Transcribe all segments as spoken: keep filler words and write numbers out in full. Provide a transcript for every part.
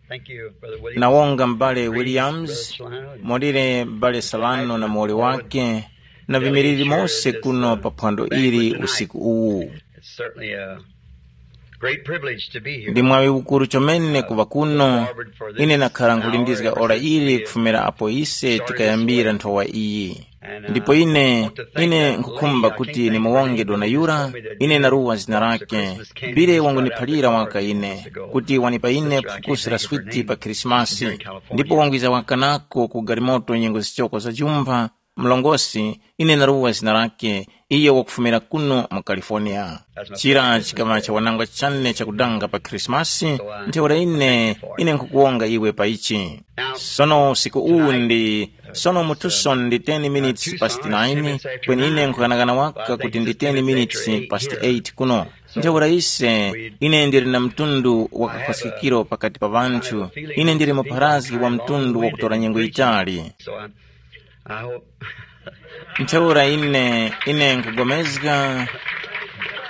Thank you, Brother Williams. Nawonga m'bale Williams, Brother Solano, and molire m'bale Salano na muwoli wake, na vimiriri mose kuno pa phwando ili usiku uwu. It's certainly a great privilege to be here. Ndi mwawi ukuru chomene kuva kuno. Ine nakhala nkhulindizga ora ili kufumira apo ise tikayambira nthowa iyi. Ndipo ine ine nkukhumba kuti nimuwonge dona yura, ine naruwa zina lake. Bile wanguniphalira waka ine kuti wanipa ine phukusi la switi pa Khrisimasi. Ndipo wangwiza waka nako ku galimoto nyengo zichoko za jumpha. Mlongosi, ine naruwa zina lake, iyo wakufumira kuno mu California. Chira chikaŵa chawanangwa chane chakudanga pa Khrisimasi. Ntheura ine ine nkukuwonga iwe pa ichi. Sono usiku uwu ndi sono mutuso ndi ten minutes past nine, kweni ine nkughanagana waka kuti ndi ten minutes past eight kuno. Ntheura ise, ine ndili na mtundu wa kakhwaskikiro pakati pa ŵanthu. Ine ndili mupharazgi wa mtundu wakutora nyengo yitali. So I'm, I hope. Ntheura ine ine nkugomezga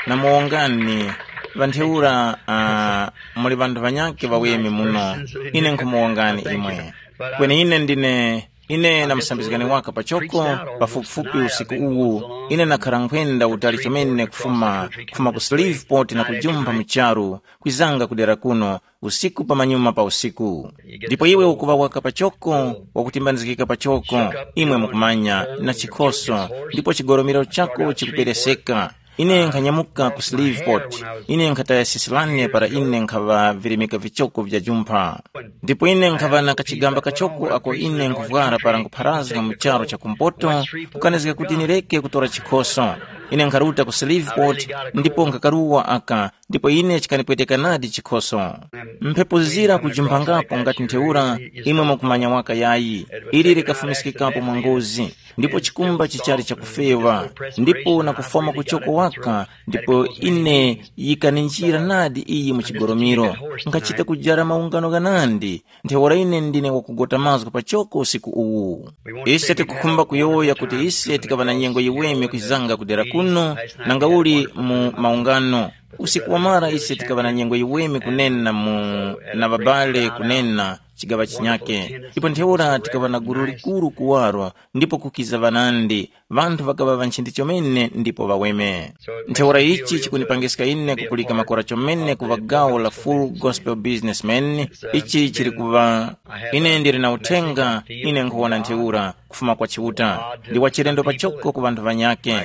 na muwongani. Ŵantheura uh, muli ŵanthu ŵanyakhe ŵaweme muno. Ine nkumuwongani imwe. Kweni ine ndine ine na musambizgani waka pachoko, pafupifupi usiku uwu. Ine nakhara nkhwenda utali chomene kufuma kufuma ku Shreveport na kujumpha mu charu, kwizanga kudera kuno usiku pamanyuma pa usiku. Ndipo iwe ukuŵa waka pachoko, wakutimbanizgika pachoko, imwe mukumanya, na chikhoso, ndipo chigoromero chako chikupereseka. Ine nkhanyamuka ku Shreveport. Ine nkhataya sisi lane para ine nkhaŵa virimika vichoko vya jumpha. Ndipo ine nkhaŵa na kachigamba kachoko ako ine nkuvwara para nkupharazga mu charu cha kumpoto, kukanizga kuti nireke kutora chikhoso. Ine nkharuta ku Shreveport, ndipo nkhakaruwa aka, ndipo ine chikanipweteka nadi chikhoso. Mphepo zira kujumphangapo ngati ntheura, imwe mukumanya waka yayi, ili likafumiskikapo mwa ngozi, ndipo chikumba chichali chakufewa, ndipo na kufwama kuchoko waka, ndipo ine yikaninjira nadi iyi mu chigoromiro. Nkhachita kujara maungano ghanandi, ntheura ine ndine wakugota mazgu pachoko usiku uwu. Ise tikukhumba kuyowoya kuti ise tikaŵa na nyengo yiweme kwizanga kudera kuno, nanga uli mu maungano. Usiku wamara ise tikaŵa na nyengo yiweme kunena mu na ŵabale kunena chigaŵa chinyake. Ndipo ntheura tikaŵa na gulu likuru kuwaro, ndipo kukiza ŵanandi, ŵanthu ŵakaŵa ŵanchindi chomene ndipo ŵaweme. Ntheura ichi chikunipangiska ine kupulika makora chomene kuŵa gawo la Full Gospel Businessman. Ichi chili kuŵa ine ndili na uthenga, ine nkhuwona ntheura kufuma kwa Chiuta, ndi wachilendo pachoko ku ŵanthu ŵanyakhe.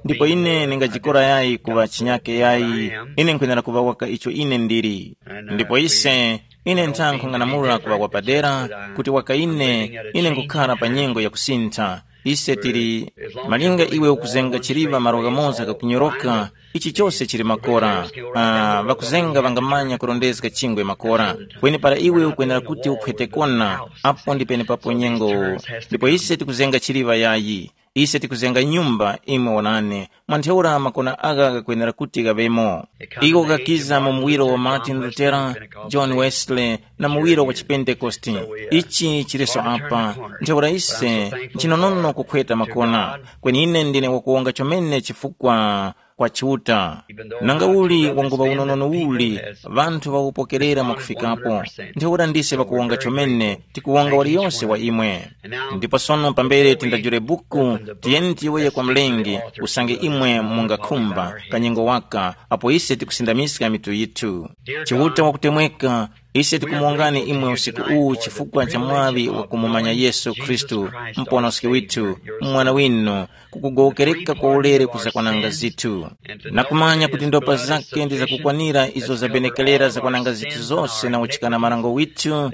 Ndipo ine ningajikora yayi kuŵa chinyakhe yayi, ine nkhwenera kuŵa waka icho ine ndili. Ndipo ise ine ntha nkhung'anamula kuŵa wapadera, kuti waka ine ine nkhukhara pa nyengo yakusintha. Ise tili malinga iwe ukuzenga chiliŵa malo ghamoza ghakunyoroka, ichi chose chili makora. Ah, ŵakuzenga ŵangamanya kurondezga chingwe makora. Kweni para iwe ukwenera kuti ukhwete kona, apo ndi penepapo nyengo. Ndipo ise tikuzenga chiliŵa yayi. Ise tikuzenga nyumba imwe wonani, mwa ntheura makona agha ghakwenera kuti ghaŵemo. Iko ghakiza mu muwiro wa Martin Lutera, John Wesley, na muwiro wa chipentekoste. Ichi chiliso apa. Ntheura ise nchinonono kukhweta makona. Kweni ine ndine wakuwonga chomene chifukwa kwa Chiuta. Nanga uli wanguŵa unonono uli, ŵanthu ŵawupokerera mwakufikapo. Ntheura ndise ŵakuwonga chomene, tikuwonga waliyose wa imwe. Ndipo sono pambere tindajule buku, tiyeni tiyowoye kwa Mlengi, usange imwe mungakhumba kanyengo waka, apo ise tikusindamiska mitu yithu. Chiuta wakutemweka, ise tikumuwongani imwe usiku uwu chifukwa cha mwaŵi wakumumanya Yesu Khristu, Muponoski withu, Mwana winu, kukugowokereka kwa ulere kuzakwananga zithu, na kumanya kuti ndopa zake ndi zakukwanira izo zabenekerera zakwananga zithu zose na uchikana marango withu,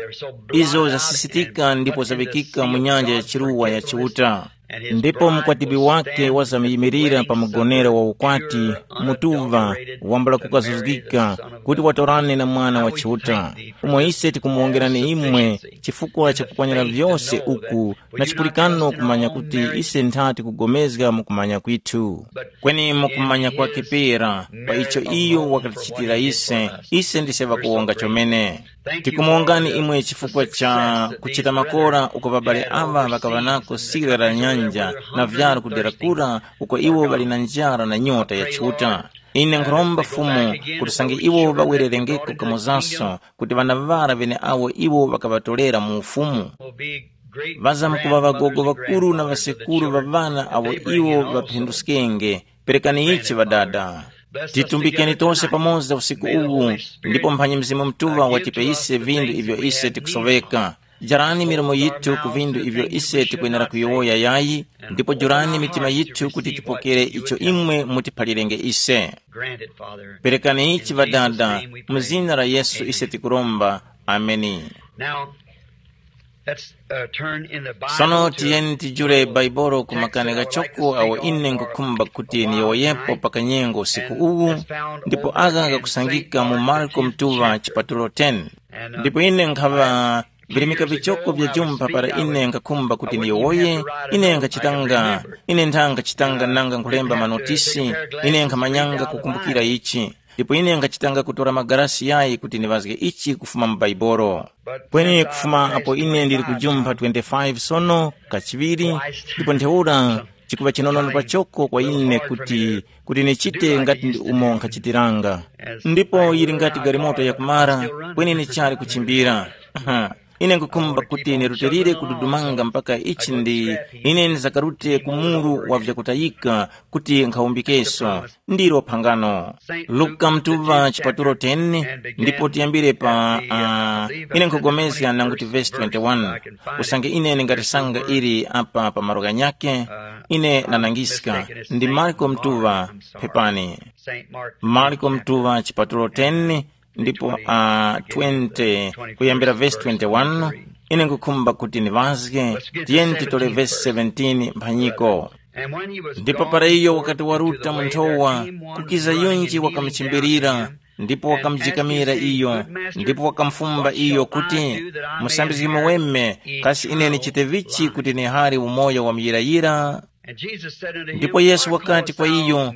izo zasisitika ndipo zaŵikika mu nyanja ya chiruwa ya Chiuta. Ndipo mukwatibwi wake wazamyimirira pa mugonero wa ukwati, mutuva, wambula kukazuzgika, kuti watorane na Mwana wa Chiuta. Umo ise tikumuwongerani imwe chifukwa cha kupwanyira vyose uku, na chipulikano kumanya kuti ise nthati kugomezga mu kumanya kwithu. Kweni mu kumanya kwake pera, pa icho iyo wakatichitira ise, ise ndise ŵakuwonga chomene. Tikumuwongani imwe chifukwa cha kuchita makora uko ŵabale aŵa ŵakaŵa nako sira la nyanja na vyaro kudera kura uko iwo ŵali na njara na nyota ya Chiuta. Ine nkhuromba Fumu kuti sange iwo ŵawererengeko kamozaso kuti ŵana ŵara ŵeneawo iwo ŵakaŵatorera mu ufumu, ŵazamkuŵa ŵagogo ŵakuru na ŵasekuru ŵa ŵana awo iwo ŵaphinduskenge. Perekani ichi ŵadada. Titumbikeni tose pamoza usiku uwu, ndipo mphanyi Mzimu Mutuŵa watipe ise vindu ivyo ise tikusoveka. Jarani milomo yithu ku vindu ivyo ise tikwenera kuyowoya yayi, ndipo jurani mitima yithu kuti tipokere icho imwe mutiphalirenge ise. Perekani ichi ŵadada, mu zina la Yesu ise tikuromba. Ameni. Now, let's uh, turn in the Bible. Sono to tiyeni tijule Baibulo ku makani ghachoko awo ine nkukhumba kuti niyowoyepo pa kanyengo usiku uwu, ndipo agha ghakusangika mu Marko mtuŵa chipatulo ten. Ndipo ine nkhaŵa virimika vichoko vya jumpha para ine nkhakhumba kuti niyowoye. Ine nkhachitanga ine nthanga chitanga nanga nkhulemba manotisi. Ine nkhamanyanga kukumbukira ichi, ndipo ine nkhachitanga kutora magarasi yayi kuti niŵazge ichi kufuma mu Baibolo. Kweni kufuma apo ine ndili kujumpha twenty-five sono kachiŵiri, ndipo ntheura chikuŵa chinonono pachoko kwa ine kuti kuti nichite ngati ndi umo nkhachitiranga. Ndipo yili ngati galimoto yakumara, kweni nichali kuchimbira. Aha, ine nkukhumba kuti nirutilire kududumanga mpaka ichi ndi ine ndizakarute ku muru wa vyakutayika kuti nkhawumbikeso. Ndilo phangano. Luka mtuŵa chipatulo ten, ndipo tiyambire pa uh, ine nkhugomezga nanguti vesi twenty-one, usange ine ndingatisanga ili apa pa malo ghanyakhe. Ine nanangiska ndi Marko mtuŵa, phepani. Marko mtuŵa chipatulo ten, ndipo uh, twenty kuyambira vesi twenty-one. Ine nkukhumba kuti niŵazge. Tiyeni titole vesi seventeen mphanyiko. Ndipo para iyo wakati waruta mu nthowa, kukiza yunji wakamuchimbilira, ndipo wakamujikamira iyo, ndipo wakamufumba iyo kuti, musambizgi muweme, kasi ine nichite vichi kuti nihare umoyo wa muyirayira? Ndipo Yesu wakati kwa iyo,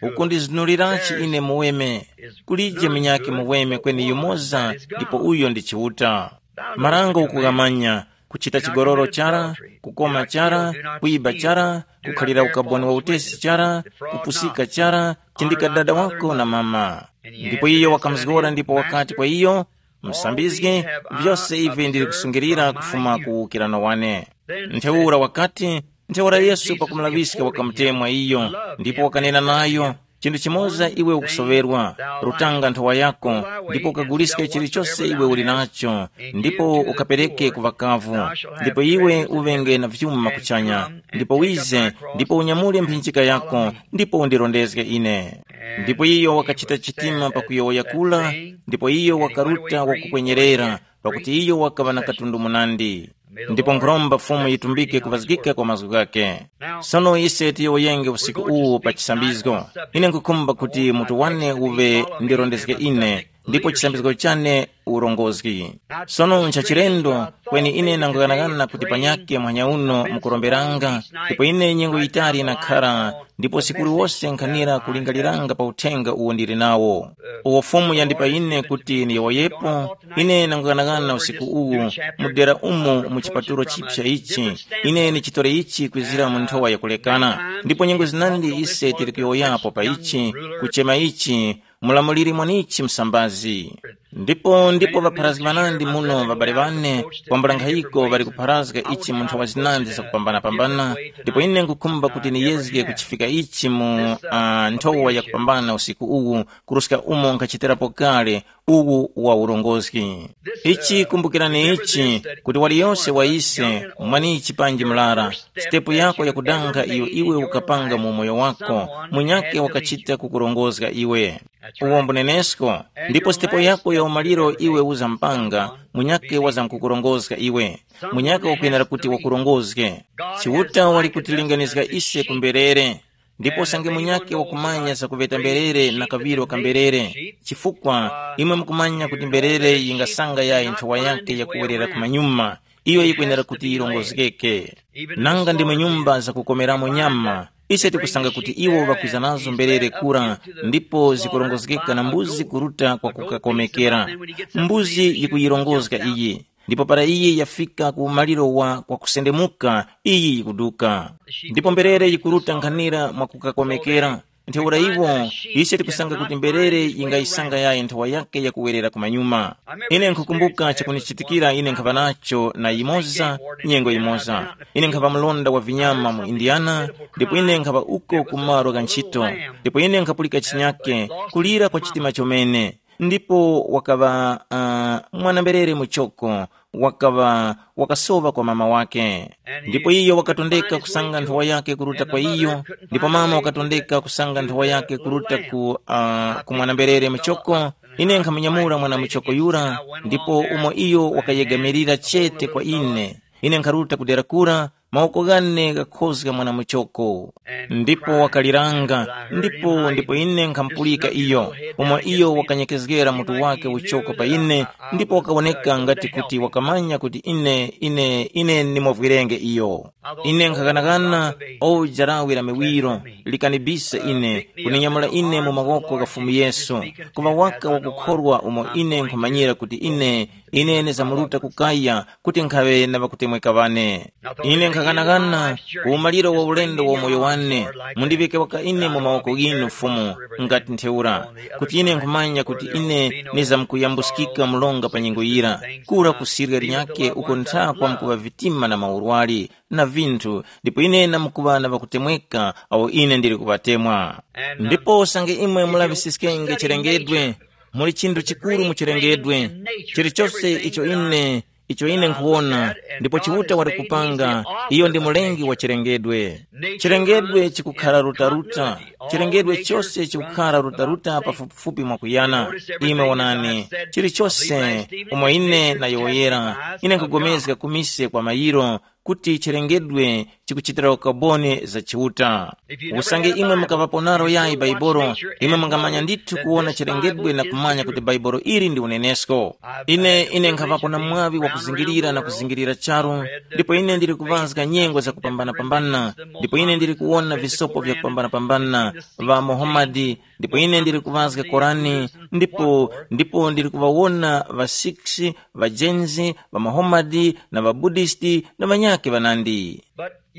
ukundizunulirachi ine muweme? Kulije munyakhe muweme kweni yumoza, ndipo uyo ndi Chiuta. Marango ukughamanya: kuchita chigololo chara, kukoma chara, kuyiba chara, kukhalira ukaboni wa utesi chara, kupusika chara, chindika dada wako na mama. Ndipo iyo wakamuzgora ndipo wakati kwa iyo, musambizgi, vyose ivi ndili kusungilira kufuma ku ukirano wane. Ntheura wakati, ntheura Yesu pakumulaŵiska wakamutemwa iyo, ndipo wakanena nayo, chinthu chimoza iwe ukusoŵerwa, rutanga nthowa yako, ndipo ukaguliske chilichose iwe uli nacho, ndipo ukapereke ku ŵakavu, ndipo iwe uŵenge na vyuma kuchanya, ndipo wize, ndipo unyamule mphinjika yako, ndipo undirondezge ine. Ndipo iyo wakachita chitima pakuyowoya kura, ndipo iyo wakaruta wakukwenyerera, pakuti iyo wakaŵa na katundu munandi. Ndipo nkhuromba Fumu yitumbike kuvazgika kwa mazgu ghake. Sono ise tiyowoyenge usiku uwu pa chisambizgo. Ine nkhukhumba kuti mutu wane uve ndirondezge ine, ndipo chisambizgo chane urongozgi. Sono nchachilendo, kweni ine nanguyang'ana kuti panyakhe muhanya uno mukuromberanga, ndipo ine nyengo yitali nakhara, ndipo usiku uliwose nkhanira kulingaliranga pa uthenga uwo ndili nawo, uwo Fumu yandipa ine kuti ndiyowoyepo. Ine nanguyang'ana usiku uwu, mu dera umu mu chipatulo chipsa ichi, ine ndichitore ichi kwizira mu nthowa yakulekana. Ndipo nyengo zinandi ise tili kuyowoyapo pa ichi, kuchema ichi, mulamuliri mwanichi msambazi. Ndipo ndipo ŵapharazgi ŵanandi muno ŵabale ŵane, kwambula nkhayiko ŵali kupharazga ichi mu nthowa zinandi zakupambana-pambana, ndipo ine nkhukhumba kuti niyezge kuchifika ichi mu uh, nthowa yakupambana usiku uwu, kuruska umo nkhachitirapo kale uwu wa urongozgi. Ichi kumbukirani ichi, kuti waliyose wa ise, mwanichi panji murara, sitepu yako yakudanga iyo iwe ukapanga mu umoyo wako, munyakhe wakachita kukurongozga iwe. Uwo mbunenesko, ndipo sitepo yako ya umaliro iwe uzampanga, munyakhe wazamkukurongozga iwe. Munyakhe wakwenera kuti wakurongozge. Chiuta wali kutilinganizga ise ku mberere, ndipo usange munyakhe wakumanya zakuŵeta mberere na kaŵiro ka mberere, chifukwa imwe mukumanya kuti mberere yingasanga yayi nthowa yake yakuwerera kumanyuma, iyo yikwenera kuti yirongozgeke. Nanga ndimwe nyumba zakukomeramo nyama, ise tikusanga kuti iwo ŵakwiza nazo mberere kura, ndipo zikurongozgeka na mbuzi kuruta kwa kukakomekera. Mbuzi yikuyirongozga iyi, ndipo para iyi yafika ku umaliro wa kwakusendemuka, iyi yikuduka. Ndipo mberere yikuruta nkhanira mwakukakomekera. Ntheura iwo, ise tikusanga kuti mberere yingayisanga yayi nthowa yake yakuwerera kumanyuma. Ine nkhukumbuka chakunichitikira ine nkhava nacho na yimoza, nyengo yimoza. Ine nkhava mlonda wa vinyama mu Indiana, ndipo ine nkhava uko ku malo gha ntchito, ndipo ine nkhapulika chinyake, kulira kwa chitima chomene. Ndipo wakaŵa uh, mwana-mberere muchoko, wakaŵa wakasowa kwa mama wake. Ndipo iyo wakatondeka kusanga nthowa yake kuruta kwa iyo, ndipo mama wakatondeka kusanga nthowa yake kuruta ku, uh, ku mwana-mberere muchoko. Ine nkhamunyamula mwana muchoko yura, ndipo umo iyo wakayegamirira chete kwa ine, ine nkharuta kudera kura, mawoko ghane ghakhozga mwana muchoko. Ndipo wakaliranga, ndipo ndipo ine nkhampulika iyo, umo iyo wakanyekezgera mutu wake uchoko pa ine, ndipo wakawoneka ngati kuti wakamanya kuti ine ine ine ndimuvwirenge iyo. Ine nkhaghanaghana, o jarawi la miwiro, likanibisa ine, kuninyamula ine mu mawoko gha Fumu Yesu, kuŵa waka wakukhorwa umo ine nkhumanyira kuti ine ine ndizamuruta kukaya kuti nkhaŵe na ŵakutemweka ŵane. Ine nkhaghanagana ku umaliro wa ulendo wa umoyo wane, mundiŵike waka ine mu mawoko ghinu Fumu, ngati ntheura, kuti ine nkhumanya kuti ine nizamkuyambuskika mlonga pa nyengo yira, kura ku sirya linyakhe uko nthakwa mkuŵa vitima na maurwari na vinthu, ndipo ine namkuŵa na ŵakutemweka awo ine ndili kuŵatemwa. Ndipo usange imwe mulaŵisiskenge chilengedwe, muli chinthu chikuru mu chilengedwe. Chilichose icho ine icho ine nkhuwona, ndipo Chiuta wali kupanga, iyo ndi mulengi wa chilengedwe. Chilengedwe chikukhala rutaruta, chilengedwe chose chikukhala rutaruta pafupifupi mwakuyana. Imwe wonani, chilichose umo ine nayowoyera, ine nkugomezga kumise kwa mayiro, kuti chilengedwe chikuchitira ukaboni za Chiuta. Usange imwe mukaŵapo nalo yayi Baibolo, imwe mungamanya ndithu kuwona chilengedwe na kumanya kuti Baibolo ili ndi unenesko. Ine ine nkhaŵapo na mwaŵi wakuzingirira na kuzingirira charu, ndipo ine ndili kuŵazga nyengo zakupambanapambana, ndipo ine ndili kuwona visopo vyakupambanapambana, ŵa Muhamadi, ndipo ine ndili kuŵazga Korani, ndipo ndipo ndili kuŵawona ŵa Sikhs, ŵa Jains, ŵa Muhamadi na ŵa Buddhist na ŵanyakhe ŵanandi.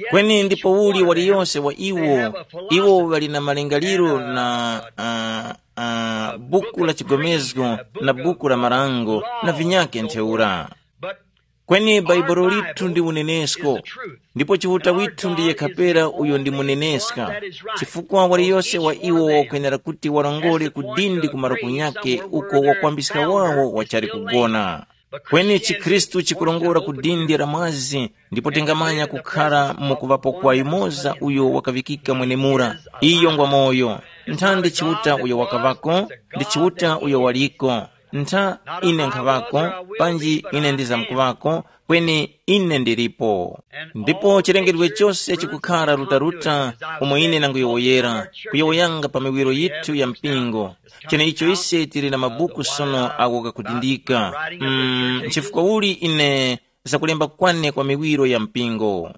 Kweni ndipo uli waliyose wa iwo, iwo ŵali na malingaliro na uh, uh, buku la chigomezgo na buku la marango na vinyakhe ntheura. Kweni Baibulo lithu ndi unenesko, ndipo Chiuta withu ndi yekha pera uyo ndi muneneska, chifukwa waliyose wa iwo wakwenera kuti warongore ku dindi ku malo kunyakhe uko wakwambiska wawo wachali kugona. Kweni chikhristu chikurongora ku dindi la mwazi, ndipo tingamanya kukhara mu kuŵapo kwa yumoza uyo wakaŵikika mwenemura. Iyo ngwa moyo. Ntha ndi Chiuta uyo wakaŵako, ndi Chiuta uyo waliko. Ntha ine nkhaŵako, panji ine ndizamkuŵako, kweni ine ndilipo. Ndipo chilengedwe chose chikukhara rutaruta umo ine nanguyowoyera, kuyowoyanga pa miwiro yithu ya mpingo. Cheneicho ise tili na mabuku sono agho gakudindika. Mm, nchifukwa uli ine zakulemba kwane kwa miwiro ya mpingo?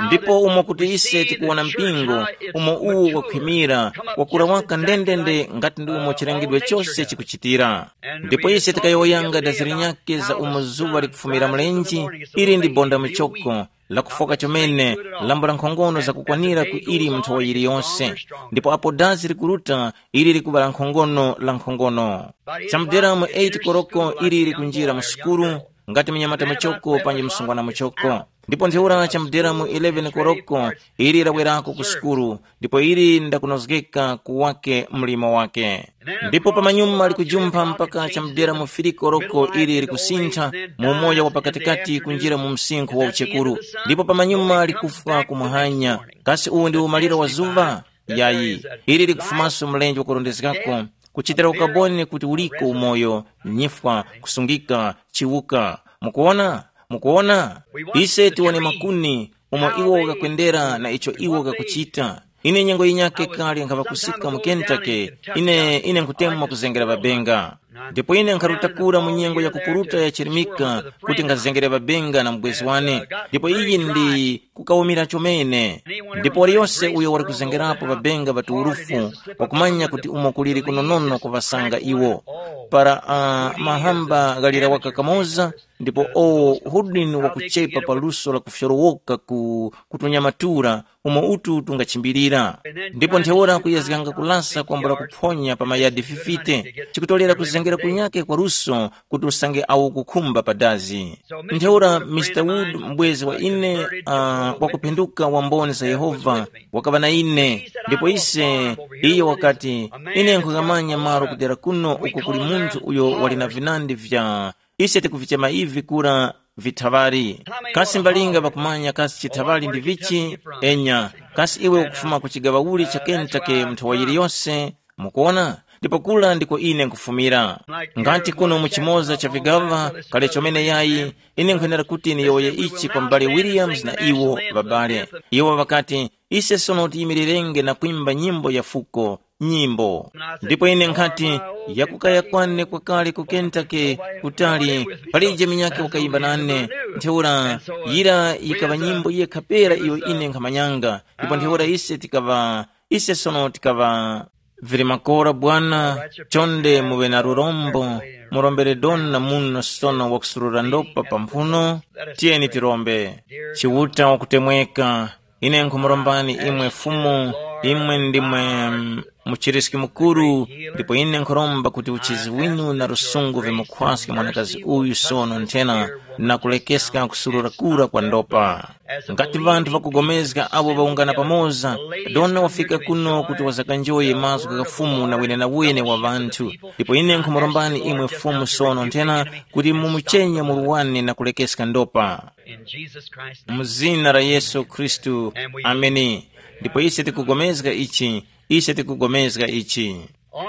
Ndipo umo kuti ise tikuwona mpingo, umo uwu wakhwimira, wakura waka ndendende ngati ndi umo chilengedwe chose chikuchitira. Ndipo ise tikayowoyanga dazi linyakhe za umo zuŵa likufumira mlenje, ili ndi bonda muchoko, lakufoka chomene, lambo la nkhongono zakukwanira ku ili mu nthowa yiliyonse. Ndipo apo dazi likuruta, ili likuŵa la nkhongono la nkhongono. Chamudera mu eight koroko ili likunjira mu sukulu, ngati mnyamata muchoko panji msungwana muchoko. Ndipo ntheura chamudera mu eleven koroko ili lawerako ku sukulu, ndipo ili ndakunozgeka ku wake mlimo wake. Ndipo pamanyuma likujumpha mpaka chamudera mu filikoroko ili likusintha mu umoyo wa pakatikati kunjira mu msinkhu wa uchekuru. Ndipo pamanyuma likufwa kumuhanya. Kasi uwu ndi umaliro wa zuŵa? Yayi, ili likufumaso mlenje wakurondezgako, kuchitira ukaboni kuti uliko umoyo, nyifwa, kusungika, chiwuka. Mukuwona? Mukuwona? Ise tiwone makuni, umo iwo ghakwendera na icho iwo ghakuchita. Ine nyengo yinyakhe kale nkhaŵakusika mu Kentucky, ine ine nkhutemwa kuzengera ŵabenga. Ndipo ine nkharuta kura mu nyengo ya kupuruta ya chirimika kuti ngazengere ŵabenga na mubwezi wane, ndipo iyi ndi kukawumira chomene. Ndipo waliyose uyo wali kuzengerapo ŵabenga ŵa tuwurufu, wakumanya kuti umo kuliri kunonono kuŵasanga iwo. Para uh, mahamba ghalira waka kamoza, ndipo o hudini wakuchepa pa luso la kufyorowoka ku kutunyamatura umo utu tungachimbirira. Ndipo ntheura kuyezganga kulasa kwambula kuphonya pa mayadi fifite, chikutolera kuzengera kunyake kwa luso kuti usange awo kukhumba pa dazi. Ntheura Mr Wood, mbwezi wa ine uh, wakuphinduka wa mboni za Yehova, wakaŵa na ine. Ndipo ise, iye wakati, ine nkhukamanya malo kudera kuno uko kuli munthu uyo wali na vinandi vya, ise tikuvichema ivi kura vithaŵali. Kasi mbalinga ŵakumanya kasi chithaŵali ndi vichi? Enya. Kasi iwe ukufuma ku chigaŵa uli cha Kentucky mnthawa yiliyose? Mukuona, ndipo kula ndiko ine nkufumira. Ngati kuno mu chimoza cha vigaŵa kale chomene yayi, ine nkwenera kuti niyowoye ichi kwa m'bale Williams na iwo ŵabale. Iwo ŵakati, ise sono tiyimirirenge na kwimba nyimbo ya fuko, nyimbo. Ndipo ine nkhati, yakukaya kwane kwakale ku Kentucky, kutali, palije minyake wakayimba nane. Ntheura, yira yikaŵa nyimbo yekha pera iyo ine nkhamanyanga. Ndipo ntheura ise tikaŵa, ise sono tikaŵa, vili makora bwana. Chonde muŵe na lurombo, murombere doni na muno sono wakusurura ndopa pa mphuno. Tiyeni tirombe. Chiuta wakutemweka, ine nkhumurombani imwe Fumu, imwe ndimwe mm, muchiriski mukuru, ndipo ine nkhuromba kuti uchizi winu na lusungu vimukhwaske mwanakazi uyu sono nthena, na kulekeska kusurura kura kwa ndopa. Ngati ŵanthu ŵakugomezga abo ŵawungana pamoza, dona wafika kuno kuti wazakanjoye mazgu gha Fumu na wenenawene wa ŵanthu, ndipo ine nkhumurombani imwe Fumu sono nthena kuti mumuchenye muru wane na kulekeska ndopa. In Jesus Christ. Mu zina la Yesu Khristu. Ameni. Ndipo ise tikugomezga ichi, ise tikugomezga ichi.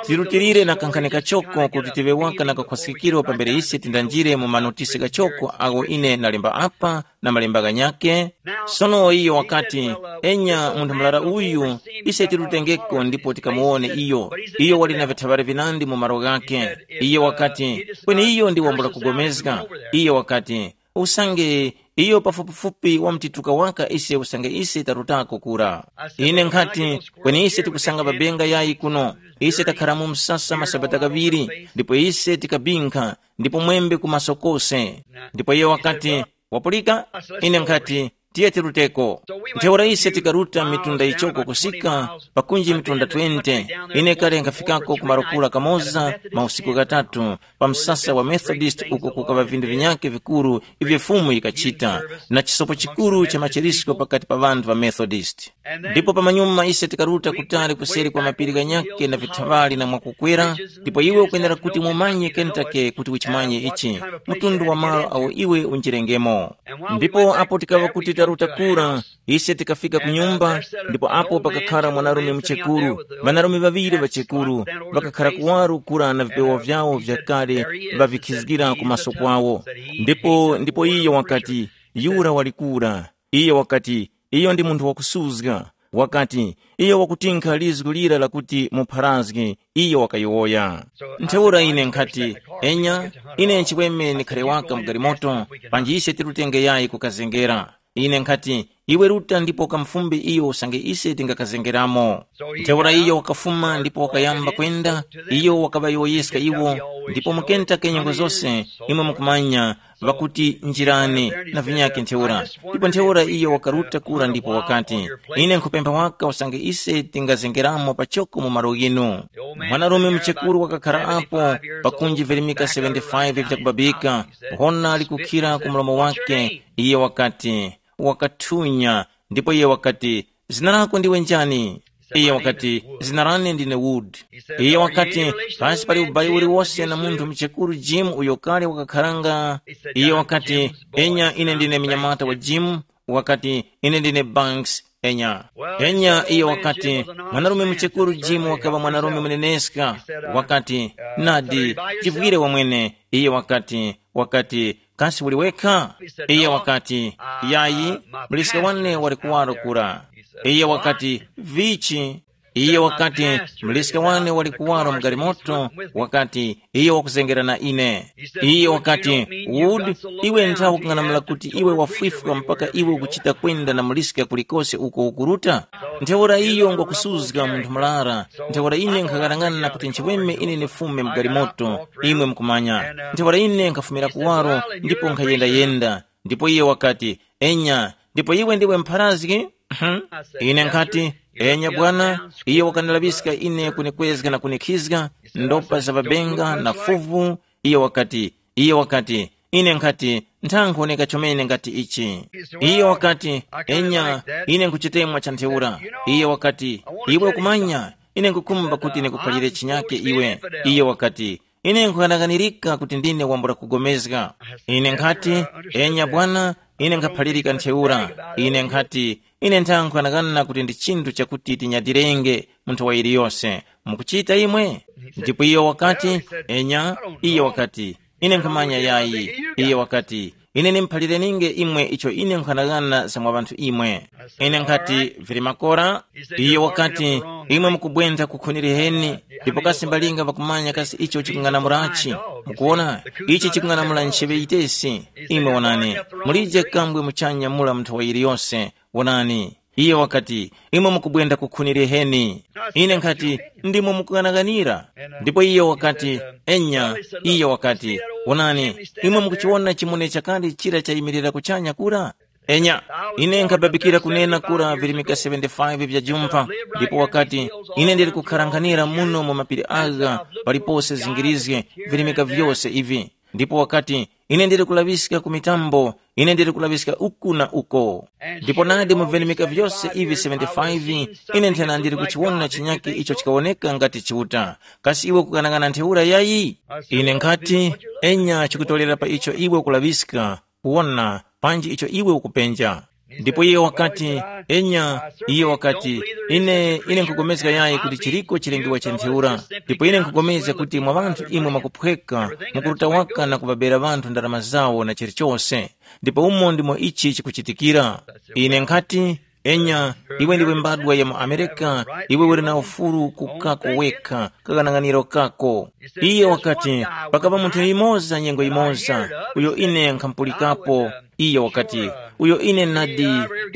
Tirutilire na kankhani kachoko kuti tive waka na kakhwasikiro pambere ise tindanjire mu manotisi ghachoko agho ine ndalemba apa na malemba ghanyake. Sono iyo wakati, enya munthu murara uyu, ise tirutengeko ndipo tikamuwone iyo. Iyo wali na vithaŵari vinandi mu malo ghake. Iyo wakati, kweni iyo ndi wambula kugomezga. Iyo wakati, usange iyo pafupifupi wamtituka waka ise usange ise tarutako kura. Ine nkhati, kweni ise tikusanga ŵabenga yayi kuno. Ise takhara mu msasa masabata ghaŵiri, ndipo ise tikabinkha, ndipo mwembe ku maso kose. Ndipo iye wakati, wapulika? Ine nkhati, tiye tiruteko. Ntheura ise tikaruta mitunda yichoko kusika pakunji mitunda twenty. Ine kale nkhafikako ku marokura kamoza mausiku ghatatu, pa msasa wa Methodist uko kukaŵa vinthu vinyakhe vikuru ivyo Fumu yikachita, na chisopo chikuru cha macherisko pakati pa ŵanthu ŵa Methodist. Ndipo pamanyuma ise tikaruta kutali kuseri kwa mapiri ghanyakhe na vithaŵali na mwakukwera, ndipo iwe ukwenera kuti mumanye Kentucky kuti uchimanye ichi, mtundu wa malo awo iwe unjirengemo. Ndipo apo tikaŵa kuti taruta kura, ise tikafika ku nyumba, ndipo apo pakakhara mwanarume muchekuru, ŵanarume ŵaŵiri ŵachekuru, ŵakakhara kuwaro kura na vipewa vyawo vyakale ŵavikhizgira ku maso kwawo. Ndipo ndipo iyo wakati, yura wali kura. Iyo wakati, iyo ndi munthu wakusuzga. Wakati, iyo wakutinkha lizgu lira lakuti mupharazge, iyo wakayowoya. Ntheura ine nkhati, enya, ine nchiweme nikhale waka mu galimoto, panji ise tirutenge yayi kukazengera. Ine nkhati, iwe ruta ndipo ukamufumbe iyo usange ise tingakazengeramo. Ntheura iyo wakafuma ndipo wakayamba kwenda, iyo wakaŵayowoyeska iwo, ndipo mukenta ke nyengo zose, imwe mukumanya, ŵakuti njirani na vinyakhe ntheura. Ndipo ntheura iyo wakaruta kura ndipo wakati, ine nkhupempha waka usange ise tingazengeramo pachoko mu malo ghinu. Mwanarume muchekuru wakakhara apo, pakunji virimika seventy-five vyakubabika, hona likukhira ku mlomo wake, iye wakati, wakathunya, ndipo iye wakati, zina lako ndiwe njani? Iye wakati, zina lane ndine Wood. Iye wakati, pasi pali ubayi uliwose na munthu muchekuru Jim uyo kale wakakharanga. Iye wakati, enya ine ndine mnyamata wa Jim. Wakati, ine ndine Banks. Enya, enya iye wakati, mwanarume muchekuru Jim wakaŵa mwanarume muneneska. Wakati, nadi, chivwire wamwene. Iye wakati, wakati, kasi uli wekha? Iye wakati, yayi, muliska wane wali kuwaro kura. Iye wakati, vichi? Iye wakati, mliska wane wali kuwaro mu galimoto, wakati, iye wakuzengera na ine. Iye wakati, Wood, iwe nthawi ukung'anamula kuti iwe wafwifwa mpaka iwe ukuchita kwenda na muliska kulikose uko ukuruta? Ntheura iyo ngwakusuzga munthu murara. Ntheura ine nkhakarangana kuti nchiweme ine nifume mu galimoto, imwe mukumanya. Ntheura ine nkhafumira kuwaro ndipo nkhayendayenda. Ndipo iye wakati, enya, ndipo iwe ndiwe mpharazgi? Mhm. Ine nkhati, enya bwana. Iye wakandalaŵiska ine kunikwezga na kunikhizga, ndopa za ŵabenga na fuvu. Iye wakati, iye wakati, ine nkhati, nthankho neka chomene ngati ichi. Iye wakati, enya, ine nkhuchitemwa cha ntheura. Iye wakati, iwe kumanya, ine nkukhumba kuti nikuphalire chinyake iwe. Iye wakati, ine nkhuyanaganirika kuti ndine wambula kugomezga. Ine nkhati, enya bwana, ine nkhaphalirika ntheura. Ine nkhati, ine nthankho yanagana kuti ndi chinthu chakuti tinyadirenge munthu wa yiliyose. Mukuchita imwe? Ndipo iyo wakati, enya. Iyo wakati, ine nkhumanya yayi. Iye wakati, ine nimphalireninge imwe icho ine nkhanagana za mwa ŵanthu imwe. Ine nkhati, vili makora. Iye wakati, imwe mukubwenda kukhuniriheni. Ndipo kasi mbalinga ŵakumanya kasi icho chikung'anamurachi? Mukuwona, ichi chikung'anamula ncheŵe yitesi. Imwe wonani, mulije kambwe muchanya mula munthu wa yiliyose. Wonani, iye wakati, imwe mukubwenda kukhuniriheni. Ine nkhati, ndimwe mukughanaghanira. Ndipo iye wakati, enya. Iye wakati, wonani, imwe mukuchiwona chimune chakale chira chayimirira kuchanya kura? Enya, ine nkhababikira kunena kura virimika seventy-five vya jumpha. Ndipo wakati, ine ndili kukharanghanira muno mu mapiri agha, palipose zingirizge, virimika vyose ivi. Ndipo wakati, ine ndili kulaŵiska ku mitambo, ine ndili kulaŵiska uku na uko. Ndipo nadi mu virimika vyose ivi seventy-five, ine nthena ndili kuchiwona chinyake icho chikawoneka ngati Chiuta. Kasi iwe kukanangana ntheura yayi? Ine nkhati, enya chikutorera pa icho iwe ukulaŵiska, kuwona, panji icho iwe ukupenja. Ndipo iye wakati, enya. Iye wakati, ine ine nkugomezga yayi kuti chiriko chilengiwa cha ntheura. Ndipo ine nkugomezga kuti mwa ŵanthu imwe mwakuphweka, mukuruta waka na kuŵabera ŵanthu ndarama zawo na chilichose. Ndipo umo ndimo ichi chikuchitikira. Ine nkhati, enya, iwe ndiwe mbadwa ya mu Amerika, iwe uli na ufulu kukako wekha, kakanang'aniro kako. Iye wakati, pakapa munthu yumoza nyengo yimoza, uyo ine nkhampulikapo. Iye wakati, uyo ine nadi,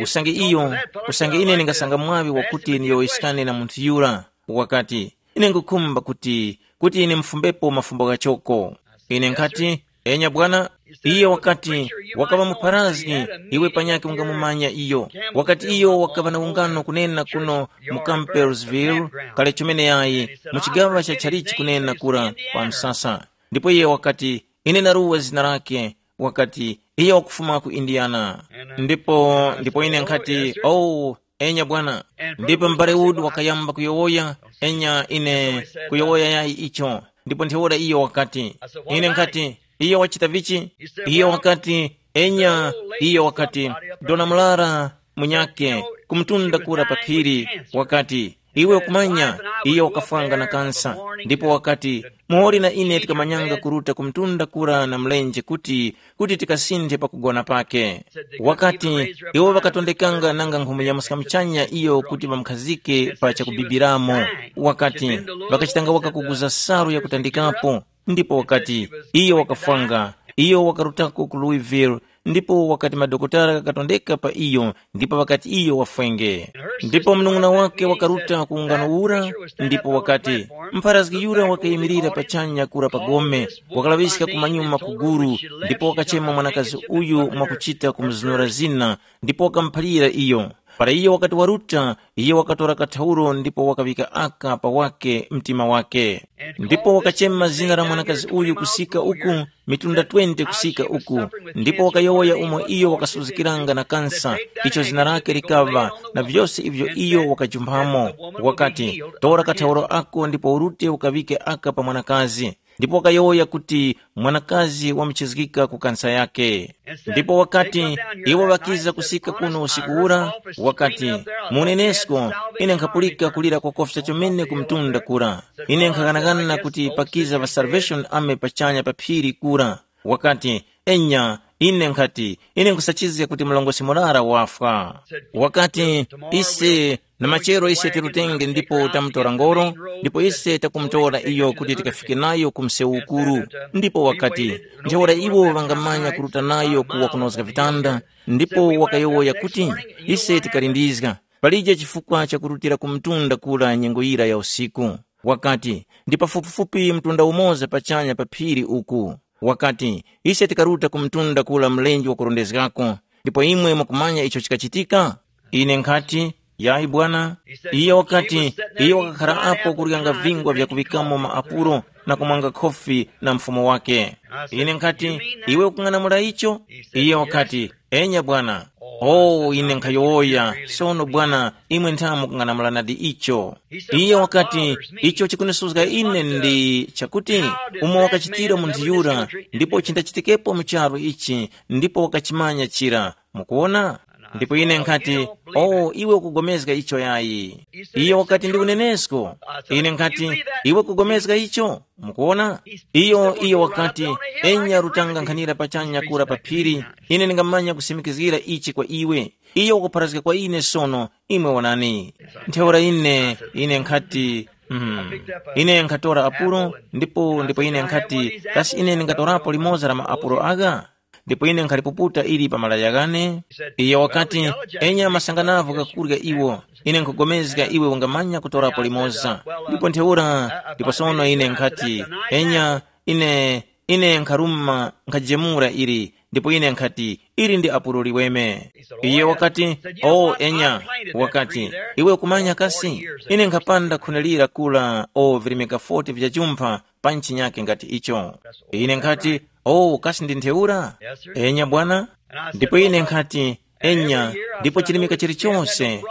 usange iyo, usange ine ndingasanga mwaŵi wakuti ndiyowoyeskane na munthu yura. Wakati, ine ngukhumba kuti, kuti ine mfumbepo mafumbo ghachoko. Ine nkhati, enya bwana. Iye wakati, wakaŵa mupharazgi, iwe panyakhe ungamumanya iyo. Wakati iyo wakaŵa na ungano kunena kuno mu Campbellsville, kale chomene yayi, mu chigaŵa cha chalichi kunena kura pa msasa. Ndipo iye wakati, ine naruwa zina lake. Wakati, iye wakufuma ku Indiana. Ndipo ndipo ine nkhati, oh, enya bwana. Ndipo m'bale Wood wakayamba kuyowoya, enya ine, kuyowoya yayi icho. Ndipo ntheura iyo wakati, ine nkhati, iyo wachita vichi? Iyo wakati, enya. Iyo wakati, dona murara munyake, kumtunda kura pa phiri. Wakati, iwe ukumanya, iyo wakafwanga na kansa. Ndipo wakati, muhori na ine tikamanyanga kuruta kumtunda kura na mlenje kuti kuti tikasinthe pakugona pake. Wakati, iwo ŵakatondekanga nanga nkhumuyamska muchanya iyo kuti ŵamukhazike pa chakubibiramo. Wakati, ŵakachitanga waka kuguza salu yakutandikapo. Ndipo wakati, iyo wakafwanga. Iyo wakarutako ku Louisville. Ndipo wakati madokotala ghakatondeka pa iyo, ndipo ŵakati iyo wafwenge. Ndipo munung'una wake wakaruta ku ungano ura, ndipo wakati, mpharazgi yura wakayimirira pachanya kura pa gome, wakalaŵiska kumanyuma kuguru, ndipo wakachema mwanakazi uyu mwakuchita kumuzunura zina, ndipo wakamuphalira iyo. Para iyo wakati waruta, iyo wakatora kathauro ndipo wakaŵika aka pa wake mtima wake. Ndipo wakachema zina la mwanakazi uyu kusika uku, mitunda twenty kusika uku. Ndipo wakayowoya umo iyo wakasuzgikiranga na kansa, icho zina lake likaŵa, na vyose ivyo iyo wakajumphamo. Wakati, tora kathauro ako ndipo urute ukaŵike aka pa mwanakazi. Ndipo wakayowoya kuti mwanakazi wamuchizgika ku kansa yake. Ndipo wakati, iwo ŵakiza kusika kuno usiku ura, wakati, munenesko, ine nkhapulika kulira kwakofya chomene ku mtunda kura. Ine nkhaghanaghana kuti pakiza ŵa Salvation Army pachanya pa phiri kura. Wakati, enya, Ine nkhati, ine nkhusachizga kuti mlongosi murara wafwa. Wakati, ise na machero ise tirutenge ndipo tamutora ngoro, ndipo ise takumutora iyo kuti tikafike nayo ku msewu ukuru. Ndipo wakati, ntheura iwo ŵangamanya kuruta nayo ku wakunozga vitanda, ndipo wakayowoya kuti, ise tikalindizga. Palije chifukwa chakurutira ku mtunda kura nyengo yira ya usiku. Wakati, ndi pafupifupi mtunda umoza pachanya pa phiri uku. Wakati, ise tikaruta ku mtunda kura mlenje wakurondezgako, ndipo imwe mukumanya icho chikachitika? Ine nkhati, yayi bwana. Iye wakati, iye wakakhara apo kuryanga vingwa vyakuŵikamo maapulo na kumwanga khofi na mfumu wake. Ine nkhati, iwe ukung'anamula icho? Iye wakati, enya bwana. Oh, ine nkhayowoya, sono bwana, imwe ntha mukung'anamula nadi icho. Iye wakati, icho chikunisuzga ine ndi chakuti, umo wakachitira munthu yura, ndipo chindachitikepo mu charu ichi, ndipo wakachimanya chira. Mukuona? Ndipo ine nkhati, oh, iwe ukugomezga icho yayi. Iye wakati, ndi unenesko. Ine nkhati, iwe ukugomezga icho? Mukuona? Iyo iyo wakati, enya rutanga nkhanira pachanya kura pa phiri, ine ndingamanya kusimikizgira ichi kwa iwe. Iyo wakupharazga kwa ine sono, imwe wonani. Ntheura ine, ine nkhati, mm, ine nkhatora apulo, ndipo ndipo ine nkhati, kasi ine ndingatorapo limoza la maapulo agha? Ndipo ine nkhalipuputa ili pa malaya ghane. Iyo wakati, enya masanganavo ghakurya iwo, ine nkhugomezga iwe ungamanya kutorapo limoza. Ndipo ntheura, ndipo sono ine nkhati, enya, ine, ine nkharuma nkhajemura ili, ndipo ine nkhati, ili ndi apulo liweme. Iye wakati, o enya, wakati, iwe ukumanya kasi, ine nkhapanda khunalira kula o virimika forty vya jumpha, pa ntchinyake ngati icho. Ine nkhati, oh, kasi ndi ntheura? Enya bwana. Ndipo ine nkhati, enya, ndipo chirimika chilichonse.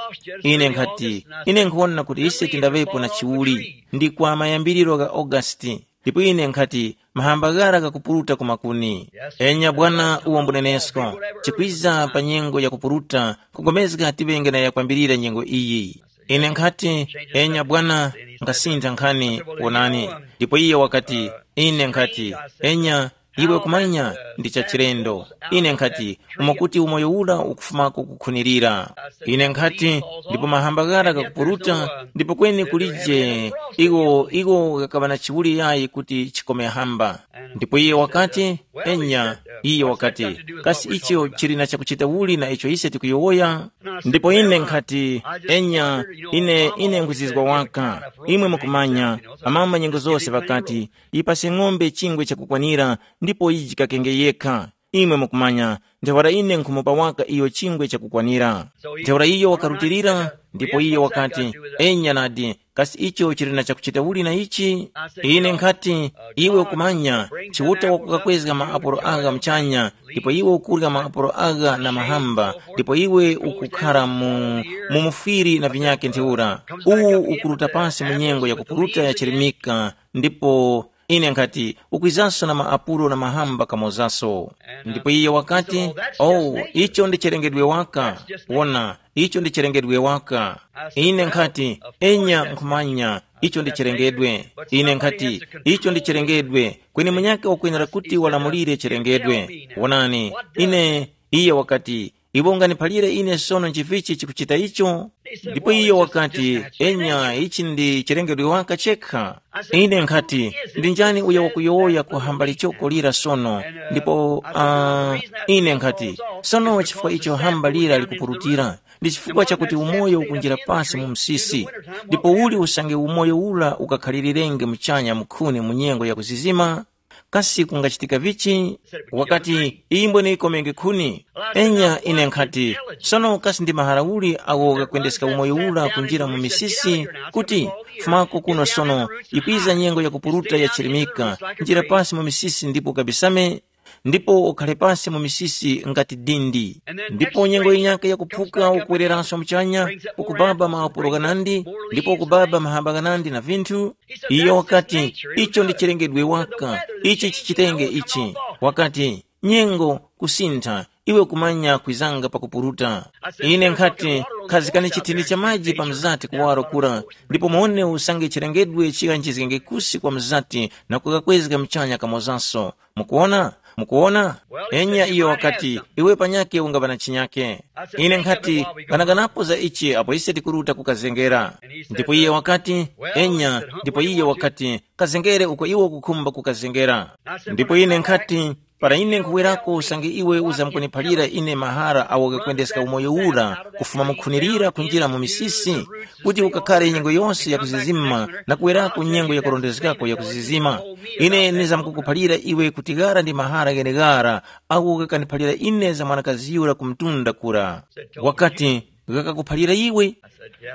Ine nkhati, ine nkhuwona kuti ise tindaŵepo na chiwuli ndi kwa mayambiriro gha Augasti. Ndipo ine nkhati, mahamba ghara ghakupuruta ku makuni. Enya bwana, uwo mbunenesko, chikwiza pa nyengo ya kupuruta, kugomezga tiŵenge na yakwambirira nyengo iyi. Ine nkhati, enya bwana, nkasintha nkhani, wonani. Ndipo iye wakati, ine nkhati, enya, iwe kumanya ndi cha chilendo. Ine nkhati, umo kuti umoyo ura ukufumako kukhunirira. Ine nkhati, ndipo mahamba ghara ghakupuruta, ndipo kweni kulije iwo iwo ghakaŵa na chiwuli yayi kuti chikome hamba. Ndipo iye wakati, enya, iye wakati, kasi icho chili na chakuchita uli na icho ise tikuyowoya? Ndipo ine nkhati, enya, ine ine nkhuzizwa waka. Imwe mukumanya, amama nyengo zose ŵakati, yipase ng'ombe chingwe chakukwanira, ndipo yijikakenge yekha. Imwe mukumanya, ntheura ine nkhumupa waka iyo chingwe chakukwanira. Ntheura iyo wakarutilira, ndipo iyo wakati, enya nadi, kasi icho chili na chakuchita uli na ichi? Ine nkhati, iwe ukumanya, Chiuta wakukakwezga maapulo agha muchanya, ndipo iwe ukurya maapulo agha na mahamba, ndipo iwe ukukhara mu, mu mufwiri na vinyake ntheura. Uwu ukuruta pasi mu nyengo ya kupuruta ya chirimika, ndipo ine nkhati, ukwizanso na maapulo na mahamba kamozaso. Ndipo iye wakati, oh, icho ndi chilengedwe waka. Wona, icho ndi chilengedwe waka. Ine nkhati, enya nkhumanya, icho ndi chilengedwe. Ine nkhati, icho ndi chilengedwe, kweni munyakhe wakwenera kuti walamulire chilengedwe. Wonani, ine, iye wakati, iwe unganiphalire ine sono nchivichi chikuchita icho? Ndipo iyo wakati, enya, ichi ndi chilengedwe waka chekha. Ine nkhati, ndi njani uyo wakuyowoya kuhamba lichoko lira sono? Ndipo uh, ine nkhati, sono chifukwa icho hamba lira likupurutira, ndi chifukwa chakuti umoyo ukunjira pasi mu msisi. Ndipo uli usange umoyo ula ukakhalilirenge muchanya mukhuni mu nyengo ya kuzizima? Kasi kungachitika vichi? Wakati, iyi mbwene ikomenge khuni. Enya ine nkhati, sono kasi ndi mahara uli awo ghakwendeska umoyo ula kunjira mu misisi? Kuti fumako kuno sono, ikwiza nyengo yakupuruta yachirimika, njira pasi mu misisi ndipo kabisame, ndipo ukhale pasi mu misisi ngati dindi. Ndipo nyengo yinyakhe yakuphuka ukuwereranso muchanya, ukubaba maupulo ghanandi, ndipo ukubaba mahamba ghanandi na vinthu. Iyo wakati, icho ndi chilengedwe waka, ichi chichitenge ichi. Wakati, nyengo kusintha, iwe kumanya kwizanga pakupuruta. Ine nkhati, khazikani chithindi cha maji pa mzati kuwaro kura, ndipo muone usange chilengedwe chighanjizgenge kusi kwa mzati na kukakwezga mchanya kamozaso. Mukuona? Mukuwona? Enya iyo wakati, iwe panyake ungaŵa na chinyake. Ine nkhati, ghanaganapo za ichi apo ise tikuruta kukazengera. Ndipo iye wakati, enya, ndipo iye wakati, kazengere uko iwe ukukhumba kukazengera. Ndipo ine nkhati, para ine nkhuwerako usange iwe uzamkuniphalira ine mahara awo ghakwendeska umoyo ura kufuma mukhunirira kunjira mu misisi, kuti ukakhare nyengo yose yakuzizima na kuwerako nyengo yakurondezgako yakuzizima, ine ndizamkukuphalira iwe kuti ghara ndi mahara gheneghara agho ghakaniphalira ine za mwanakazi yura ku mtunda kura. Wakati, ghakakuphalira iwe?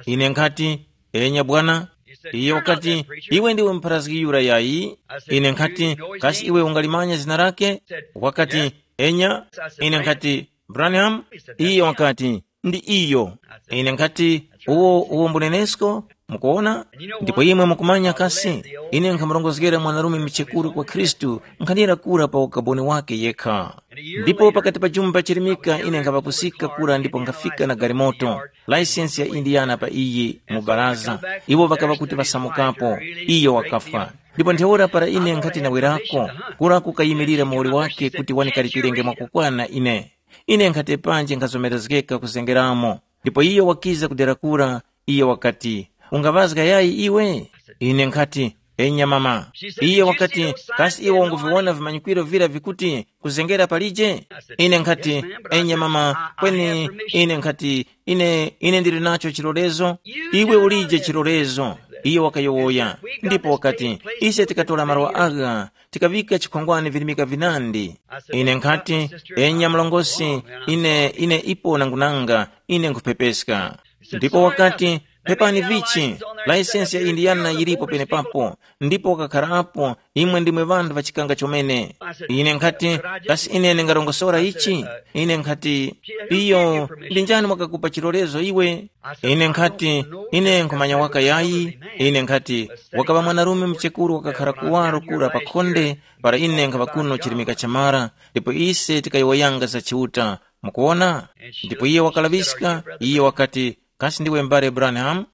Ine nkhati, enya bwana. Iye wakati, iwe ndiwe mupharazgi yura yayi? Ine nkhati, kasi iwe ungalimanya zina lake? Wakati, enya. Ine nkhati, Branham? Iye wakati, ndi iyo. Ine nkhati, uwo uwo mbunenesko? Mukuona? Ndipo imwe mukumanya kasi, ine nkhamurongozgera mwanarume muchekuru kwa Khristu nkhanira kura pa ukaboni wake yekha. Ndipo pakati pa jumba chirimika ine nkhaŵakusika kura ndipo nkhafika na galimoto, laisensi ya Indiana pa iyi mu baraza. Iwo ŵakaŵa kuti ŵasamukapo, iyo wakafwa. Ndipo ntheura para ine nkhati nawerako, kura kukayimirira muwoli wake kuti wanikalipirenge mwakukwana ine. Ine nkhati panje nkhazomerezgeka kuzengeramo. Ndipo iyo wakiza kudera kura, iyo wakati, ungaŵazga yayi iwe? Ine nkhati, enya mama. Iye wakati, kasi iwe unguviwona vimanyikwiro vira vikuti kuzengera palije? Ine nkhati, enya mama, kweni ine nkhati, ine ine ndili nacho chilolezo. Iwe ulije chilolezo. Iye wakayowoya. Ndipo wakati, ise tikatora malo agha, tikaŵika chikhongwane virimika vinandi. Ine nkhati, enya mlongosi, ine ine ipo nangunanga, ine nkhupepeska. Ndipo wakati, pepani vichi, laisensi ya Indiana yilipo penepapo. Ndipo wakakharapo, imwe ndimwe ŵanthu ŵa chikanga chomene. Ine nkhati, kasi ine ndingarongosora ichi? Ine nkhati, iyo ndi njani wakakupa chilolezo iwe? Ine nkhati, ine nkhumanya waka yayi. Ine nkhati, wakaŵa mwanarume muchekuru wakakhara kuwaro kura pa khonde, para ine nkhaŵa kuno chirimika chamara, ndipo ise tikayowoyanga za Chiuta. Mukuwona? Ndipo iye wakalaŵiska, iye wakati, kasi ndiwe m'bale Branham?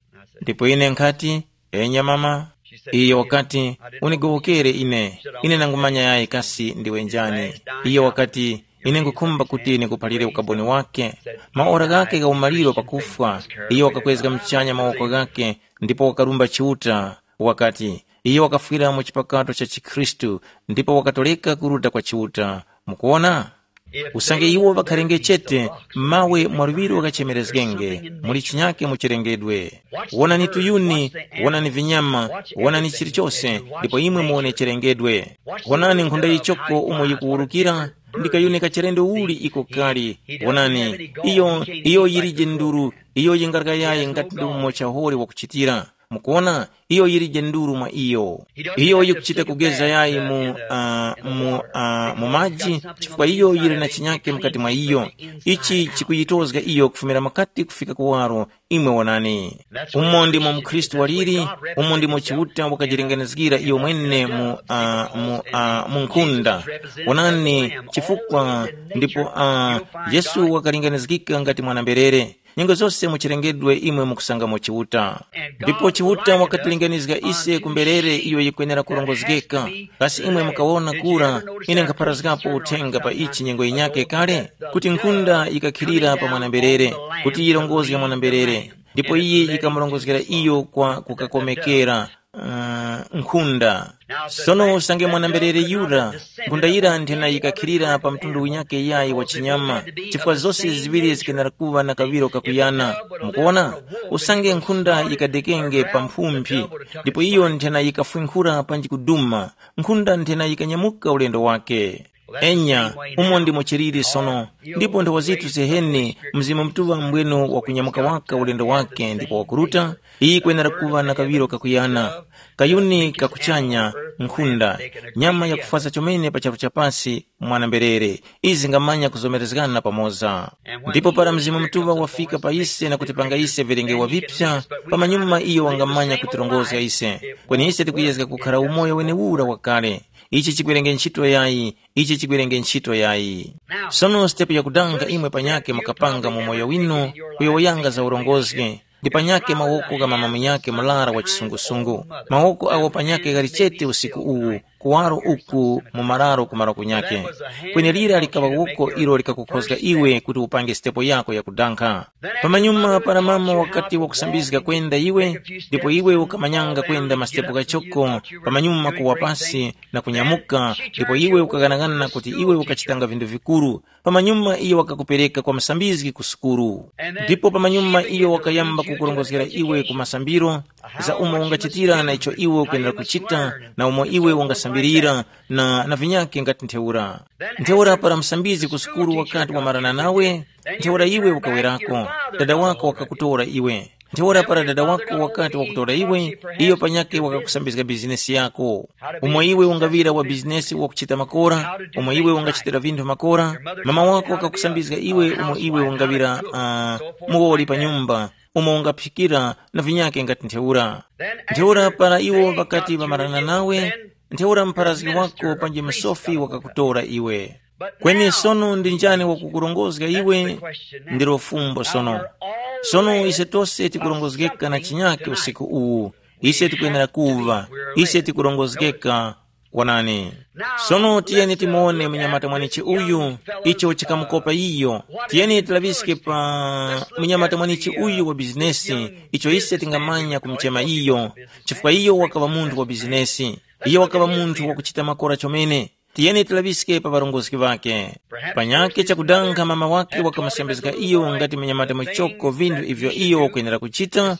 Ndipo ine nkhati, enya mama. Iyo wakati, unigowokere ine, ine nangumanya yayi kasi ndiwe njani. Iyo wakati, ine ngukhumba kuti nikuphalire ukaboni wake. Maora ghake gha umaliro pakufwa, iyo wakakwezga mchanya mawoko ghake, ndipo wakarumba Chiuta, wakati, iyo wakafwira mu chipakato cha chikhristu, ndipo wakatoreka kuruta kwa Chiuta. Mukuwona? Usange iwo ŵakharenge chete, mawe mwa luŵiro ghachemerezgenge, muli chinyake mu chilengedwe. Wonani tuyuni, wonani vinyama, wonani chilichose, ndipo imwe muwone chilengedwe. Wonani nkhunda yichoko umo yikuwurukira, ndi kayuni kachilendo uli iko kali. Wonani, iyo iyo yilije nduru, iyo yingaraka yayi ngati ndi umo chahore wakuchitira. Mukuwona, iyo yilije nduru mwa iyo. Iyo yikuchita kugeza yayi mu, uh, mu, uh, mu maji, chifukwa iyo yili na chinyake mukati mwa iyo. Ichi chikuyitozga iyo kufumira makati kufika kuwaro. Imwe wonani, umo ndimo mukhristu waliri. Umo ndimo Chiuta wakajilinganizgira iyo mwene mu, uh, mu, uh, mu nkhunda. Wonani, chifukwa ndipo uh, Yesu wakalinganizgika ngati mwana-mberere. Nyengo zose mu chilengedwe imwe mukusangamo Chiuta. Ndipo Chiuta wakatilinganizga ise ku mberere iyo yikwenera kurongozgeka. Kasi imwe mukawona kura, ine nkhapharazgapo uthenga pa ichi nyengo yinyakhe kale, kuti nkhunda yikakhilira pa mwana-mberere, kuti yirongozge mwana-mberere, ndipo iye yikamurongozgera iyo kwa kukakomekera uh, nkhunda. Sono usange mwana-mberere yura, nkhunda yira nthena yikakhilira pa mtundu winyake yayi wa chinyama, chifukwa zose ziŵiri zikenera kuŵa na kaŵiro kakuyana. Mukuona? Usange nkhunda yikadekenge pa mphumphi, ndipo iyo nthena yikafwinkhura panji kuduma, nkhunda nthena yikanyamuka ulendo wake. Enya, umo ndimo chiliri sono, ndipo nthawa zithu ziheni Mzimu Mutuŵa mbwenu wakunyamuka waka ulendo wake ndipo wakuruta, iyi kwenera kuŵa na kaŵiro kakuyana, kayuni kakuchanya, nkhunda, nyama yakufasa chomene pa charu cha pasi, mwana-mberere, izi zingamanya kuzomerezgana pamoza. Ndipo para Mzimu Mutuŵa wafika pa ise na kutipanga ise vilengewa vipsa, pamanyuma iyo wangamanya kutirongozga ise. Kweni ise tikuyezga kukhara umoyo wenewura wakale. Ichi chikwerenge ntchito yayi, ichi chikwerenge ntchito yayi. Sono sitepu yakudanga imwe panyakhe mukapanga mu moyo winu, kuyowoyanga za urongozgi, ndi panyakhe mawoko gha mama munyakhe murara wa chisungusungu. Mawoko awo panyakhe ghali chete usiku uwu, kuwaro uku mu mararo kumaro kunyake. Kweni lira likaŵa woko ilo likakukhozga iwe kuti upange sitepo yako yakudankha. Pamanyuma para mama wakati wakusambizga kwenda iwe, ndipo iwe ukamanyanga kwenda masitepo ghachoko, pamanyuma kuwa pasi na kunyamuka, ndipo iwe ukaghanagana kuti iwe ukachitanga vinthu vikuru, pamanyuma iyo wakakupereka kwa musambizgi ku sukulu. Ndipo pamanyuma iyo wakayamba kukurongozgera iwe ku masambiro, za umo ungachitira na icho iwe ukwenera kuchita, na umo iwe ungasambirira, na, na vinyake ngati ntheura. Ntheura para musambizgi ku sukulu wakati wamarana nawe, ntheura iwe ukawerako, dada wako wakakutora iwe. Ntheura para dada wako wakati wakutora iwe, iyo panyake wakakusambizga bizinesi yako. Umo iwe ungaŵira wa bizinesi wakuchita makora, umo iwe ungachitira vinthu makora, mama wako wakakusambizga iwe umo iwe ungaŵira uh, muwoli pa nyumba, umo ungaphikira, na vinyake ngati ntheura. Ntheura para iwo ŵakati ŵamarana nawe, ntheura mpharazgi wako panji msofi wakakutora iwe. Kweni sono ndi njani wakukurongozga iwe? Ndilo fumbo sono. Sono ise tose tikurongozgeka na chinyake usiku uwu. Ise tikwenera kuva, ise tikurongozgeka. Kwanani? Sono tiyeni timuone munyamata mwanichi uyu, icho chikamukopa iyo. Tiyeni tilaŵiske pa munyamata mwanichi uyu wa bizinesi, icho ise tingamanya kumuchema iyo, chifukwa iyo wakaŵa munthu wa bizinesi. Iyo wakaŵa munthu wakuchita makora chomene. Tiyeni tilaŵiske pa ŵarongozgi ŵakhe. Panyakhe chakudankha mama wakhe wakamusambizga iyo ngati munyamata muchoko vinthu ivyo iyo wakwenera kuchita,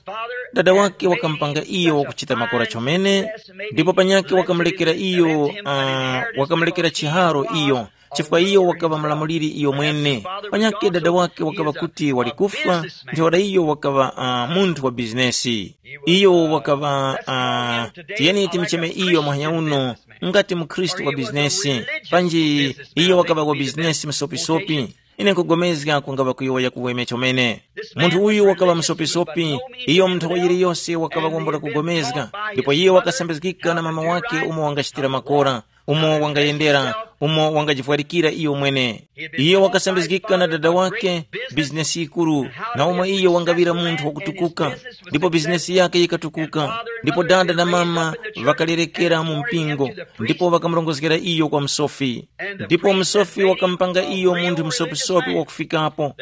dada wake wakamupanga iyo wakuchita makora chomene, ndipo panyakhe wakamulekera iyo uh, wakamulekera chiharo iyo, chifukwa iyo wakaŵa mulamuliri iyo mwene. Panyakhe dada wake wakaŵa kuti wali kufwa, ntheura iyo wakaŵa uh, munthu wa bizinesi. Iyo wakaŵa uh, tiyeni timicheme iyo muhanya uno, ngati mukhristu wa bizinesi, panji iyo wakaŵa wa bizinesi msopisopi. Ine nkugomezga kungaŵa kuyowoya kuweme chomene. Munthu uyu wakaŵa msopisopi, iyo munthu yiliyose wakaŵa wambula kugomezga, ndipo iyo wakasambizgika na mama wake umo wangachitira makora, umo wangayendera, umo wangajivwarikira iyo mwene. Iyo wakasambizgika na dada wake, bizinesi yikuru, na umo iyo wangaŵira munthu wakutukuka, ndipo bizinesi yake yikatukuka, ndipo dada na mama ŵakalerekera mu mpingo, ndipo ŵakamurongozgera iyo kwa msofi. Ndipo msofi wakamupanga iyo munthu msopisopi wakufikapo.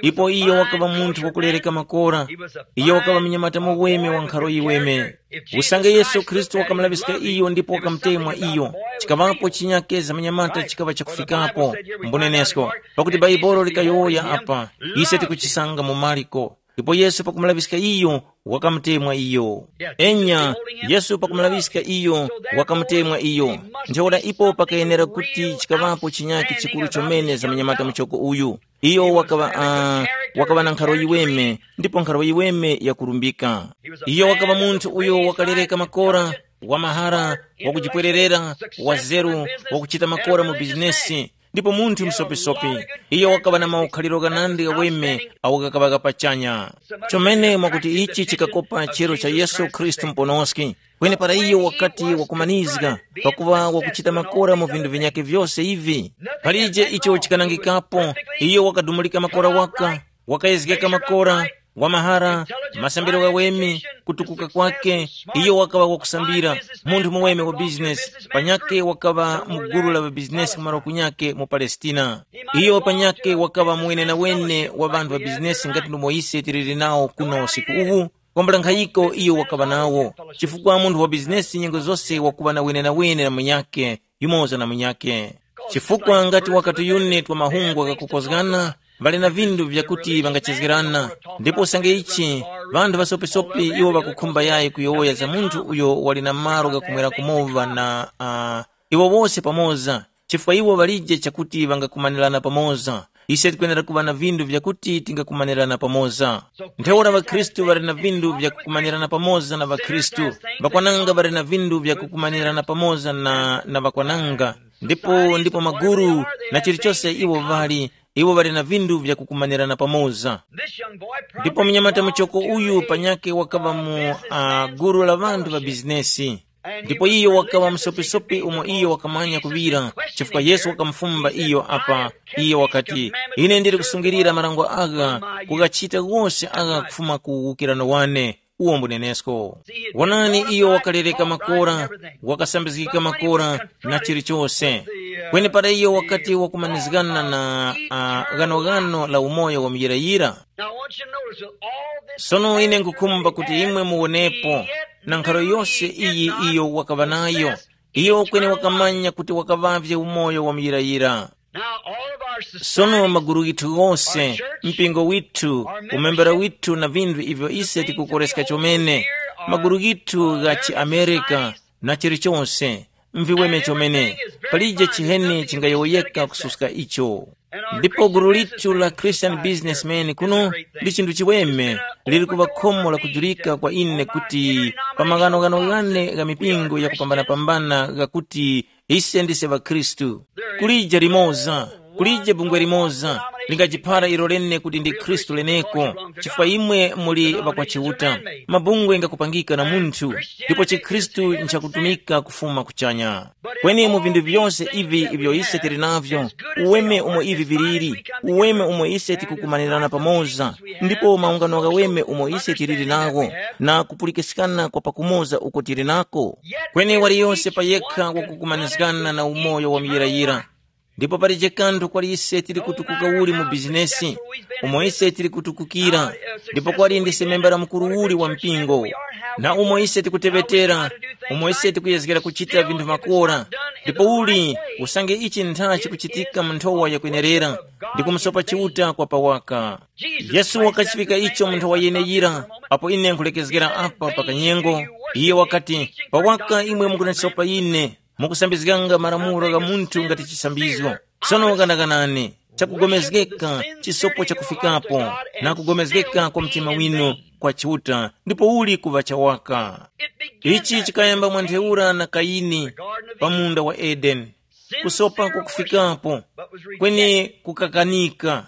Ipo iyo wakaŵa munthu wakulereka makora. Iyo wakaŵa mnyamata muweme wa nkharo yiweme. Usange Yesu Khristu wakamulaŵiska iyo ndipo wakamutemwa iyo, chikaŵapo chinyake za manyamata chikaŵa chakufikapo. Mbunenesko, pakuti Baibolo likayowoya apa, ise tikuchisanga mu Mariko. Ndipo Yesu pakumulaŵiska iyo, wakamutemwa iyo. Enya, Yesu pakumulaŵiska iyo, wakamutemwa iyo. Ntheura ipo pakayenera kuti chikaŵapo chinyake chikuru chomene za manyamata muchoko uyu. Iyo wakaŵa uh, wakaŵa na nkharo yiweme, ndipo nkharo yiweme yakurumbika. Iyo wakaŵa munthu uyo wakalereka makora, wa mahara, wakujipwererera, wa zeru, wakuchita makora mu bizinesi, ndipo munthu msopisopi. Iyo wakaŵa na maukhaliro ghanandi ghaweme awo ghakaŵa pachanya. Chomene mwakuti ichi chikakopa chero cha Yesu Khristu muponoski. Kweni para iyo wakati wakumanizga, pakuva wakuchita makora mu vinthu vinyakhe vyose ivi, palije icho chikanangikapo. Iyo wakadumulika makora waka, wakayezgeka makora, wa mahara, masambiro ghaweme, kutukuka kwake. Iyo wakaŵa wakusambira, munthu muweme wa bizinesi, panyake wakaŵa mu gulu la ŵabizinesi kumaro kunyake mu Palestina. Iyo panyake wakaŵa muwenenawene wa ŵanthu ŵa bizinesi ngati ndomwe ise tiliri nawo kuno usiku uwu. Kwambula nkhayiko iyo wakaŵa nawo, chifukwa munthu wa bizinesi nyengo zose wakuŵa na wenenawene na munyakhe, yumoza na munyakhe. Chifukwa ngati wakati yune twa mahungu ghakukozgana, ŵali na vinthu vyakuti ŵangachezgerana. Ndipo usange ichi, ŵanthu ŵasopisopi iwo ŵakukhumba yayi kuyowoya za munthu uyo wali na malo ghakumwera kumowa na uh, iwo wose pamoza, chifukwa iwo ŵalije chakuti ŵangakumanirana pamoza. Ise tikwenera kuŵa na vinthu vyakuti tingakumanirana pamoza. Ntheura ŵakhristu ŵali na vinthu vyakukumanirana pamoza na ŵakhristu, ŵakwananga ŵali na vinthu vyakukumanirana pamoza na, na ŵakwananga, ndipo ndipo maguru, na chilichose iwo ŵali, iwo ŵali na vinthu vyakukumanirana pamoza. Ndipo mnyamata muchoko uyu panyake wakaŵa mu uh, guru la ŵanthu ŵa bizinesi. Ndipo iyo wakaŵa msopisopi umo iyo wakamanya kuŵira, chifukwa Yesu wakamufumba iyo apa. Iyo wakati, ine ndili kusungilira marango agha, kukachita wose agha kufuma ku uwukirano wane. uwo mbunenesko. Wonani, iyo wakaleleka makora, wakasambizgika makora na chilichose. Kweni para iyo wakati wakumanizgana na uh, ghanoghano la umoyo wa muyirayira. Now, I want you to notice that all this Sono ine nkukhumba kuti imwe muwonepo na nkhalo yose iyi iyo wakaŵa nayo. Iyo kweni wakamanya kuti wakaŵavye umoyo wa muyirayira. Now, all of our Sono society, maguru ghithu ghose, mpingo withu, umembera withu na vinthu ivyo ise tikukoreska chomene, maguru ghithu gha chiamerika na chilichose, mviweme chomene, palije chiheni chingayowoyeka kususka icho. Ndipo gulu lithu la Christian businessmen kuno ndi chinthu chiweme, lili kuŵa khomo lakujulika kwa ine kuti pa maghanoghano ghane gha mipingo yakupambanapambana ghakuti ise ndise ŵakhristu. Kulije limoza, kulije bungwe limoza lingajiphara ilo lene kuti ndi khristu leneko, chifukwa imwe muli ŵa kwa Chiuta. Mabungwe ngakupangika na munthu, ndipo chikhristu nchakutumika kufuma kuchanya. Kweni mu vinthu vyose ivi ivyo ise tili navyo, uweme umo ivi viliri, uweme umo ise tikukumanirana pamoza, ndipo maungano ghaweme umo ise tiliri nagho, na kupulikiskana kwa pakumoza uko tili nako. Kweni waliyose pa yekha wakukumanizgana na umoyo wa muyirayira. Ndipo palije kanthu kwali ise tili kutukuka uli mu bizinesi, umo ise tili kutukukira, ndipo kwali ndi semembera mukuru uli wa mpingo, na umo ise tikuteŵetera, umo ise tikuyezgera kuchita vinthu makora, ndipo uli usange ichi ntha chikuchitika mu nthowa yakwenerera, ndi kumusopa Chiuta kwa pawaka. Yesu wakachifika icho mu nthowa yeneyira. Apo ine nkulekezgera apa pa kanyengo, iye wakati, pawaka imwe mukundisopa ine, mukusambizganga malamulo gha munthu ngati chisambizgo. Sono ganaganani, chakugomezgeka chisopo chakufikapo, na kugomezgeka kwa mtima winu kwa Chiuta, ndipo uli kuŵa chawaka. Ichi chikayamba mwa ntheura na Kayini pa munda wa Edeni. Kusopa kukufikapo, kweni kukakanika.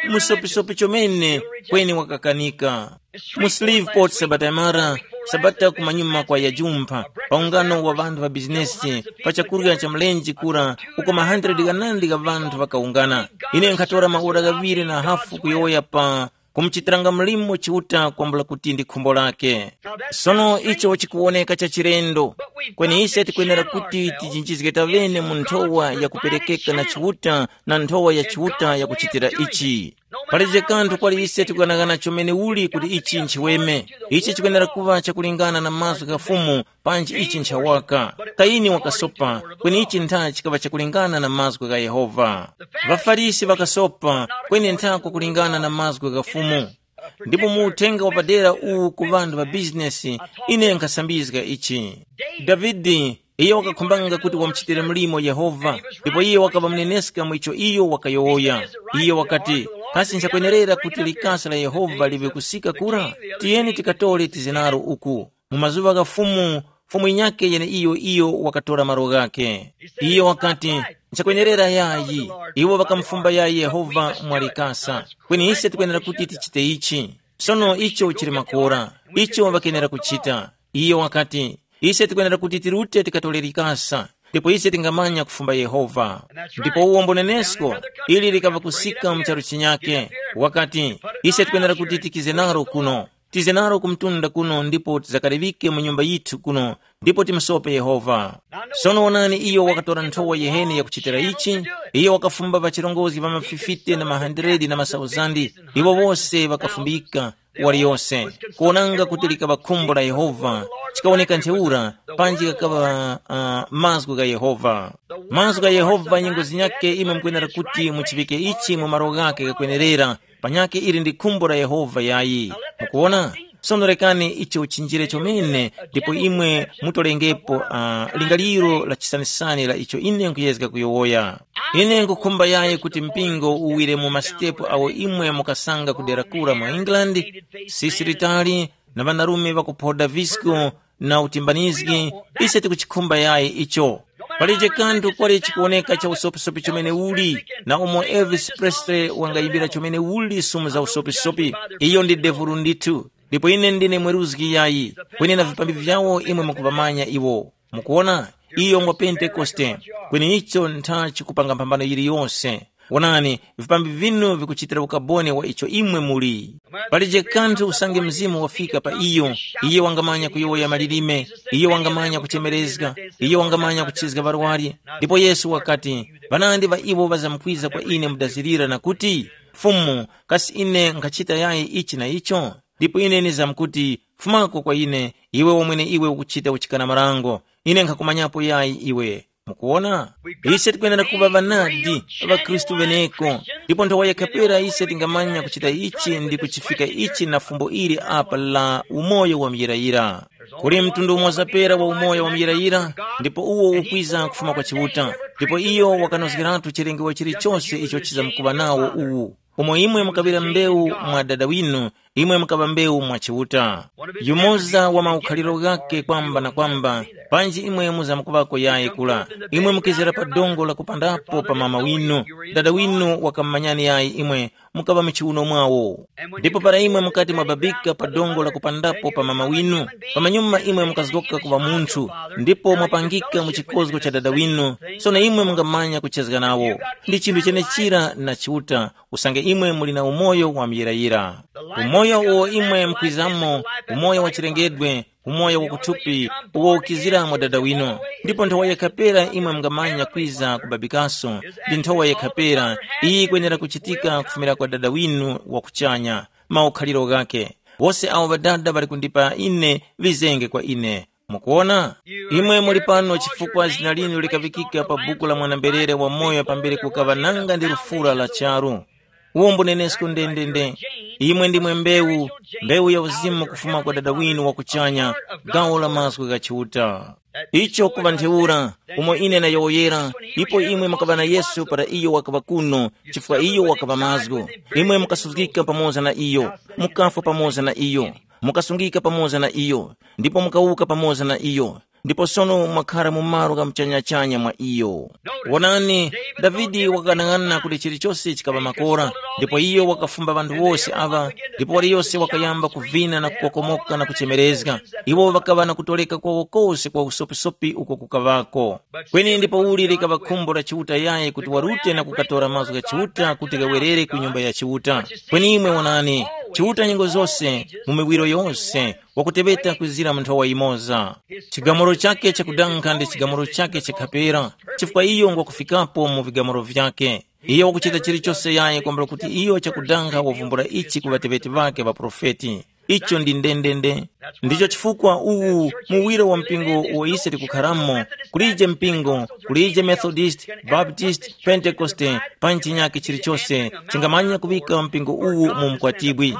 Musopisopi chomene, kweni wakakanika. Mu Shreveport sabata yamara, sabata kumanyuma kwa yajumpha, pa ungano wa ŵanthu ŵa bizinesi, pa chakurya cha mlenje kura, uko ma hundred ghanandi gha ŵanthu ŵakaungana. Ine nkhatora maora ghaŵiri na hafu kuyowoya pa kumuchitiranga mlimo Chiuta kwambula kuti ndi khumbo lake. Sono icho chikuwoneka cha chilendo, kweni ise tikwenera kuti tijinjizge tavene mu nthowa yakuperekeka na Chiuta na nthowa ya Chiuta yakuchitira ichi. Palije kanthu kwali ise tikuganaghana chomene uli kuti ichi nchiweme. Ichi chikwenera kuŵa chakulingana na mazgu gha Fumu, panji ichi nchawaka. Kayini wakasopa, kweni ichi ntha chikaŵa chakulingana na mazgu gha Yehova. ޣaFarisi ŵakasopa, kweni ntha kwakulingana na mazgu gha Fumu. Ndipo mu uthenga wapadera uwu ku ŵanthu ŵa bizinesi, ine nkhasambizga ichi. Davide, iyo wakakhumbanga kuti wamuchitire mlimo Yehova, ndipo iyo wakaŵa muneneska mu icho iyo wakayowoya. Iyo wakati, kasi nchakwenerera kuti likasa la Yehova liŵe kusika kura? Tiyeni tikatore tizinaro uku. Mu mazuŵa gha Fumu, Fumu yinyakhe yeneiyo iyo wakatora malo ghakhe. Iyo wakati, nchakwenerera yayi. Iwo ŵakamufumba yayi Yehova mwa likasa. Kweni ise tikwenera kuti tichite ichi. Sono icho chili makora, icho ŵakenera kuchita. Iyo wakati, ise tikwenera kuti tirute tikatore likasa, ndipo ise tingamanya kufumba Yehova. Ndipo uwo mbonenesko, ili likaŵa kusika mu charu chinyake, wakati, ise tikwenera kuti tikize naro kuno, tize naro ku mtunda kuno ndipo tizakaliŵike mu nyumba yithu kuno, ndipo timusope Yehova. Sono wonani, iyo wakatora nthowa yiheni yakuchitira ichi. Iyo wakafumba ŵachirongozgi ŵa mafifite na mahandiredi na masauzandi, iwo wose ŵakafumbika, waliyose, kuwonanga kuti likaŵa khumbo la Yehova. Chikawoneka ntheura, panji ghakaŵa uh, mazgu gha Yehova. Mazgu gha Yehova nyengo zinyakhe imwe mukwenera kuti muchiŵike ichi mu malo ghakhe ghakwenerera, panyakhe ili ndi khumbo la Yehova yayi. Mukuwona? Sono rekani icho chinjire chomene, ndipo imwe mutolengepo uh, lingaliro la chisanisani la icho ine nkuyezga kuyowoya. Ine nkukhumba yayi kuti mpingo uwire mu masitepu awo imwe mukasanga kudera kura mu England, sisi litali, na ŵanarume ŵakuphoda visco na utimbanizgi, ise tikuchikhumba yayi icho. Palije kanthu kwali chikuwoneka cha usopisopi chomene uli, na umo Elvis Presley wangayimbira chomene uli sumu za usopisopi, iyo ndi devulu ndithu. Ndipo ine ndine mweruzgi yayi, kweni na vipambi vyawo imwe mukuvamanya iwo. Mukuwona, iyo ngwa Pentekoste, kweni icho ntha chikupanga mphambano yiliyonse. Wonani, vipambi vinu vikuchitira ukaboni wa icho imwe muli. Palije kanthu usange Mzimu wafika pa iyo, iye wangamanya kuyowoya malilime, iye wangamanya kuchemerezga, iye wangamanya kuchizga ŵarwari. Ndipo Yesu wakati, ŵanandi ŵa iwo ŵazamkwiza kwa ine mudazirira na kuti, “Fumu, kasi ine nkhachita yayi ichi na icho?” Ndipo ine nizamkuti, “Fumako kwa ine, iwe wamwene iwe ukuchita uchikana marango, ine nkhakumanyapo yayi iwe.” Mukuwona? Ise tikwenera kuŵa ŵanadi, ŵakhristu ŵeneko, ndipo nthawa yakhapera ise tingamanya kuchita ichi ndi kuchifika ichi na fumbo ili apa la umoyo wa muyirayira. Kuli mtundu umoza pera wa umoyo wa muyirayira, ndipo uwo ukwiza kufuma kwa Chiuta, ndipo iyo wakanozgeratu chilengero chilichose icho chizamkuŵa nawo uwu. Umo imwe mukaŵira mbewu mwa dada winu, imwe mukaŵa mbewu mwa Chiuta. Yumoza wa maukhaliro ghake kwamba na kwamba, panji imwe muzamkuŵako yayi kula, imwe mukizira pa dongo lakupandapo pa mama winu. Dada winu wakamumanyani yayi imwe, mukaŵa mu chiwuno mwawo. Ndipo para imwe mukati mwababika pa dongo lakupandapo pa mama winu, pamanyuma imwe mukazgoka kuŵa munthu, ndipo mwapangika mu chikozgo cha dada winu, sono imwe mungamanya kuchezga nawo. Ndi chinthu chenechira na Chiuta, usange imwe muli na umoyo wa muyirayira. Umoyo uwo imwe mukwizamo, umoyo wa chilengedwe, umoyo wakuthupi, uwo ukiziramo dada winu. Ndipo nthowa yekhapera imwe mungamanya kwiza kubabikaso, ndi nthowa yekhapera iyi ikwenera kuchitika kufumira kwa dada winu wa kuchanya. Maukhaliro ghake, wose awo ŵadada ŵali kundipa ine, ŵizenge kwa ine. Mukuwona? Imwe muli pano chifukwa zina linu likaŵikika pa buku la mwana-mberere wamoyo pambere kukaŵa nanga ndi lufura la charu. Uwo mbunenesko ndendende. Imwe ndimwe mbewu, mbewu ya uzimu kufuma kwa Dada winu wa kuchanya, gawo la mazgu gha Chiuta. Icho kuŵa ntheura, umo ine nayowoyera, ipo imwe mukaŵa na Yesu para iyo wakaŵa kuno, chifukwa iyo wakaŵa mazgu. Imwe mukasuzgika pamoza na iyo, mukafwa pamoza na iyo, mukasungika pamoza na iyo, ndipo mukawuka pamoza na iyo, ndipo sono mwakhara mu malo gha muchanyachanya mwa iyo. Wonani, Davide wakanang'ana kuti chilichose chikaŵa makora, ndipo iyo wakafumba ŵanthu wose aŵa, ndipo waliyose wakayamba kuvina na kukokomoka na kuchemerezga. Iwo ŵakaŵa na kutoleka kwawo kose kwa usopisopi uko kukaŵako. Kweni ndipouli likaŵa khumbo la Chiuta yayi kuti warute na kukatora mazgu gha Chiuta kuti ghawerere ku nyumba ya Chiuta. Kweni imwe wonani, Chiuta nyengo zose, mu miwiro yose, wakuteŵeta kwizira mu nthowa yimoza. Chigamuro chakhe chakudankha ndi chigamuro chakhe chakhapera, chifukwa iyo ngwakufikapo mu vigamuro vyakhe. Iyo wakuchita chilichose yayi kwambula kuti iyo chakudankha wavumbula ichi ku ŵateŵeti ŵakhe ŵaprofeti. Icho ndi ndendende. Ndicho chifukwa uwu muwiro wa mpingo uwo ise tikukharamo, kulije mpingo, kulije Methodist, Baptist, Pentekoste, panji chinyake chilichose, chingamanya kuŵika mpingo uwu mu mkwatibwi.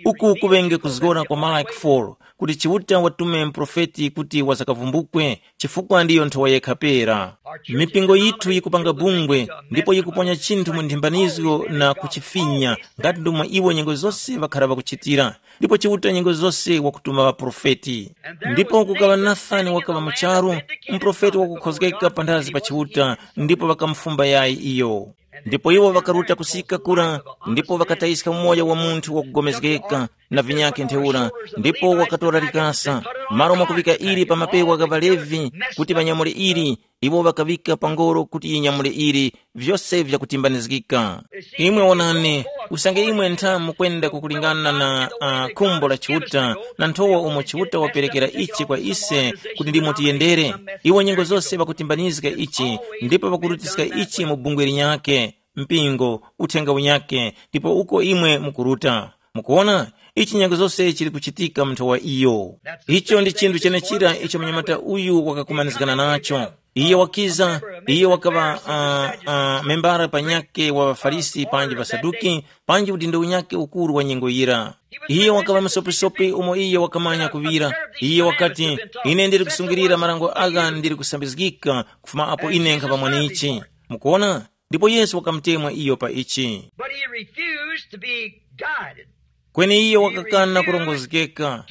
Uku kuŵenge kuzgora kwa Malaki four, kuti Chiuta watume muprofeti kuti wazakavumbukwe, chifukwa ndiyo nthowa yekha pera. Mipingo yithu yikupanga bungwe, ndipo yikuponya chinthu mu nthimbanizgo na kuchifinya, ngati ndomwe iwo nyengo zose ŵakhara ŵakuchitira. Ndipo Chiuta nyengo zose wakutuma ŵaprofeti. Ndipo kukaŵa Nathani wakaŵa mu charu, muprofeti wakukhozgeka panthazi pa Chiuta, ndipo ŵakamufumba yayi iyo. Ndipo iwo ŵakaruta kusika kura, ndipo ŵakatayiska umoyo wa munthu wakugomezgeka na vinyakhe ntheura, ndipo wakatora likasa, malo mwakuŵika ili pa mapewa gha ŵaLevi, kuti ŵanyamule ili, iwo ŵakaŵika pa ngoro kuti yinyamule ili, vyose vyakutimbanizgika. Imwe wonani, usange imwe ntha mukwenda kukulingana na uh, khumbo la Chiuta, na nthowa umo Chiuta waperekera ichi kwa ise kuti ndimo tiyendere, iwo nyengo zose ŵakutimbanizga ichi, ndipo ŵakurutiska ichi mu bungwe linyakhe, mpingo, uthenga unyakhe, ndipo uko imwe mukuruta. Mukuona, ichi nyengo zose chili kuchitika mu nthowa iyo. Icho ndi chinthu chenechira icho mnyamata uyu wakakumanizgana nacho. Iye wakiza, iye wakaŵa uh, uh, membara panyakhe wa ŵaFarisi panji ŵaSaduki, panji udindo unyakhe ukuru wa nyengo yira. Iye wakaŵa msopisopi umo iye wakamanya kuŵira. Iye wakati, ine ndiri kusungilira marango agha ndiri kusambizgika kufuma apo ine nkhaŵa mwanichi. Mukuona? Ndipo Yesu wakamutemwa iyo pa ichi. But he refused to be guided. Kweni iye wakakana kurongozgeka.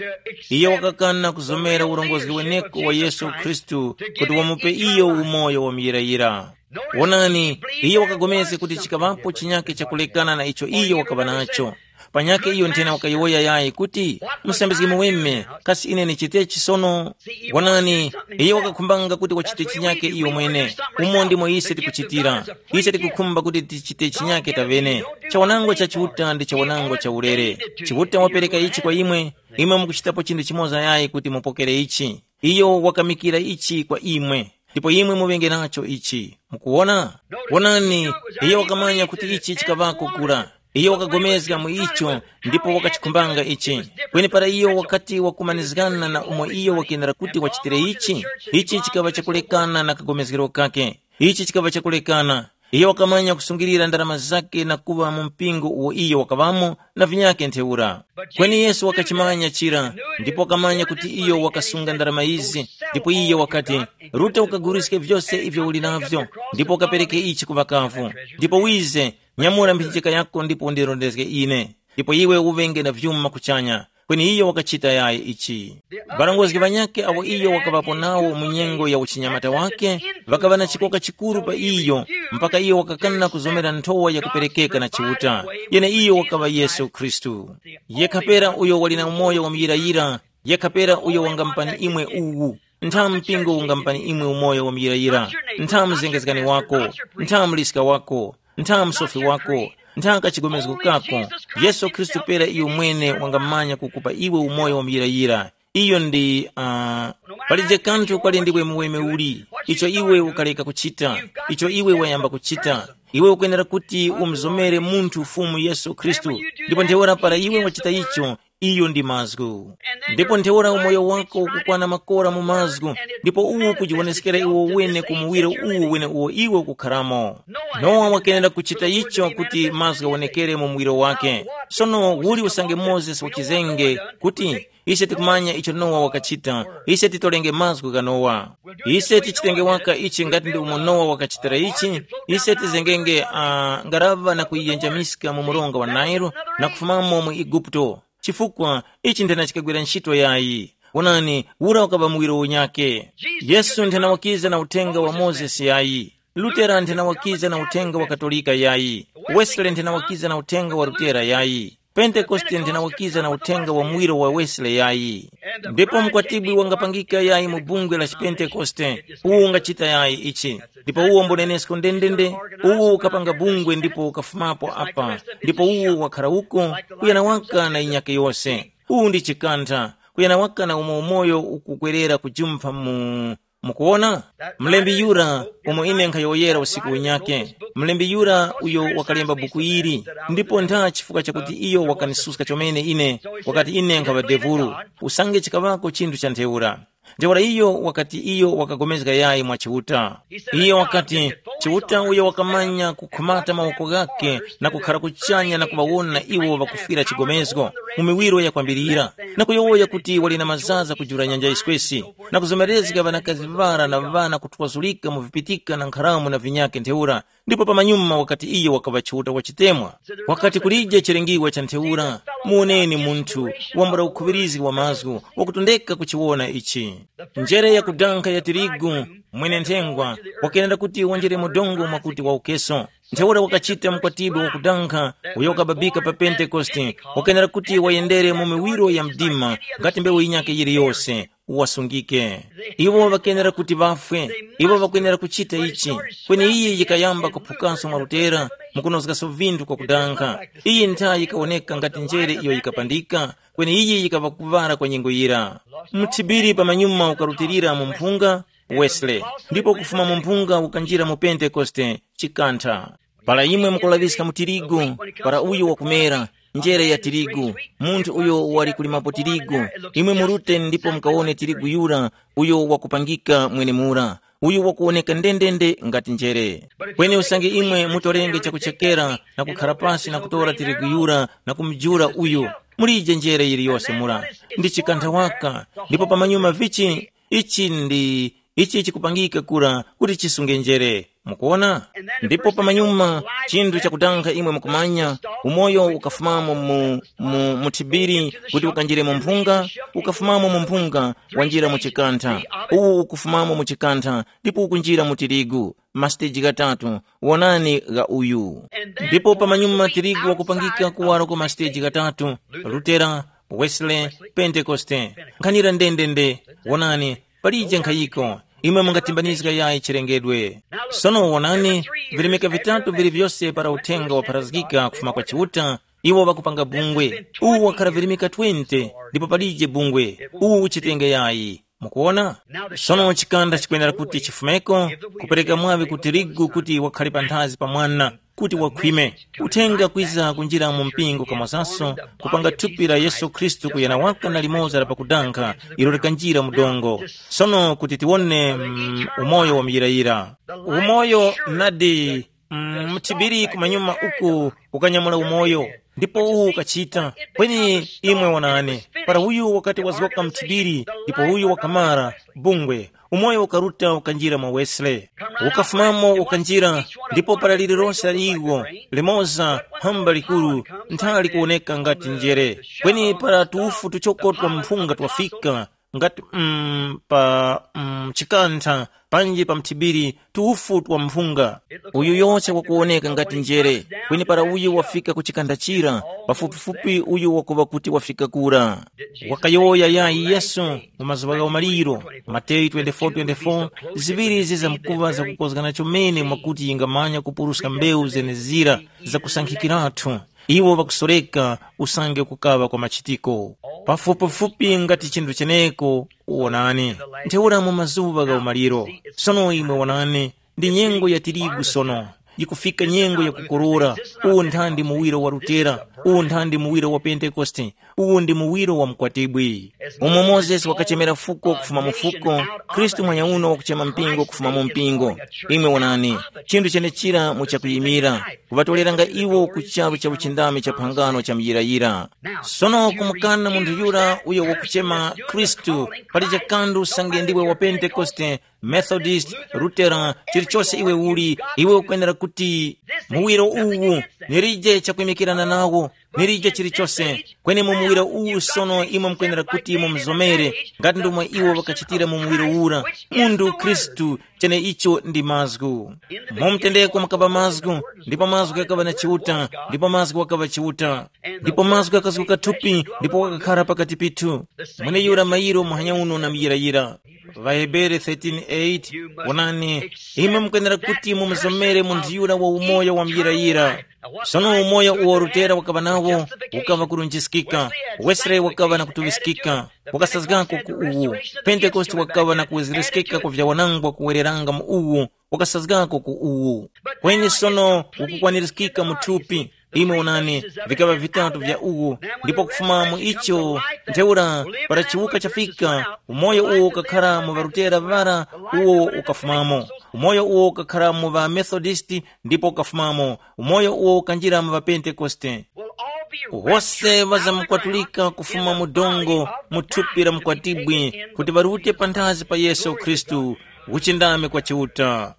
Iye wakakana kuzomera urongozgi weneko wa Yesu Khristu kuti wamupe iyo umoyo wa muyirayira. Wonani, iye wakapulikana kuti chikaŵapo chinyakhe chakulekana na icho iye wakaŵa nacho. Panyakhe iyo nthena wakayowoya yayi kuti, musambizgi muweme, kasi ine nichitechi sono? Wonani, iyo wakakhumbanga kuti wachite chinyake iyo mwene. Umo ndimo ise tikuchitira. Ise tikukhumba kuti tichite chinyake tavene. Chawanangwa cha Chiuta ndi chawanangwa cha ulere. Chiuta wapereka ichi kwa imwe, imwe mukuchitapo chinthu chimoza yayi kuti mupokere ichi. Iyo wakamikira ichi kwa imwe, ndipo imwe muŵenge nacho ichi. Mukuwona? Wonani, iyo wakamanya kuti ichi chikaŵako kura. Iyo wakagomezga mu icho, ndipo wakachikhumbanga ichi. Kweni para iyo wakati wakumanizgana na umo iyo wakenera kuti wachitire ichi, ichi chikaŵa chakulekana na kagomezgero kake. Ichi chikaŵa chakulekana. Iyo wakamanya kusungilira ndarama zake na kuŵa mu mpingo uwo iyo wakaŵamo na vinyakhe ntheura. Kweni Yesu wakachimanya chira, ndipo wakamanya kuti iyo wakasunga ndarama izi, ndipo iyo wakati, ruta ukaguliske vyose ivyo uli navyo, ndipo ukapereke ichi ku ŵakavu, ndipo wize, nyamura mphinjika yako ndipo undirondezge ine, ndipo iwe uŵenge na vyuma kuchanya. Kweni iyo wakachita yayi ichi. Ŵarongozgi ŵanyakhe awo iyo wakaŵapo nawo mu nyengo ya uchinyamata wake, ŵakaŵa na chikoka chikuru pa iyo, mpaka iyo wakakana kuzomera nthowa yakuperekeka na Chiuta, yeneiyo wakaŵa Yesu Khristu. Yekha pera uyo wali na umoyo wamuyirayira, yekha pera uyo wangamupani imwe uwu. Ntha mpingo ungamupani imwe umoyo wamuyirayira? Ntha mzengezgani wako? Ntha mliska wako? Ntha msofi wako? Ntha kachigomezgo kako? Yesu Khristu pera iyo mwene wangamanya kukupa iwe umoyo wamuyirayira. Iyo ndi uh, palije kanthu kwali ndiwe muweme uli, icho iwe ukaleka kuchita, icho iwe wayamba kuchita. Iwe ukwenera kuti umzomere munthu Fumu Yesu Khristu. Ndipo ntheura para iwe wachita icho, iyo ndi mazgu. Ndipo ntheura umoyo wako ukukwana makora mu mazgu, ndipo uwu kujiwoneskera iwo wene ku muwiro uwu wene uwo iwe ukukharamo. Nowa wakenera kuchita icho kuti mazgu ghawonekere mu muwiro wake. Sono uli usange Mozesi wachizenge kuti, ise tikumanya icho Nowa wakachita, ise titolenge mazgu gha Nowa. Ise tichitenge waka ichi ngati ndi umo Nowa wakachitira ichi, ise tizengenge uh, ngaraŵa na kuyiyenjamiska mu mronga wa Nailu na kufumamo mu Eguputo. Chifukwa ichi nthena chikagwira ntchito yayi. Wonani, ura ukaŵa muwiro unyakhe. Yesu nthena wakiza na uthenga wa Mozesi yayi. Lutera nthena wakiza na uthenga wa Katolika yayi. Wesley nthena wakiza na uthenga wa Lutera yayi. Pentekoste nthena wakiza na uthenga wa muwiro wa Wesley yayi. Ndipo mkwatibwi wangapangika yayi mu bungwe la chipentekoste, uwo ungachita yayi ichi. Ndipo uwo mbunenesko ndendende, uwo ukapanga bungwe ndipo ukafumapo apa, ndipo uwo wakhara uko, kuyana waka na inyake yose. Uwu ndi chikantha, kuyana waka na umo umoyo ukukwerera kujumpha mu. Mukuwona, mlembi yura umo ine nkhayowoyera usiku unyake, mlembi yura uyo wakalemba buku ili, ndipo ntha chifukwa chakuti iyo wakanisuska chomene ine, wakati ine nkhaŵa devulu, usange chikaŵako chinthu cha ntheura. Ntheura iyo wakati iyo wakagomezga yayi mwa Chiuta. Iyo wakati, Chiuta uyo wakamanya kukhumata mawoko ghake na kukhara kuchanya na kuŵawona iwo ŵakufwira chigomezgo mu miwiro yakwambirira, na kuyowoya kuti wali na mazaza kujula nyanja yiswesi, na kuzomerezga ŵanakazi ŵara na ŵana kutwazulika mu vipitika na nkharamu na vinyakhe ntheura, ndipo pamanyuma wakati iyo wakaŵa Chiuta wa chitemwa. Wakati kulije chilengiwa cha ntheura, muwoneni munthu wambula ukhuŵirizgi wa mazgu wakutondeka kuchiwona ichi. Njere yakudankha ya tirigu, mwene nthengwa, wakenera kuti wanjere mu dongo mwakuti waukeso. Ntheura wakachita mkwatibwi wakudankha uyo wakababika pa Pentekoste, wakenera kuti wayendere mu miwiro ya mdima ngati mbewu yinyakhe yiliyose, wasungike. Iwo ŵakenera kuti ŵafwe, iwo ŵakwenera kuchita ichi. Kweni iyi yikayamba kuphukanso mwa Lutera, mukunozgaso vinthu kwa kudankha. Iyi nthayi yikawoneka ngati njere iyo yikapandika, kweni iyi yikaŵa kuŵala kwa nyengo yira. Mthibiri pamanyuma ukarutilira mu mphunga, Wesley, ndipo kufuma mu mphunga ukanjira mu Pentekoste, chikantha. Para imwe mukulaŵiska mu tirigu, para uyo wakumera, njere ya tirigu, munthu uyo wali kulimapo tirigu, imwe murute ndipo mukawone tirigu yura uyo wakupangika mwenemura, uyo wakuwoneka ndendende ngati njere. Kweni usange imwe mutorenge chakuchekera na kukhara pasi na kutora tirigu yura na kumujula uyu, mulije njere yiliyose mura. Ndi chikantha waka, ndipo pamanyuma vichi ichi ndi ichi chikupangika kura kuti chisunge njere. Mukuona? Ndipo pamanyuma, chinthu chakutankha imwe mukumanya, umoyo ukafumamo mu, mu, mu thibiri kuti ukanjire mu mphunga, ukafumamo mu mphunga, wanjira mu chikantha, uwu ukufumamo mu chikantha, ndipo ukunjira mu tirigu, masiteji ghatatu, wonani gha uyu. Ndipo pamanyuma tirigu wakupangika kuwaro ku masiteji ghatatu, Lutera, Wesley, Pentekoste. Nkhanira ndendende, wonani, palije nkhayiko, imwe mungatimbanizga yayi chilengedwe. Sono wonani, virimika vitatu vili vyose para uthenga wapharazgika kufuma kwa Chiuta, iwo ŵakupanga bungwe. Uwu wakhara virimika twenty, ndipo palije bungwe. Uwu uchitenge yayi. Mukuona? Sono chikanda chikwenera kuti chifumeko, kupereka mwaŵi ku tirigu kuti wakhale panthazi pa mwana, kuti wakhwime. Uthenga kwiza kunjira mu mpingo kamozaso, kupanga thupi la Yesu Khristu kuyana waka na limoza la pakudankha, ilo likanjira mu dongo. Sono kuti tiwone mm, umoyo wa muyirayira. Umoyo nadi mm, mthibiri kumanyuma uku ukanyamula umoyo, ndipo uwu ukachita. Kweni imwe wonani, para uyu wakati wazgoka mthibiri, ndipo uyu wakamara, bungwe, umoyo ukaruta ukanjira mwa Wesley. Ukafumamo ukanjira, ndipo para lililonse la iwo, limoza, hamba likuru, nthali kuwoneka ngati njere. Kweni para tufu tuchoko twa mphunga twafika, ngati mm, pa mm, chikantha, panji pa mthibiri, tufu twa mphunga. Uyu yose wakuwoneka ngati njere, kweni para uyu wafika ku chikantha chira, pafupifupi uyu wakuŵa kuti wafika kura. Wakayowoya yayi Yesu mu mazuŵa gha umaliro, Mateyu twenty-four twenty-four, ziŵiri izi zamkuŵa zakukozgana chomene mwakuti yingamanya kupuruska mbewu zenezira zakusankhikiratu. Iwo ŵakusoreka usange kukaŵa kwa machitiko. Pafupifupi ngati chinthu cheneko, wonani, ntheura mu mazuŵa gha umaliro. Sono imwe wonani, ndi nyengo ya tirigu sono, yikufika nyengo ya kukorora. Uwu nthandi muwiro wa Lutera, uwu nthandi muwiro wa Pentekoste, uwu ndi muwiro wa mkwatibwi. Umo Mozesi wakachemera fuko kufuma mu fuko, Khristu mwanyauno wakuchema mpingo kufuma mu mpingo. Imwe wonani, chinthu chenechira muchakuyimira, kuŵatoleranga iwo ku charu cha uchindami cha phangano cha muyirayira. Sono kumukana munthu yura uyo wakuchema Khristu, pali chakandu usange ndiwe wa Pentekoste, Methodist, Lutera, chilichose iwe uli, iwe ukwenera kuti muwiro uwu, nilije chakwimikirana nawo, nilije chilichose. Kweni mu muwiro uwu sono imwe mukwenera kuti mumuzomere, ngati ndomwe iwo ŵakachitira mu muwiro ura. Munthu Khristu, cheneicho ndi mazgu. Mu mtendeko mukaba mazgu, ndipo mazgu ghakaŵa na Chiuta, ndipo mazgu ghakaŵa Chiuta. Ndipo mazgu ghakazguka thupi, ndipo wakakhara pakati pithu. Mweneyura mayiro muhanya uno na muyirayira. Ŵahebere thirteen eight, wonani, imwe mukwenera kuti mumuzomere munthu yura wa umoyo wa muyirayira. Sono umoyo uwo Lutera wakaŵa nawo, ukaŵa kulunjiskika. Wesley wakaŵa na kutuŵiskika, wakasazgako ku uwu. Pentekoste wakaŵa na kuwezereskeka kwa vyawanangwa kuwereranga mu uwu, wakasazgako ku uwu. Kweni sono ukukwanirizgika mu thupi. Imwe onani, vikaŵa vitatu vya uwu, ndipo kufuma mu icho, ntheura, para chiwuka chafika, umoyo uwo ukakhara mu ŵarutera ŵara, uwo ukafumamo. Umoyo uwo ukakhara mu ŵaMethodisti, ndipo ukafumamo. Umoyo uwo ukanjira mu ŵaPentekoste. Wose ŵazamukwatulika kufuma mu dongo mu thupi la mukwatibwi, kuti ŵarute panthazi pa Yesu Khristu, uchindami kwa Chiuta.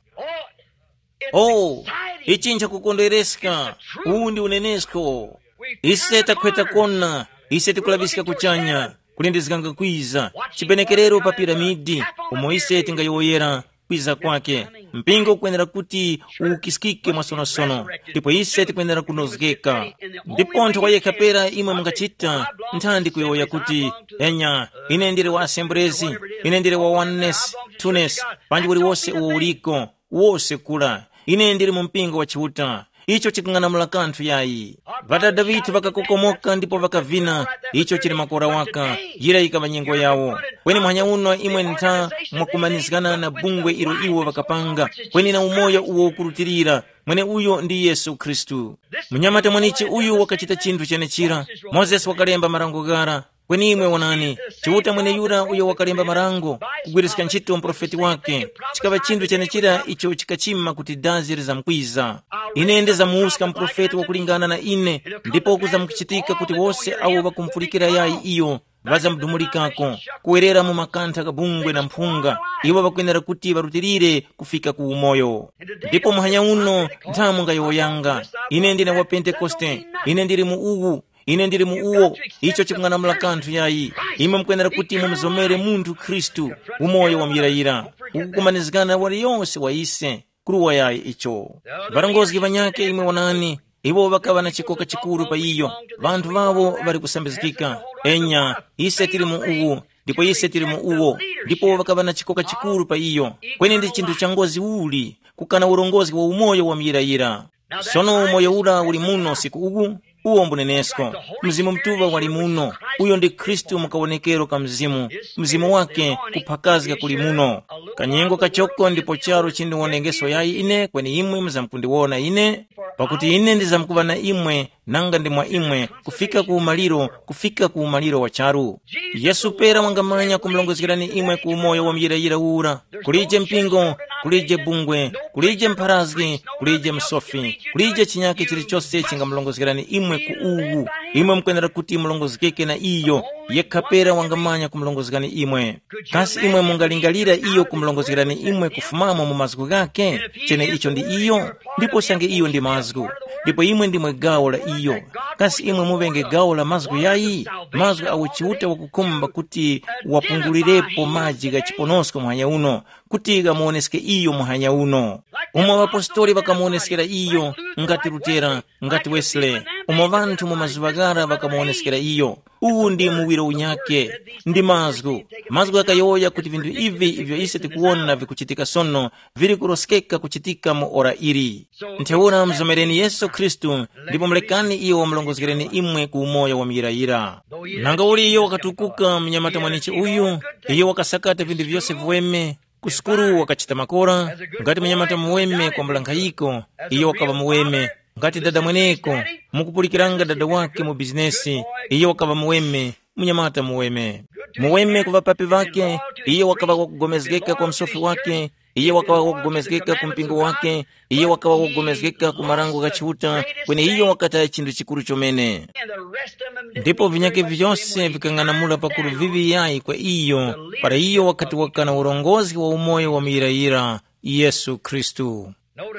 Oh, ichi nchakukondwereska. Uwu ndi unenesko. Ise takhweta kona, ise tikulaŵiska kuchanya, kulindizganga kwiza, chipenekerero pa piramidi, umo ise tingayowoyera kwiza kwake. Mpingo ukwenera kuti uwukiskike mwasonosono, ndipo ise tikwenera kunozgeka. Ndipontho kwa yekha pera imwe mungachita, nthandi kuyowoya kuti, enya, ine ndili wa Assemblies, ine ndili wa Oneness, Twoness, panji uliwose uwo uliko, wose kula. Ine ndili mu mpingo wa Chiuta. Icho chikung'anamula kanthu yayi. Ŵadada ŵithu ŵakakokomoka ndipo ŵakavina. Icho chili makora waka. Yira yikaŵa nyengo yawo. Kweni muhanya uno imwe ntha mwakumanizgana na bungwe ilo iwo ŵakapanga, kweni na umoyo uwo ukurutilira, mwene uyo ndi Yesu Khristu. Munyamata mwenichi uyu wakachita chinthu chenechira. Mozesi wakalemba marango ghara, kweni imwe wonani, Chiuta mweneyura uyo wakalemba marango, kugwiriska ntchito muprofeti wake, chikaŵa chinthu chenechira icho chikachima kuti dazi lizamkwiza. Ine ndizamuwuska muprofeti wakulingana na ine, ndipo kuzamukuchitika kuti wose awo ŵakumpulikira yayi iyo, ŵazamdumulikako, kuwerera mu makantha gha bungwe na mphunga. Iwo ŵakwenera kuti ŵarutilire kufika ku umoyo. Ndipo muhanya uno nthamu ngayowoyanga, ine ndine wa Pentekoste, ine ndili mu uwu, ine ndili mu uwo. Icho chikung'anamula kanthu yayi. Imwe mukwenera kuti mumuzomere munthu Khristu, umoyo wa muyirayira, ukukumanizgana na waliyonse wa ise. Kuruwa yayi icho. Varongozgi vanyakhe imwe wonani, iwo ŵakaŵa na chikoka chikuru pa iyo. Vanthu ŵawo ŵali kusambizgika. Enya, ise tili mu uwu, ndipo ise tili mu uwo. Ndipo ŵakaŵa na chikoka chikuru pa iyo. Kweni ndi chinthu cha ngozi uli kukana urongozgi wa umoyo wa muyirayira. Sono umoyo ura uli muno usiku uwu, uwo mbunenesko. Mzimu Mutuŵa wali muno. Uyo ndi Khristu mu kawonekero ka Mzimu. Mzimu wake kuphakazga kuli muno. Kanyengo kachoko ndipo charu chindiwonekeso yayi ine kweni imwe muzamkundiwona ine, pakuti ine ndizamkuŵa na imwe nanga ndi mwa imwe, kufika ku umaliro, kufika ku umaliro wa charu. Yesu pera wangamanya kumulongozgerani imwe ku umoyo wa muyirayira ura. Kulije mpingo, kulije bungwe, kulije mpharazgi, kulije msofi, kulije chinyake chilichose chingamulongozgerani imwe ku uwu. Imwe mukwenera kuti mulongozgeke na iyo. Yekha pera wangamanya kumulongozgani imwe. Kasi imwe mungalingalira iyo kumulongozgerani imwe kufumamo mu mazgu ghake? Chene icho ndi iyo. Ndipo sange iyo ndi mazgu, ndipo imwe ndimwe gawo la iyo. Kasi imwe muŵenge gawo la mazgu yayi? Mazgu awo Chiuta wakukhumba kuti wapungulirepo maji gha chiponosko muhanya uno, kuti ghamuwoneske iyo muhanya uno. Umo ŵapostoli ŵakamuwoneskera iyo, ngati Lutera, ngati Wesley, umo ŵanthu mu mazuŵa ghara ŵakamuwoneskera iyo. Uwu ndi muwiro unyakhe, ndi mazgu. Mazgu ghakayowoya kuti vinthu ivi ivyo ise tikuwona vikuchitika sono, vili kuroskeka kuchitika mu ora ili. Ntheura mzomereni Yesu Khristu, ndipo mulekani iyo wamulongozgereni imwe ku umoyo wa muyirayira. Nanga uli iyo wakatukuka mnyamata mwanichi uyu, iyo wakasakata vinthu vyose viweme, ku sukulu wakachita makora, ngati munyamata muweme kwambula nkhayiko, iyo wakaŵa muweme, ngati dada mweneko, mukupulikiranga dada wake mu bizinesi, iyo wakaŵa muweme, munyamata muweme. Muweme ku ŵapapi ŵake, iyo wakaŵa wakugomezgeka kwa msofi wake, iyo wakaŵa wakugomezgeka ku mpingo wake, iyo wakaŵa wakugomezgeka ku marango gha Chiuta, kweni iyo wakataya chinthu chikuru chomene. Ndipo vinyake vyose vikang'anamula pakuru viŵi yayi kwa iyo, para iyo wakati wakana urongozi wa umoyo wa muyirayira, Yesu Khristu.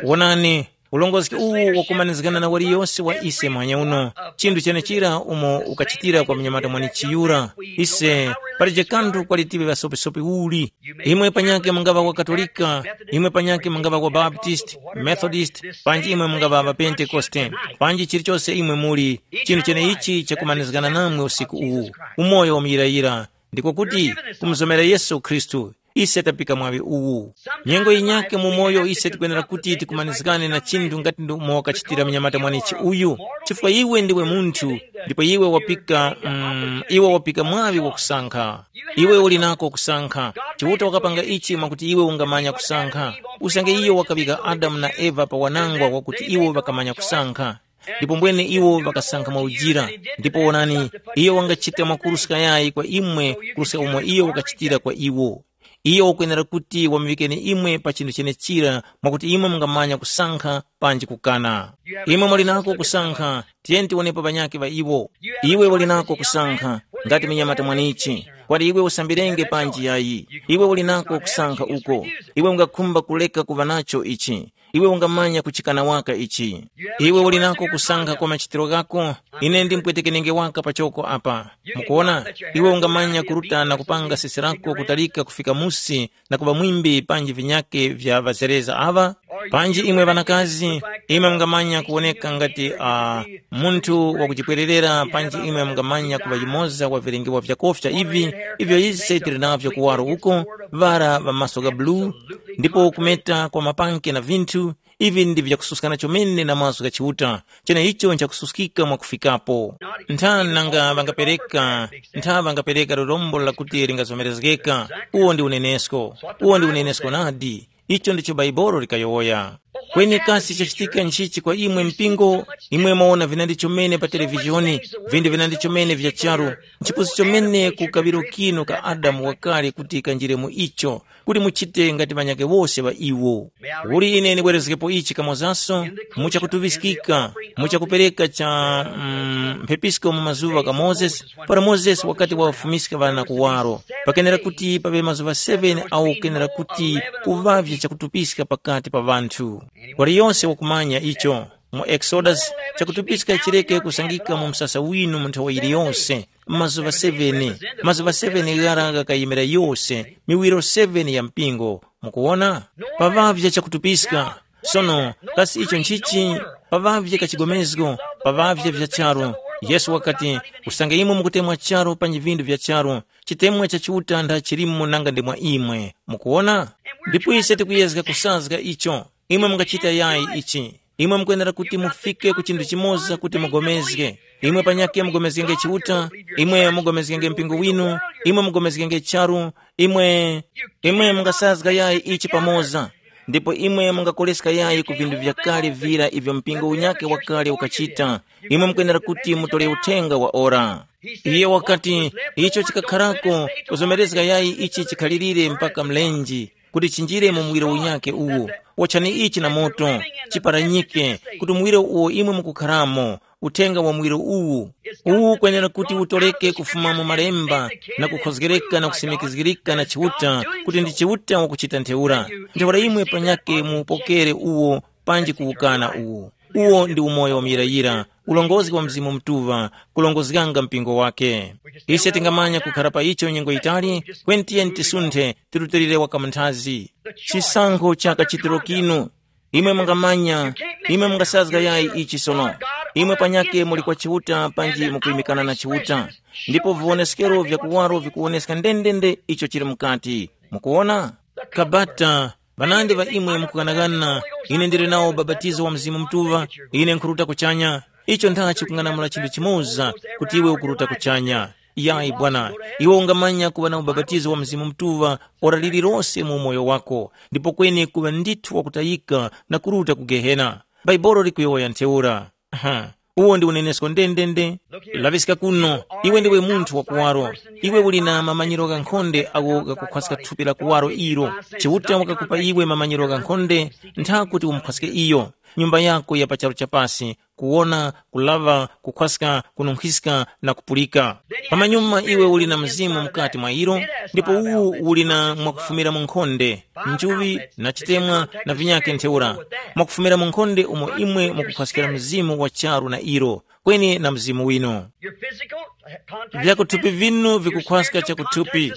Wonani, ulongozi uwu wakumanizgana na waliyose wa ise muhanya uno, chinthu chenechira umo ukachitira kwa mnyamata mwanichi yura. Ise, palije kanthu kwalitiwe ŵasopisopi uli. Imwe panyakhe mungaŵa wa Katolika, imwe panyakhe mungaŵa wa Baptist, Methodist, panji imwe mungaŵa ŵa Pentekoste, panji chilichose imwe muli, chinthu cheneichi chakumanizgana namwe usiku uwu, umoyo wa muyirayira, ndiko kuti kumuzomera Yesu Khristu. Ise tapika mwaŵi uwu. Nyengo yinyakhe mu moyo ise tikwenera kuti tikumanizgane na chinthu ngati ndi umo wakachitira mnyamata mwanichi uyu, chifukwa iwe ndiwe munthu, ndipo iwe wapika, mm, iwe wapika mwaŵi wakusankha. Iwe uli nako kusankha. Chiuta wakapanga ichi mwakuti iwe ungamanya kusankha. Usange iyo wakaŵika Adamu na Eva pa wanangwa wakuti iwo ŵakamanya kusankha. Ndipo mbwene iwo ŵakasankha mwaujira. Ndipo wonani, iyo wangachita mwakuruska yayi kwa imwe kuruska umo iyo wakachitira kwa iwo. Iyo wakwenera kuti wamuŵikeni imwe pa chinthu chenechira mwakuti imwe mungamanya kusankha panji kukana. Imwe muli nako kusankha, tiyeni tiwonepo ŵanyakhe ŵa iwo. Iwe uli nako kusankha, ngati munyamata mwanichi, kwati iwe usambirenge panji yayi. Iwe uli nako kusankha uko. Iwe ungakhumba kuleka kuŵa nacho ichi. Iwe ungamanya kuchikana waka ichi. Iwe uli nako kusankha kwa machitiro ghako. Ine ndimpwetekenenge waka pachoko apa. Mukuona, iwe ungamanya kuruta na kupanga sese lako kutalika kufika musi na kuŵa mwimbi panji vinyake vya ŵazereza aŵa. Panji imwe ŵanakazi, imwe mungamanya kuwoneka ngati uh, munthu wakujipwererera panji imwe mungamanya kuŵa yumoza wa vilengewa vyakofya ivi, ivyo ise tili navyo kuwaro uko, ŵara ŵa maso gha bulu, ndipo kumeta kwa mapanke na vinthu. Ivi ndi vyakususkana chomene na mazgu gha Chiuta, cheneicho nchakususkika mwakufikapo. Ntha nanga ŵangapereka, ntha ŵangapereka lirombo lakuti lingazomerezgeka. Uwo ndi unenesko. Uwo ndi unenesko nadi. Icho ndicho Baibolo likayowoya. Kweni kasi chachitika nchichi kwa imwe mpingo? Imwe mwawona vinandi chomene pa televizhoni, vindu vinandi chomene vya charu, nchipusi chomene ku kaŵiro kino ka Adamu wakale kuti kanjire mu icho, kuti muchite ngati ŵanyakhe wose ŵa iwo. Uli ine ndibwerezgepo ichi kamozaso, muchakutuŵiskika, muchakupereka cha mm, mphepisko mu mazuŵa gha Mozesi, para Mozesi wakati wafumiska ŵana kuwaro, pakenera kuti paŵe mazuŵa seven awo kenera kuti kuŵavye chakutupiska pakati pa ŵanthu. Waliyonse wakumanya icho. Mu Exodus, chakutupiska chireke kusangika mu msasa winu mu nthawi yiliyonse. Mazuŵa seven, mazuŵa seven ghara ghakayimira yose miwiro seven ya mpingo. Mukuwona, paŵavye chakutupiska. Sono, kasi icho nchichi? Paŵavye kachigomezgo, paŵavye vya charu. Yesu wakati, usange imwe mukutemwa charu panji vindu vya charu, chitemwa cha Chiuta nda chilimo nanga ndi mwa imwe. Mukuwona? Ndipo ise tikuyezga kusazga icho. Imwe mungachita yayi ichi. Imwe mukwenera kuti mufike ku chinthu chimoza kuti mugomezge. Imwe panyakhe mugomezgenge Chiuta, imwe mugomezgenge mpingo winu, imwe mugomezgenge charu, imwe, imwe mungasazga yayi ichi pamoza. Ndipo imwe mungakoleska yayi ku vinthu vyakale vira ivyo mpingo unyakhe wakale ukachita. Imwe mukwenera kuti mutole uthenga wa ora. Iye wakati, icho chikakharako kuzomerezga yayi ichi chikhalirire mpaka mlenji, kuti chinjire mu muwiro unyakhe uwo. Wachani ichi na moto, chiparanyike, kuti muwiro uwo imwe mukukharamo, uthenga wa muwiro uwu, uwu ukwenera kuti utoleke kufuma mu malemba, na kukhozgereka na kusimikizgirika na Chiuta, kuti ndi Chiuta wakuchita ntheura. Ntheura imwe panyakhe muupokere uwo, panji kuwukana uwo. Uwo ndi umoyo wa muyirayira, ulongozi wa Mzimu Mutuŵa, kulongozganga mpingo wake. Ise tingamanya kukhara pa icho nyengo yitali, kweni tiyeni tisunthe, tirutilire waka munthazi. Chisankho cha kachitiro kinu. Imwe mungamanya, imwe mungasazga yayi ichi sono. Imwe panyake muli kwa Chiuta panji mukuyimikana na Chiuta. Ndipo viwoneskero vya kuwaro vikuwoneska ndendende icho chili mukati. Mukuwona? Kabata, ŵanandi ŵa imwe mukughanaghana, ine ndili nawo ubapatizo wa Mzimu Mutuŵa, ine nkhuruta kuchanya. Icho nthachi kung'anamula chinthu chimoza, kuti iwe ukuruta kuchanya. Yayi bwana, iwe ungamanya kuŵa na ubapatizo wa Mzimu Mutuŵa ora lililose mu umoyo wako, ndipo kweni kuŵa ndithu wakutayika na kuruta ku Gehena. Bhaibuli likuyowoya ntheura. Aha, uwo ndi unenesko ndendende. Laŵiska kuno, iwe ndiwe munthu wakuwaro. Iwe uli na mamanyiro ghankhonde agho gakukhwaska thupi la kuwaro ilo. Chiuta wakakupa iwe mamanyiro ghankhonde, ntha kuti umukhwaske iyo. Nyumba yako ya pa charu chapasi, kuwona, kulaŵa, kukhwaska, kununkhiska na kupulika. Pamanyuma iwe uli na mzimu mukati mwa ilo, ndipo uwu uli na mwakufumira mu nkhonde, njuŵi na chitemwa na vinyakhe ntheura. Mwakufumira mu nkhonde umo imwe mukukhwaskira mzimu wa charu na ilo, kweni na mzimu winu. Your physical, uh, contact. Vyakuthupi vinu vikukhwaska chakuthupi,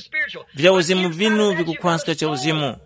vya uzimu vinu vikukhwaska cha uzimu.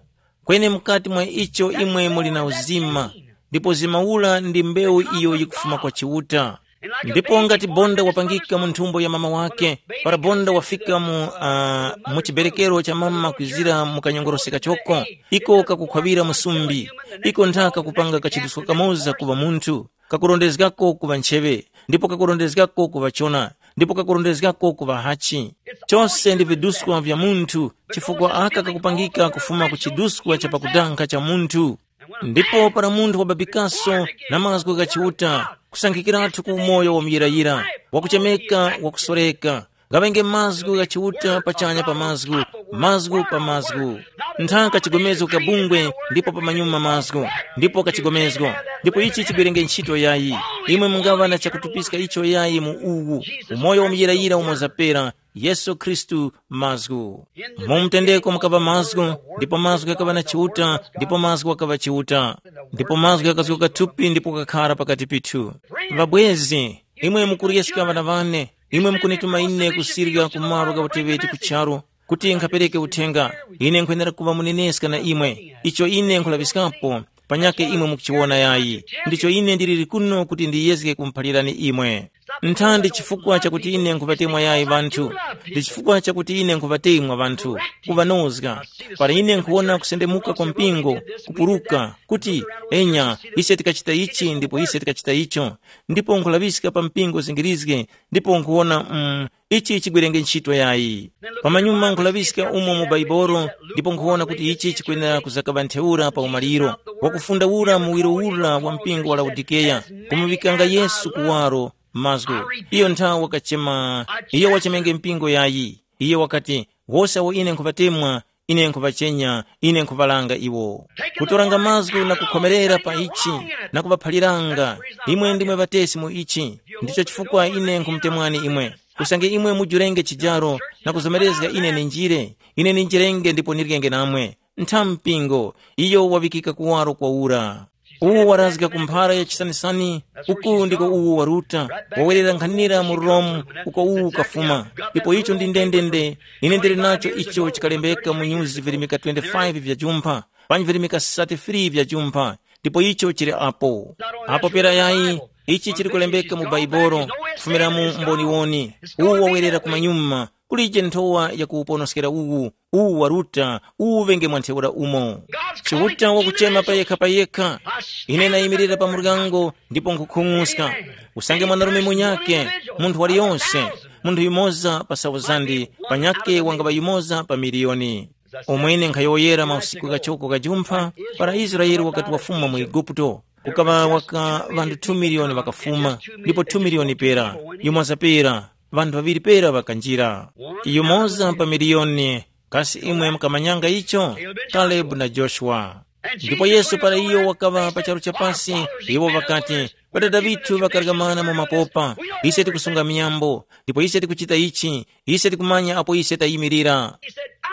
Kweni mukati mwa icho imwe muli na uzima, ndipo uzima ula ndi mbewu iyo yikufuma kwa Chiuta. Ndipo ngati bonda wapangika mu nthumbo ya mama wake, para bonda wafika mu, uh, mu chiberekero cha mama kwizira mu kanyongoroseka choko, iko kakukhwawira musumbi, iko nthaka kupanga kachidusko kamoza kuŵa munthu, kakurondezgako kuŵa ncheŵe, ndipo kakurondezgako kuŵa chona, ndipo kakurondezgako kuŵa hachi. Chose ndi viduskwa vya munthu, chifukwa aka kakupangika kufuma ku chiduskwa cha pakudankha cha munthu. Ndipo para munthu wababikaso na mazgu gha Chiuta, kusankhikiratu ku umoyo wa muyirayira, wakuchemeka, wakusoreka, ghaŵenge mazgu gha Chiuta pachanya pa mazgu, mazgu pa mazgu. Nthaka chigomezo kabungwe, ndipo pamanyuma mazgu, ndipo kachigomezgo. Ndipo ichi chiberenge ntchito yayi. Imwe mungaŵa na chakutupiska icho yayi mu uwu, umoyo wa muyirayira umo zapera, Yesu Khristu mazgu. Mu mtendeko mukaŵa mazgu, ndipo mazgu ghakaŵa na Chiuta, ndipo mazgu ghakaŵa Chiuta. Ndipo mazgu ghakazguka thupi ndipo kakhara pakati pithu. Ŵabwezi, imwe mukuryeska ŵana wane, imwe mukunituma ine kusirika ku malo gha uteŵeti ku charu, kuti nkhapereke uthenga. Ine nkhwenera kuŵa muneneska na imwe. Icho ine nkhulaŵiskapo, panyakhe imwe mukuchiwona yayi. Ndicho ine ndiliri kuno kuti ndiyezge kumuphalirani imwe. Nthandi chifukwa chakuti ine nkhuŵatemwa yayi ŵanthu. Ndi chifukwa chakuti ine nkhuŵatemwa ŵanthu, kuŵanozga. Para ine nkhuwona kusendemuka kwa mpingo, kupuruka, kuti, enya, ise tikachita ichi ndipo ise tikachita icho. Ndipo nkhulaŵiska pa mpingo zingirizge, ndipo nkhuwona, mm, Ichi chigwerenge ntchito yayi. Pamanyuma nkhulaŵiska umo mu Baibolo, ndipo nkhuwona kuti ichi chikwenera kuzakaŵa ntheura pa umaliro. Wakufunda ura muwiro ura wa mpingo wa Laodikeya, kumuŵikanga Yesu kuwaro mazgu. Iyo nthawi wakachema, iyo wachemenge mpingo yayi. Iye wakati, wose awo ine nkhuŵatemwa, ine nkhuŵachenya, ine nkhuŵalanga iwo. Kutoranga mazgu na kukhomerera pa ichi, na kuŵaphaliranga, imwe ndimwe ŵatesi mu ichi. Ndicho chifukwa ine nkhumutemwani imwe. Usange imwe mujurenge chijaro, na kuzomerezga ine ninjire, ine ninjirenge ndipo nirikenge namwe. Ntha mpingo, iyo waŵikika kuwaro kwa ura. Uwu warazga ku mphara ya chisanisani, uku ndiko uwu waruta, wawerera nkhanira mu Rome, uko uwu ukafuma. Ndipo icho ndi ndendende, ine ndili nacho icho chikalembeka mu nyuzi virimika twenty-five vya jumpha, panji virimika thirty-three vya jumpha, ndipo icho chili apo. Apo pera yayi, ichi chili kulembeka mu Baibolo, kufumira mu mboniwoni. Uwu wawerera kumanyuma, kulije nthowa ya kuwuponoskera uwu, uwu waruta, uwu ŵenge mwa ntheura umo. Chiuta wakuchema payekha payekha. Ine nayimirira pa muryango ndipo nkhukhung'uska. Usange mwanarume munyake, munthu waliyonse, munthu yumoza pa sauzandi, panyake wangaŵa yumoza pa miliyoni. Umwene nkhayowoyera mausiku ghachoko gha jumpha, para Israele wakati wafuma mu Eguputo, kukaŵa waka ŵanthu two miliyoni ŵakafuma, ndipo two miliyoni pera, yumoza pera, ŵanthu ŵaŵiri pera ŵakanjira. Yumoza pa miliyoni. Kasi imwe mukamanyanga icho? Kalebu na Joshua. Ndipo Yesu para iyo wakaŵa pa charu cha pasi, iwo ŵakati, ŵadada ŵithu ŵakaryamana mu mapopa, ise tikusunga miyambo, ndipo ise tikuchita ichi, ise tikumanya apo ise tayimirira.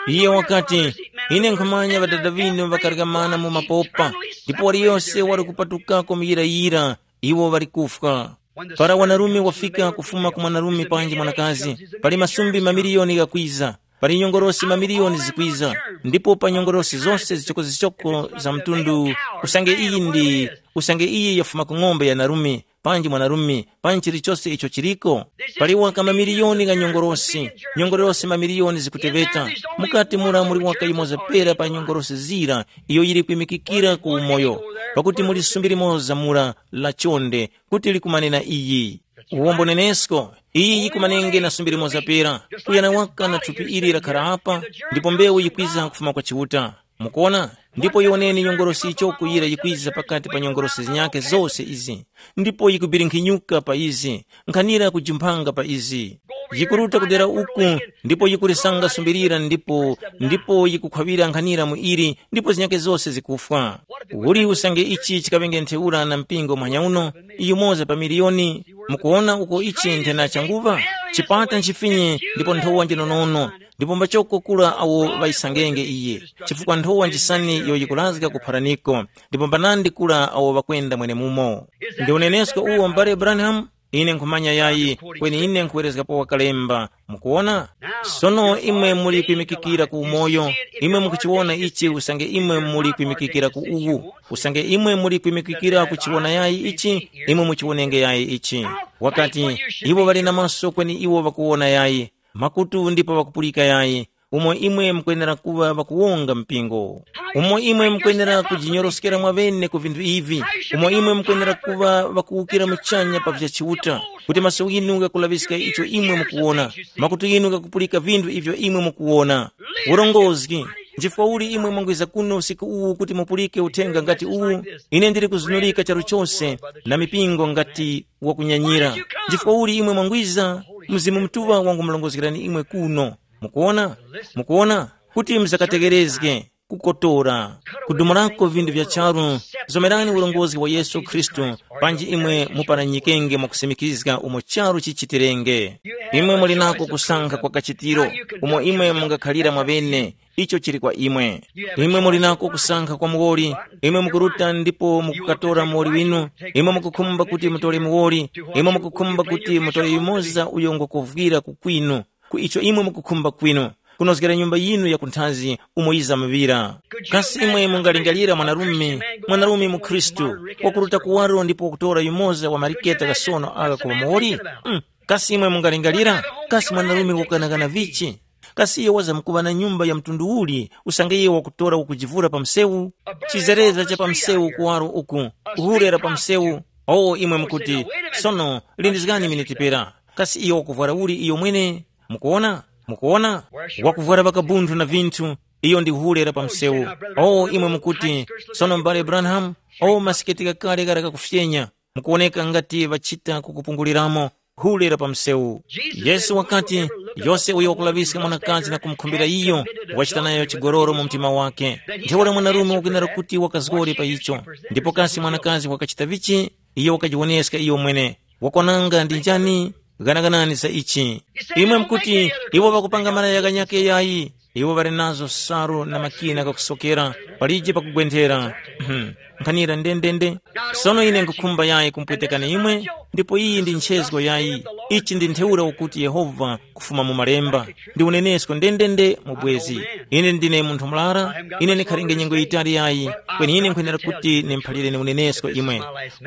Iye wakati, ine nkhumanya ŵadada ŵinu ŵakaryamana mu mapopa, ndipo waliyose wali kupatukako muyirayira, iwo ŵali kufwa. Para wanarume wafika kufuma ku mwanarume panji mwanakazi, pali masumbi mamiliyoni ghakwiza, pali nyongorosi mamiliyoni zikwiza, ndipo pa nyongorosi zose zichokozichoko za mtundu, usange iyi ndi, usange iyi yafuma ku ng'ombe ya narume, panji mwanarume, panji chilichose icho chiliko. Pali waka mamiliyoni gha nyongorosi, nyongorosi mamiliyoni zikuteŵeta. Mukati mura muli waka yumoza pera pa nyongorosi zira, iyo yili kwimikikira ku umoyo, pakuti muli sumbi limoza mura la chonde, kuti likumane na iyi. Uwombo nenesko, iyi yikumanenge na sumbi limoza pera, kuyana waka na thupi ili lakhara apa, ndipo mbewu yikwiza kufuma kwa Chiuta. Mukuona? Ndipo yoneni nyongolosi ichoko yira yikwiza pakati pa nyongolosi zinyakhe zose izi, ndipo yikubirinkhinyuka pa izi, nkhanira kujimphanga pa izi. Yikuruta kudera uku, ndipo yikulisanga sumbilira ndipo, ndipo yikukhwaŵira nkhanira mu ili, ndipo zinyakhe zose zikufwa. Uli usange ichi chikaŵenge ntheura na mpingo mwanyauno, yumoza pa miliyoni, mukuwona uko ichi nthena changuŵa? Chipata nchifinye ndipo nthowa njinonono, ndipo mbachoko kura awo ŵayisangenge iye, chifukwa nthowa njisani iyo yikurazga kupharaniko, ndipo mbanandi kura awo ŵakwenda mwenemumo. Ndi unenesko uwo mbale Branham? Ine nkhumanya yayi, kweni ine nkhuwerezgapo wakalemba. Mukuwona? Sono imwe muli kwimikikira ku umoyo, imwe mukuchiwona ichi usange imwe muli kwimikikira ku uwu. Usange imwe muli kwimikikira kuchiwona yayi ichi, imwe muchiwonenge yayi ichi. Wakati, iwo ŵali na maso kweni iwo ŵakuwona yayi, makutu ndipo ŵakupulika yayi, umo imwe mukwenera kuŵa ŵakuwonga mpingo. Umo imwe mukwenera kujinyoroskera mwaŵene ku vinthu ivi, umo imwe mukwenera kuŵa ŵakuwukira muchanya pa vya Chiuta, kuti maso ghinu ghakulaŵiska icho imwe mukuwona, makutu ghinu ghakupulika vinthu ivyo imwe mukuwona. Urongozgi, nchifukwa uli imwe mwangwiza kuno usiku uwu kuti mupulike uthenga ngati uwu? Ine ndili kuzunurika charu chose na mipingo ngati wakunyanyira. Nchifukwa uli imwe mwangwiza? Mzimu Mutuŵa wangumulongozgerani imwe kuno. Mukuona? Mukuona? Kuti muzakategerezge, kukotora, kudumulako vinthu vya charu. Zomerani ulongozi wa Yesu Khristu, panji imwe muparanyikenge mwakusimikizga umo charu chichitirenge. Imwe muli nako kusankha kwa kachitiro, umo imwe mungakhalira mwaŵene. Icho chili kwa imwe. Imwe muli nako kusankha kwa muwoli. Imwe mukuruta ndipo mukukatora muwoli winu. Imwe mukukhumba kuti mutore muwoli. Imwe mukukhumba kuti mutore yumoza uyo ngokuvwira kukwinu, ku icho imwe mukukhumba kwinu, kunozgera nyumba yinu ya kunthazi umo yizamuŵira. Kasi imwe mungalingalira mwanarume, mwanarume mu Khristu, wakuruta kuwaro ndipo wakutora yumoza wa mariketa ghasono agha kuŵa muwoli? Mm. Kasi imwe mungalingalira? Kasi mwanarume wakukanakana vichi? Kasi iyo wazamkuŵa na nyumba ya mtundu uli usange iyo wakutora wakujivura pa msewu? Chizereza cha pa msewu kuwaro uku, hure la pa msewu. O imwe mukuti, sono, lindizgani miniti pera. Kasi iyo wakuvwara uli iyo mwene? Mukuona? Mukuona? Wakuvwara ŵakabunthu na vinthu, iyo ndi hule la pa msewu. O, imwe mukuti, sono m'bale Branham, o masiketi ghakale ghara kakufyenya, mukuwoneka ngati ŵachita kukupunguliramo hule la pa msewu. Yesu wakati, yose uyo wakulaŵiska mwanakazi na kumukhumbira iyo, wachita nayo chigololo mu mtima wake. Ntheura mwanarume wakwenera kuti wakazgore pa icho. Ndipo kasi mwanakazi wakachita vichi? Iyo wakajiwoneska iyo mwene. Wakwananga ndi njani? Ghanaganani za ichi. Imwe mukuti, iwo ŵakupanga malaya ghanyakhe yayi. Iwo ŵali nazo salu na makina ghakusokera, palije pakugwenthera. Mhm. Nkhanira ndendende. Sono ine nkhukhumba yayi kumpwetekani imwe, ndipo iyi ndi nchezgo yayi. Ichi ndi ntheura ukuti Yehova kufuma mu malemba. Ndi unenesko ndendende mu bwezi. Ine ndine munthu murara, ine ndikhalenge nyengo yitali yayi, kweni ine nkhwenera kuti nimphalireni unenesko imwe.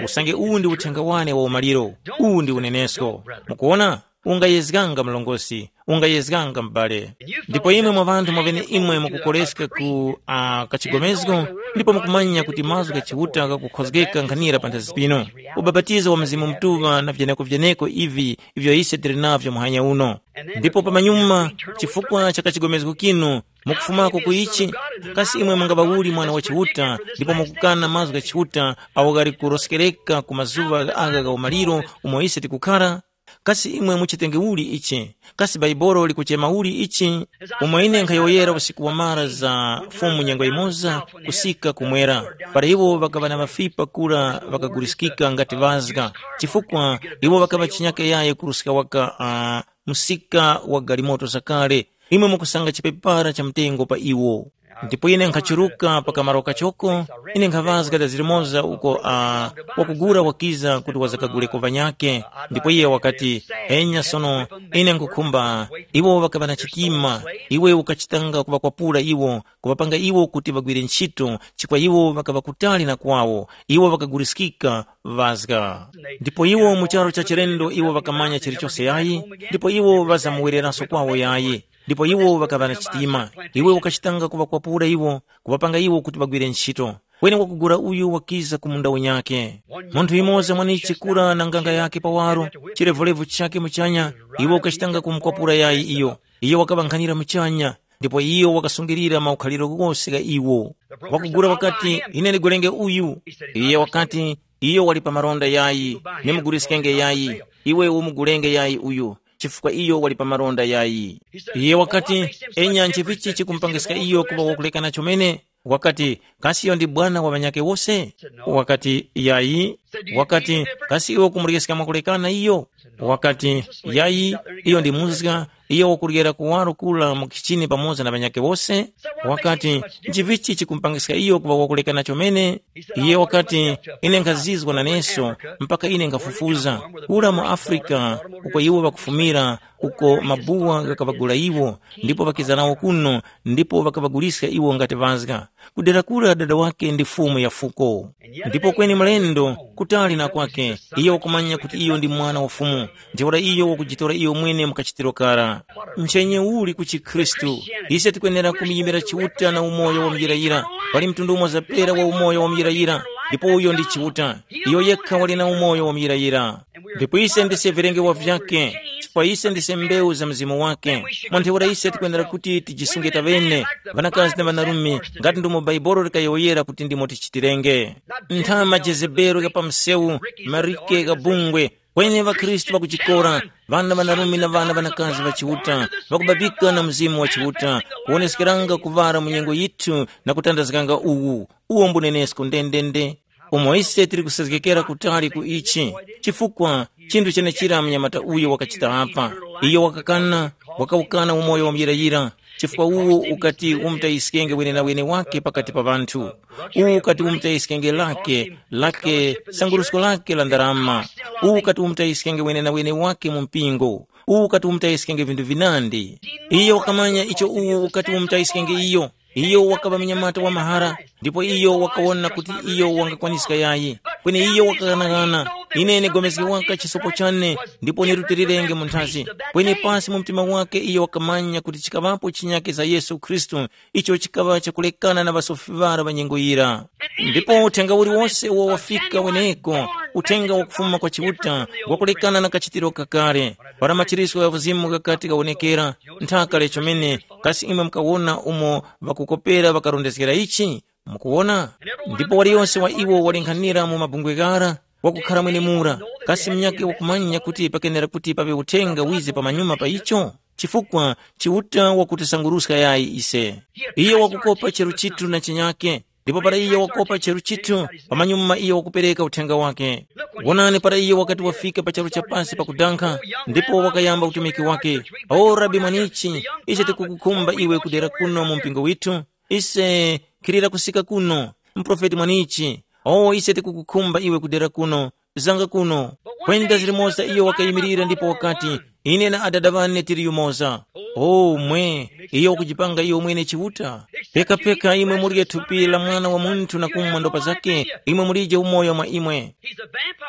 Usange uwu ndi uthenga wane wa umaliro, uwu ndi unenesko. Mukuona? Ungayezganga mlongosi, ungayezganga m'bale. Ndipo imwe mwa ŵanthu mwavene imwe mukukoreska ku uh, kachigomezgo, ndipo mukumanya kuti mazgu gha Chiuta ghakukhozgeka nkhanira panthazi pino. Ubapatizo wa Mzimu Mutuŵa na vyeneko-vyeneko ivi ivyo ise tili navyo muhanya uno. Ndipo pamanyuma, chifukwa cha kachigomezgo kinu, mukufumako ku ichi, kasi imwe mungaŵa uli mwana wa Chiuta, ndipo mukukana mazgu gha Chiuta awo ghali kuroskereka ku mazuŵa agha gha umaliro umo ise tikukhara? Kasi imwe muchitenge uli ichi? Kasi Baibolo likuchema uli ichi? Umo ine nkhayowoyera usiku wamara za Fumu nyengo yimoza kusika kumwera, para iwo ŵakaŵa na mafipa kura ŵakaguliskika ngati ŵazga, chifukwa iwo ŵakaŵa chinyake yaye kuruska waka uh, msika wa galimoto zakale. Imwe mukusanga chipepara cha mtengo pa iwo. Ndipo ine nkhachuruka pa kamaro kachoko, ine nkhaŵazga da zilimoza uko uh, wakugura wakiza kuti wazakaguleko ŵanyake. Ndipo iye wakati, enya sono, ine nkhukhumba, iwo ŵakaŵa na chitima, iwe ukachitanga kuŵakwapula iwo, kuŵapanga iwo kuti ŵagwire ntchito, chifukwa iwo ŵakaŵa kutali na kwawo, iwo ŵakaguliskika ŵazga. Ndipo iwo mu charu cha chilendo iwo ŵakamanya chilichose yayi, ndipo iwo ŵazamuwereranso kwawo yayi. Ndipo iwo ŵakaŵa na chitima. Iwe ukachitanga kuŵakwapula iwo, kuŵapanga iwo kuti ŵagwire ntchito. Kweni wakugula uyu wakiza ku munda unyakhe. Munthu yumoza mwanichi kura na nganga yakhe pawaro, chilevulevu chakhe muchanya, iwe ukachitanga kumukwapula yayi iyo. Iyo wakaŵankhanira muchanya, ndipo iyo wakasungilira maukhaliro ghose gha iwo. Wakugula wakati, ine ndigwerenge uyu. Iye wakati, iyo wali pa malonda yayi, nimuguliskenge yayi. Iwe umugulenge yayi uyu, chifukwa iyo wali pa malonda yayi. Iye wakati, enya nchivichi chikumupangiska iyo kuŵa wakulekana chomene? Wakati, kasi iyo ndi bwana wa ŵanyakhe wose? Wakati, yayi. Wakati, kasi iwe ukumureska mwakulekana iyo? Wakati, yayi, iyo ndi muzga, iyo wakuryera kuwaro kula mu kichini pamoza na ŵanyakhe wose. Wakati, nchivichi chikumupangiska iyo kuŵa wakulekana chomene? Iye wakati, ine nkhazizwa naneso, mpaka ine nkhafufuza, kura mu Afrika, uko iwo ŵakufumira, uko mabuwa ghakaŵagula iwo, ndipo ŵakiza nawo kuno, ndipo ŵakaŵaguliska iwo ngati ŵazga. Kudera kura dada wake ndi fumu ya fuko. Ndipo kweni mlendo, kutali na kwake, iyo wakumanya kuti iyo ndi mwana wa fumu, ntheura iyo wakujitora iyo mwene mukachitiro kara. Nchenye uli ku chikhristu? Ise tikwenera kumuyimira Chiuta na umoyo wa muyirayira. Pali mtundu umoza pera wa umoyo wa muyirayira, ndipo uyo ndi Chiuta. Iyo yekha wali na umoyo wa muyirayira. Ndipo ise ndise vilengewa vyake, chifukwa ise ndise mbewu za mzimu wake. Mwa ntheura ise tikwenera kuti tijisunge taŵene, ŵanakazi na ŵanarume, ngati ndomo Baibolo likayowoyera kuti ndimo tichitirenge. Ntha majezebelo gha pa msewu, marike gha bungwe, kweni ŵakhristu ŵakuchikora, ŵana ŵanarume na ŵana ŵanakazi ŵa Chiuta, ŵakubabika na Mzimu wa Chiuta, kuwoneskeranga kuŵala mu nyengo yithu na kutandazganga uwu, uwo mbunenesko ndendende. Umo ise tili kusezgekera kutali ku ichi, chifukwa chinthu chenechira mnyamata uyo wakachita apa. Iyo wakakana, wakawukana umoyo wa muyirayira, chifukwa uwo ukati umutayiskenge wenenawene wake pakati pa ŵanthu. Uwu ukati umutayiskenge lake, lake sangurusko lake la ndarama. Uwu ukati umutayiskenge wenenawene wake mu mpingo. Uwu ukati umutayiskenge vinthu vinandi. Iyo wakamanya icho uwu ukati umutayiskenge iyo. Iyo wakaŵa munyamata wa mahara, Ndipo iyo wakawona kuti iyo wangakwaniska yayi. Kweni iyo wakaghanagana, ine ndigomezge waka chisopo chane, ndipo nirutilirenge mu nthazi. Kweni pasi mu mtima wake iyo wakamanya kuti chikaŵapo chinyake za Yesu Khristu, icho chikaŵa chakulekana na ŵasofi ŵara ŵa nyengo yira. Ndipo uthenga uliwose uwo wafika weneko, uthenga wakufuma kwa Chiuta, wakulekana na kachitiro kakale. Para machirisco gha Mzimu ghakati ghawonekera, nthaka lechomene, kasi imwe mukawona umo ŵakukopera ŵakarondezgera ichi? Mukuwona? Ndipo waliyonse wa iwo walinghanira mu mabungwe ghara, wakukhara mwenemura, kasi munyakhe wakumanya kuti pakenera kuti paŵe uthenga wize pamanyuma pa icho? Chifukwa Chiuta wakutisanguruska yayi ise. Iyo wakukopa cheru chithu na chinyake, ndipo para iyo wakopa cheru chithu, pamanyuma iyo wakupereka uthenga wake. Wonani, para iyo wakati wafika pa charu cha pasi pakudankha, ndipo wakayamba utumiki wake. O Rabi Mwanichi, ise tikukukhumba iwe kudera kuno mu mpingo withu, ise khilira kusika kuno. Muprofeti Mwanichi, o ise tikukukhumba iwe kudera kuno, zanga kuno. Kwenda zilimoza iyo wakayimirira ndipo wakati, ine na adada ŵane tili yumoza. O mwe, iyo wakujipanga iyo mwene Chiuta. Pekapeka imwe murye thupi la Mwana wa Munthu na kumwa ndopa zake, imwe mulije umoyo mwa imwe.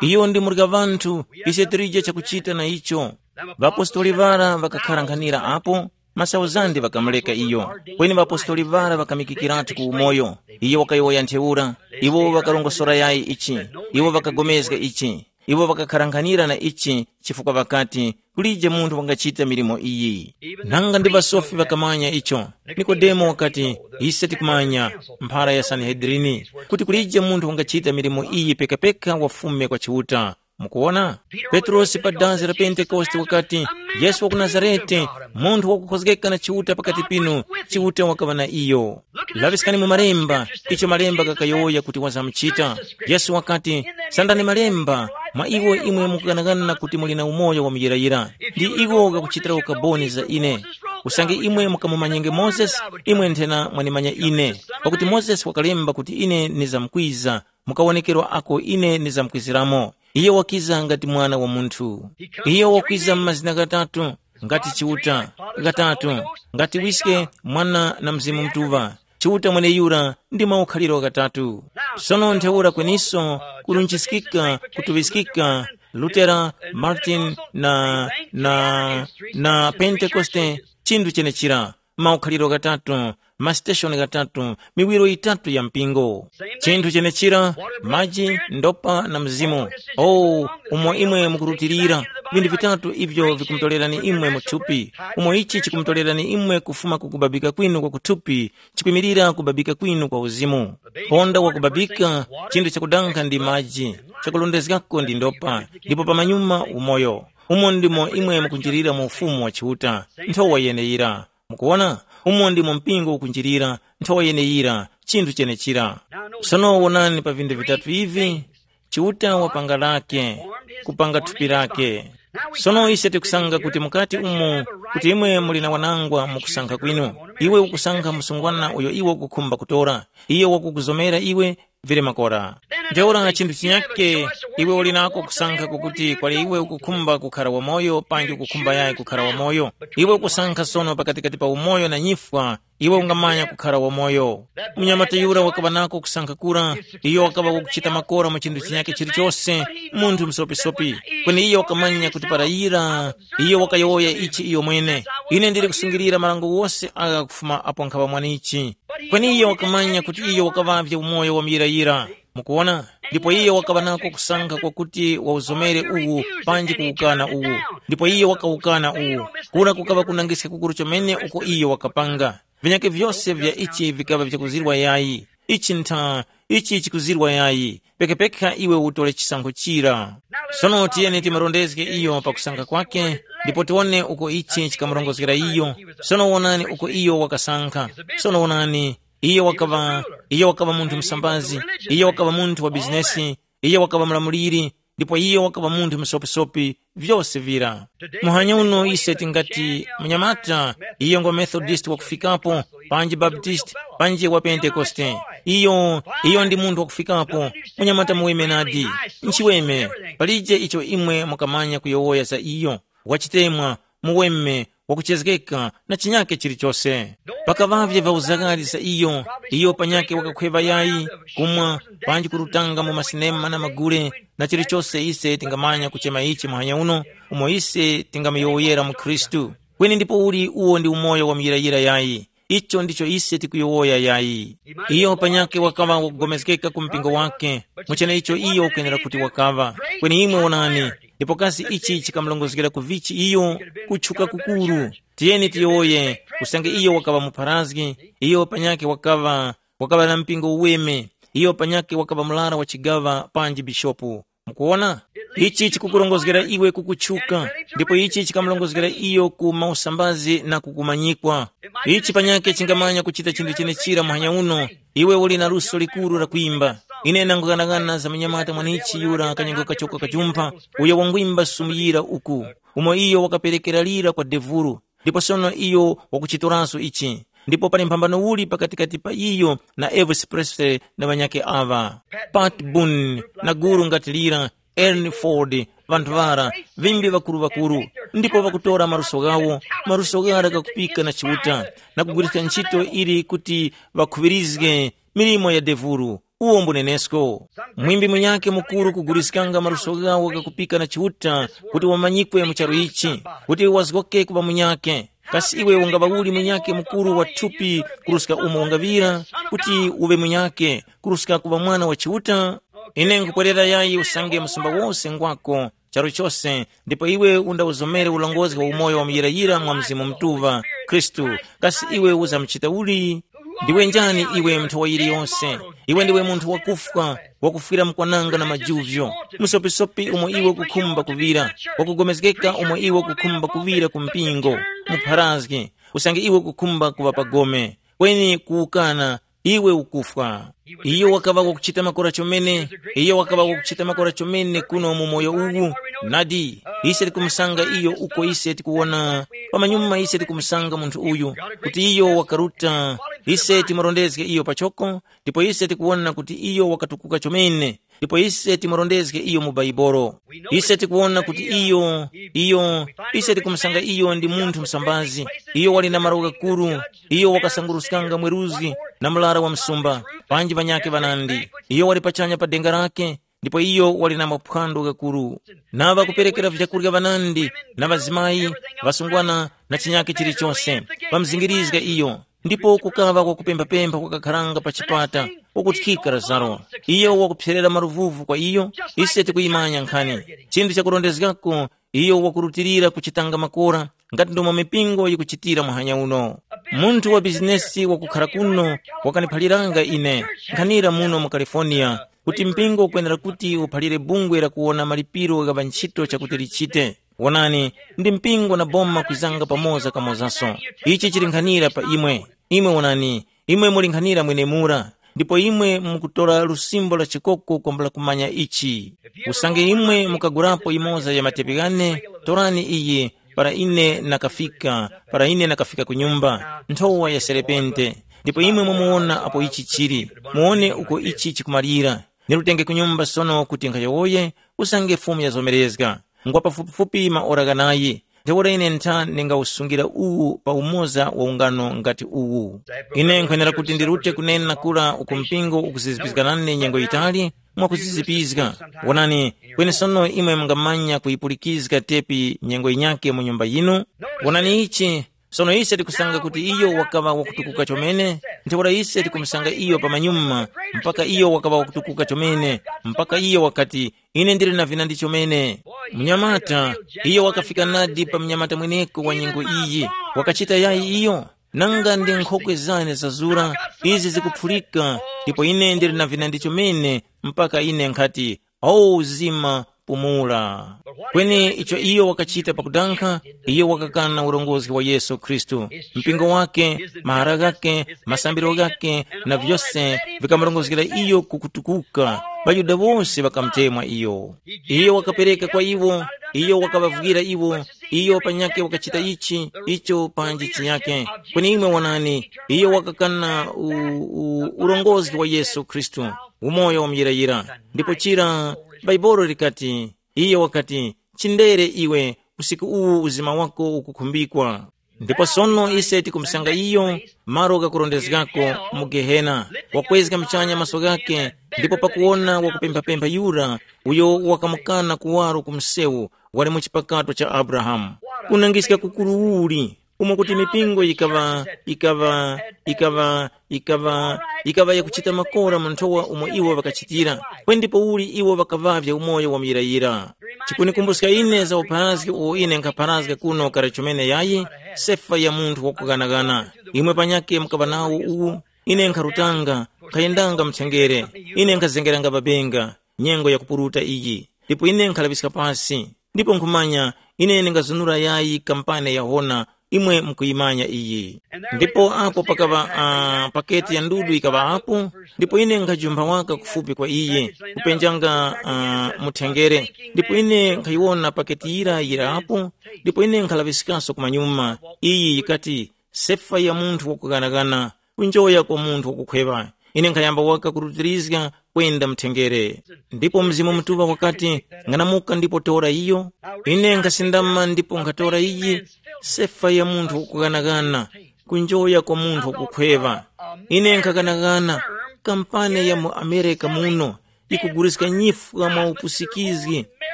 Iyo ndi murya ŵanthu, ise tilije chakuchita na icho. Ŵapostoli ŵara ŵakakharankhanira apo, masauzande ŵakamuleka iyo. Kweni ŵapostoli ŵara ŵakamikikiratu ku umoyo. Iyo wakayowoya ntheura, iwo ŵakarongosora yayi ichi, iwo ŵakagomezga ichi, iwo ŵakakharankhanira na ichi, chifukwa ŵakati, kulije munthu wangachita milimo iyi. Nanga ndi ŵasofi ŵakamanya icho. Nikodemo wakati, ise tikumanya, mphara ya Sanihedrini, kuti kulije munthu wangachita milimo iyi pekapeka wafume kwa Chiuta. Mukuwona? Petrosi pa dazi la Pentekoste wakati, Yesu wa ku Nazarete, munthu wakukhozgeka na Chiuta pakati pinu, Chiuta wakaŵa na iyo. Laŵiskani mu Malemba, icho Malemba ghakayowoya kuti wazamuchita. Yesu wakati, sandani Malemba, mwa iwo imwe mukughanaghana kuti muli na umoyo wa muyirayira. Ndi iwo ghakuchitira ukaboni za ine. Usange imwe mukamumanyenge Mozesi, imwe nthena mwanimanya ine. Pakuti Mozesi wakalemba kuti ine nizamkwiza, mu kawonekerwa ako ine ndizamkwiziramo. Iye wakiza ngati Mwana wa Munthu. Iye wakwiza mu mazina ghatatu, ngati Chiuta, ghatatu, ngati Wiske, Mwana na Mzimu Mutuŵa. Chiuta mweneyura ndi maukhaliro ghatatu. Sono ntheura kweniso kulunjiskika, kutuŵiskika, Lutera, Martin na, na, na Pentekoste, chinthu chenechira. Maukhaliro ghatatu, masiteshoni ghatatu, miwiro yitatu ya mpingo. Chinthu chenechira, maji, ndopa na mzimu. Oh, umo imwe mukurutilira, vinthu vitatu ivyo vikumutorerani imwe mu thupi. Umo ichi chikumutorerani imwe kufuma ku kubabika kwinu kwa kuthupi, chikwimirira kubabika kwinu kwa uzimu. Ponda wa kubabika, chinthu chakudankha ndi maji, chakulondezgako ndi ndopa, ndipo pamanyuma umoyo. Umo ndimo imwe mukunjirira mu ufumu wa Chiuta, nthowa yeneyira. Mukuwona, umo ndimo mpingo ukunjirira, nthowa yeneyira, chinthu chenechira. Sono wonani pa vinthu vitatu ivi, Chiuta wapanga lake, kupanga thupi lake. Sono ise tikusanga kuti mukati umo, kuti imwe muli na wanangwa mukusankha kwinu. Iwe ukusankha msungwana uyo iwe ukukhumba kutora. Iye wakukuzomera iwe, vili makora. Ntheura chinthu chinyake, iwe uli nako kusankha kukuti kwali iwe ukukhumba kukhara wamoyo panji ukukhumba yayi kukhara wamoyo. Iwe ukusankha sono pakatikati pa umoyo na nyifwa, iwe ungamanya kukhara wamoyo. Mnyamata yura wakaŵa nako kusankha kura, iyo wakaŵa wakuchita makora mu chinthu chinyake chilichose, munthu msopisopi. Kweni iyo wakamanya kuti para yira, iyo wakayowoya ichi iyo mwene, ine ndili kusungilira marango wose agha kufuma apo nkhaŵa mwanichi. Kweni iyo wakamanya kuti iyo wakaŵavye umoyo wa muyirayira. Mukuwona? Ndipo iyo wakaŵa nako kusankha kwakuti wauzomere uwu panji kuwukana uwu. Ndipo iyo wakawukana uwu. Kura kukaŵa kunangiska kukuru chomene uko iyo wakapanga. Vinyake vyose vya ichi vikaŵa vyakuzirwa yayi. Ichi ntha, ichi chikuzirwa yayi. Pekapeka iwe utole chisankho chira. Sono tiyeni timarondezge iyo pakusankha kwake, ndipo tiwone uko ichi chikamurongozgera iyo. Sono wonani uko iyo wakasankha. Sono wonani, iyo wakaŵa, iyo wakaŵa munthu msambazi, iyo wakaŵa munthu wa bizinesi, iyo wakaŵa mulamuliri, ndipo iyo wakaŵa munthu msopisopi, vyose vira. Muhanya uno ise tingati munyamata, iyo ngo Methodist wakufikapo, panji Baptist, panji wa Pentekoste. Iyo, iyo ndi munthu wakufikapo, munyamata muweme nadi. Nchiweme, palije icho imwe mukamanya kuyowoya za iyo. Wachitemwa, muweme, wakuchezgeka na chinyake chilichose. Pakaŵavye vyauzakali za iyo, iyo panyake wakakhweva yayi, kumwa, panji kurutanga mu masinema na magule, na chilichose ise tingamanya kuchema ichi muhanya uno, umo ise tingamuyowoyera mu Khristu. Kweni ndipo uli uwo ndi umoyo wa muyirayira yayi. Icho ndicho ise tikuyowoya yayi. Iyo panyakhe wakaŵa wakugomezgeka ku mpingo wake, muchene icho iyo ukwenera kuti wakaŵa. Kweni imwe wonani, ndipo kasi ichi chikamulongozgera ku vichi iyo? Kutchuka kukuru. Tiyeni tiyowoye, usange iyo wakaŵa mupharazgi, iyo panyakhe wakaŵa wakaŵa na mpingo uweme. Iyo panyakhe wakaŵa murara wa chigaŵa panji bishopu. Mukuwona? Ichi chikukurongozgera iwe kukutchuka, ndipo ichi chikamurongozgera iyo ku mausambazi na kukumanyikwa. Ichi panyakhe chingamanya kuchita chinthu chenechira muhanya uno. Iwe uli na luso likuru la kwimba. Ine nangughanagana za munyamata mwanichi yura kanyengo kachoko kajumpha, uyo wangwimba sumuyira uku, umo iyo wakaperekera lira kwa devuru. Ndipo sono iyo wakuchitoranso ichi. Ndipo pali mphambano uli pakatikati pa iyo na Elvis Presley na ŵanyakhe aŵa? Pat Boone na gulu ngati lira, Ernie Ford, ŵanthu ŵara, ŵimbi ŵakuru-ŵakuru, ndipo ŵakutora maluso ghawo, maluso ghara ghakupika na Chiuta, na kugwiriska ntchito ili kuti ŵakhuŵirizge milimo ya devuru. Uwo mbunenesko. Mwimbi munyakhe mukuru kuguliskanga maluso ghawo ghakupika na Chiuta, kuti wamanyikwe mu charu ichi, kuti wazgoke kuŵa munyakhe. Kasi iwe ungaŵa uli munyakhe mukuru wa thupi kuruska umo ungaŵira, kuti uŵe munyakhe kuruska kuŵa mwana wa Chiuta? Ine nkupwerera yayi usange msumba wose ngwako, charu chose, ndipo iwe undawuzomere ulongozi wa umoyo wa muyirayira mwa Mzimu Mutuŵa, Khristu. Kasi iwe uzamuchita uli? Ndiwe njani iwe, munthu wa yiliyose? Iwe ndiwe munthu wakufwa, wakufwira mkwananga na majuvyo. Musopisopi umo iwe ukukhumba kuŵira, wakugomezgeka umo iwe ukukhumba kuŵira ku mpingo, mupharazgi, usange iwe ukukhumba kuŵa pagome. Kweni kuwukana, iwe ukufwa. Iyo wakaŵa wakuchita makora chomene, iyo wakaŵa wakuchita makora chomene kuno mu moyo uwu. Nadi, ise tikumusanga iyo uko ise tikuwona, pamanyuma ise tikumusanga munthu uyu, kuti iyo wakaruta, ise timurondezge iyo pachoko, ndipo ise tikuwona kuti iyo wakatukuka chomene, ndipo ise timurondezge iyo mu Baibolo. Ise tikuwona kuti iyo, iyo, ise tikumusanga iyo ndi munthu msambazi. Iyo wali na malo ghakuru, iyo wakasanguruskanga mweruzgi na murara wa msumba, panji ŵanyakhe ŵanandi. Iyo wali pachanya pa denga lake, ndipo iyo wali na maphwando ghakuru. Na ŵakuperekera vyakurya ŵanandi, na ŵazimayi, ŵasungwana, na chinyakhe chilichose, pamzingirizga iyo. Ndipo kukaŵa kwakupemphapempha kwakakharanga pa chipata, wakuthika Lazaro. Iyo wakupserera maluvuvu kwa iyo, ise tikuyimanya nkhani. Chinthu chakurondezgako, iyo wakurutilira kuchitanga makora, ngati ndomwe mipingo yikuchitira muhanya uno. Munthu wa bizinesi wakukhara kuno wakaniphaliranga ine, nkhanira muno mu California, kuti mpingo ukwenera kuti uphalire bungwe la kuwona malipiro gha ŵantchito chakuti lichite. Wonani, ndi mpingo na boma kwizanga pamoza kamozaso. Ichi chili nkhanira pa imwe. Imwe wonani, imwe muli nkhanira mwenemura, ndipo imwe mukutora lusimbo la chikoko kwambula kumanya ichi. Usange imwe mukagurapo imoza ya matepi ghane, torani iyi, para ine nakafika, para ine nakafika ku nyumba, nthowa ya serepente. Ndipo imwe mwamuwona apo ichi chili, muwone uko ichi chikumalira. Nirutenge ku nyumba sono kuti nkhayowoye, usange Fumu yazomerezga. Ngwa pafupifupi maora ghanayi, ntheura ine ntha ndingawusungira uwu pa umoza wa ungano ngati uwu. Ine nkhwenera kuti ndirute kunena kura uku mpingo ukuzizipizga nane nyengo yitali, mwakuzizipizga. Wonani, kweni sono imwe mungamanya kuyipulikizga tepi nyengo yinyakhe mu nyumba yinu. Wonani ichi, sono ise tikusanga kuti iyo wakaŵa wakutukuka chomene, ntheura ise tikumusanga iyo pamanyuma, mpaka iyo wakaŵa wakutukuka chomene, mpaka iyo wakati, ine ndili na vinandi chomene. Mnyamata, iyo wakafika nadi pa mnyamata mweneko wa nyengo iyi, wakachita yayi iyo? Nanga ndi nkhokwe zane zazura, izi zikuphulika, ndipo ine ndili na vinandi chomene, mpaka ine nkhati, o uzima, pumula. Kweni icho iyo wakachita pakudankha, iyo wakakana urongozi wa Yesu Khristu. Mpingo wake, mahara ghake, masambiro ghake, na vyose vikamurongozgera iyo kukutukuka. ۊaYuda wose ŵakamutemwa iyo. Iyo wakapereka kwa iwo, iyo wakaŵavwira iwo, iyo panyakhe wakachita ichi, icho panji chinyakhe. Kweni imwe wonani, iyo wakakana u, u, urongozi wa Yesu Khristu, umoyo wa muyirayira. Ndipo chira, Baibolo likati, iyo wakati, chindere iwe, usiku uwu uzima wako ukukhumbikwa. Ndipo sono ise tikumusanga iyo malo ghakurondezgako mu Gehena, wakwezga muchanya maso ghakhe, ndipo pakuwona wakupemphapempha yura uyo wakamukana kuwaro ku msewu wali mu chipakato cha Abrahamu. Kunangiska kukuru uli, umo kuti mipingo yikaŵa yikaŵa yikaŵa yikaŵa yikaŵa yakuchita makora mu nthowa umo iwo ŵakachitira, kweni ndipouli iwo ŵakaŵavya umoyo wa muyirayira. Chikunikumbuska ine za upharazgi uwo ine nkhapharazga kuno kale chomene yayi, sefa ya munthu wakughanagana. Imwe panyakhe mukaŵa nawo uwu. Ine nkharutanga, nkhayendanga mthengere, ine nkhazengeranga pabenga, nyengo yakupuruta iyi. Ndipo ine nkhalaŵiska pasi, ndipo nkhumanya ine ndingazunura yayi kampane yahona. Imwe mukuyimanya iyi. Ndipo apo pakaŵa uh, paketi ya ndudu yikaŵapo, ndipo ine nkhajumpha waka kufupi kwa iye, kupenjanga uh, muthengere. Ndipo ine nkhayiwona paketi yira yirapo, ndipo ine nkhalaŵiskaso kumanyuma. Iyi yikati, sefa ya munthu wakughanagana, kunjoya kwa munthu wakukhweŵa. Ine nkhayamba waka kurutirizga kwenda mthengere. Ndipo Mzimu Mutuŵa wakati, ng'anamuka ndipo tora iyo. Ine nkhasindama ndipo nkhatora iyi, sefa ya munthu wakughanagana, kunjoya kwa munthu wakukhweŵa. Ine nkhaghanagana, kampani ya mu Amerika muno ikuguliska nyifwa mwa upusikizgi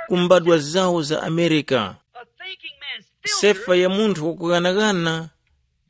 ku mbadwa zawo za Amerika. Sefa ya munthu wakughanagana,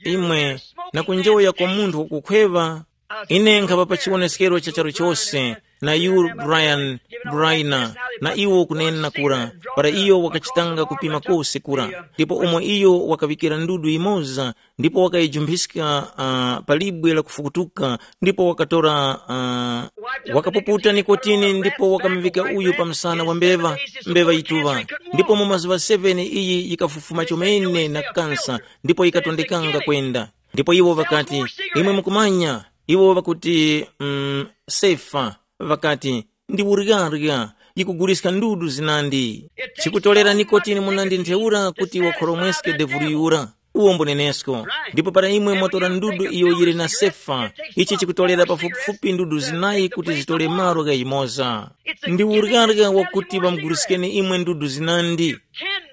imwe, na kunjoya kwa munthu wakukhweŵa. Ine nkhapa pa chiwoneskero cha charu chose na yu Brian Briner, na iwo kunena kura, para iyo wakachitanga kupima kose kura, ndipo umo iyo wakaŵikira ndudu yimoza, ndipo wakayijumphiska uh, pa libwe la kufukutuka, ndipo wakatora uh, wakapuputa nikotini ndipo wakamuŵika uyu pa msana wa mbeva, mbeva yituŵa. Ndipo mu mazuŵa seven iyi yikafufuma chomene na kansa, ndipo yikatondekanga kwenda. Ndipo iwo ŵakati, imwe mukumanya, iwo ŵakuti mm, sefa, ŵakati, ndi uryarya, yikuguliska ndudu zinandi. Chikutolera nikotini munandi ntheura kuti wakhoromweske devulu yura. Uwo mbunenesko. Ndipo para imwe mwatora ndudu iyo yili na sefa, ichi chikutolera pafupifupi ndudu zinayi kuti zitole malo gha yimoza. Ndi uryarya wakuti ŵamuguliskeni imwe ndudu zinandi.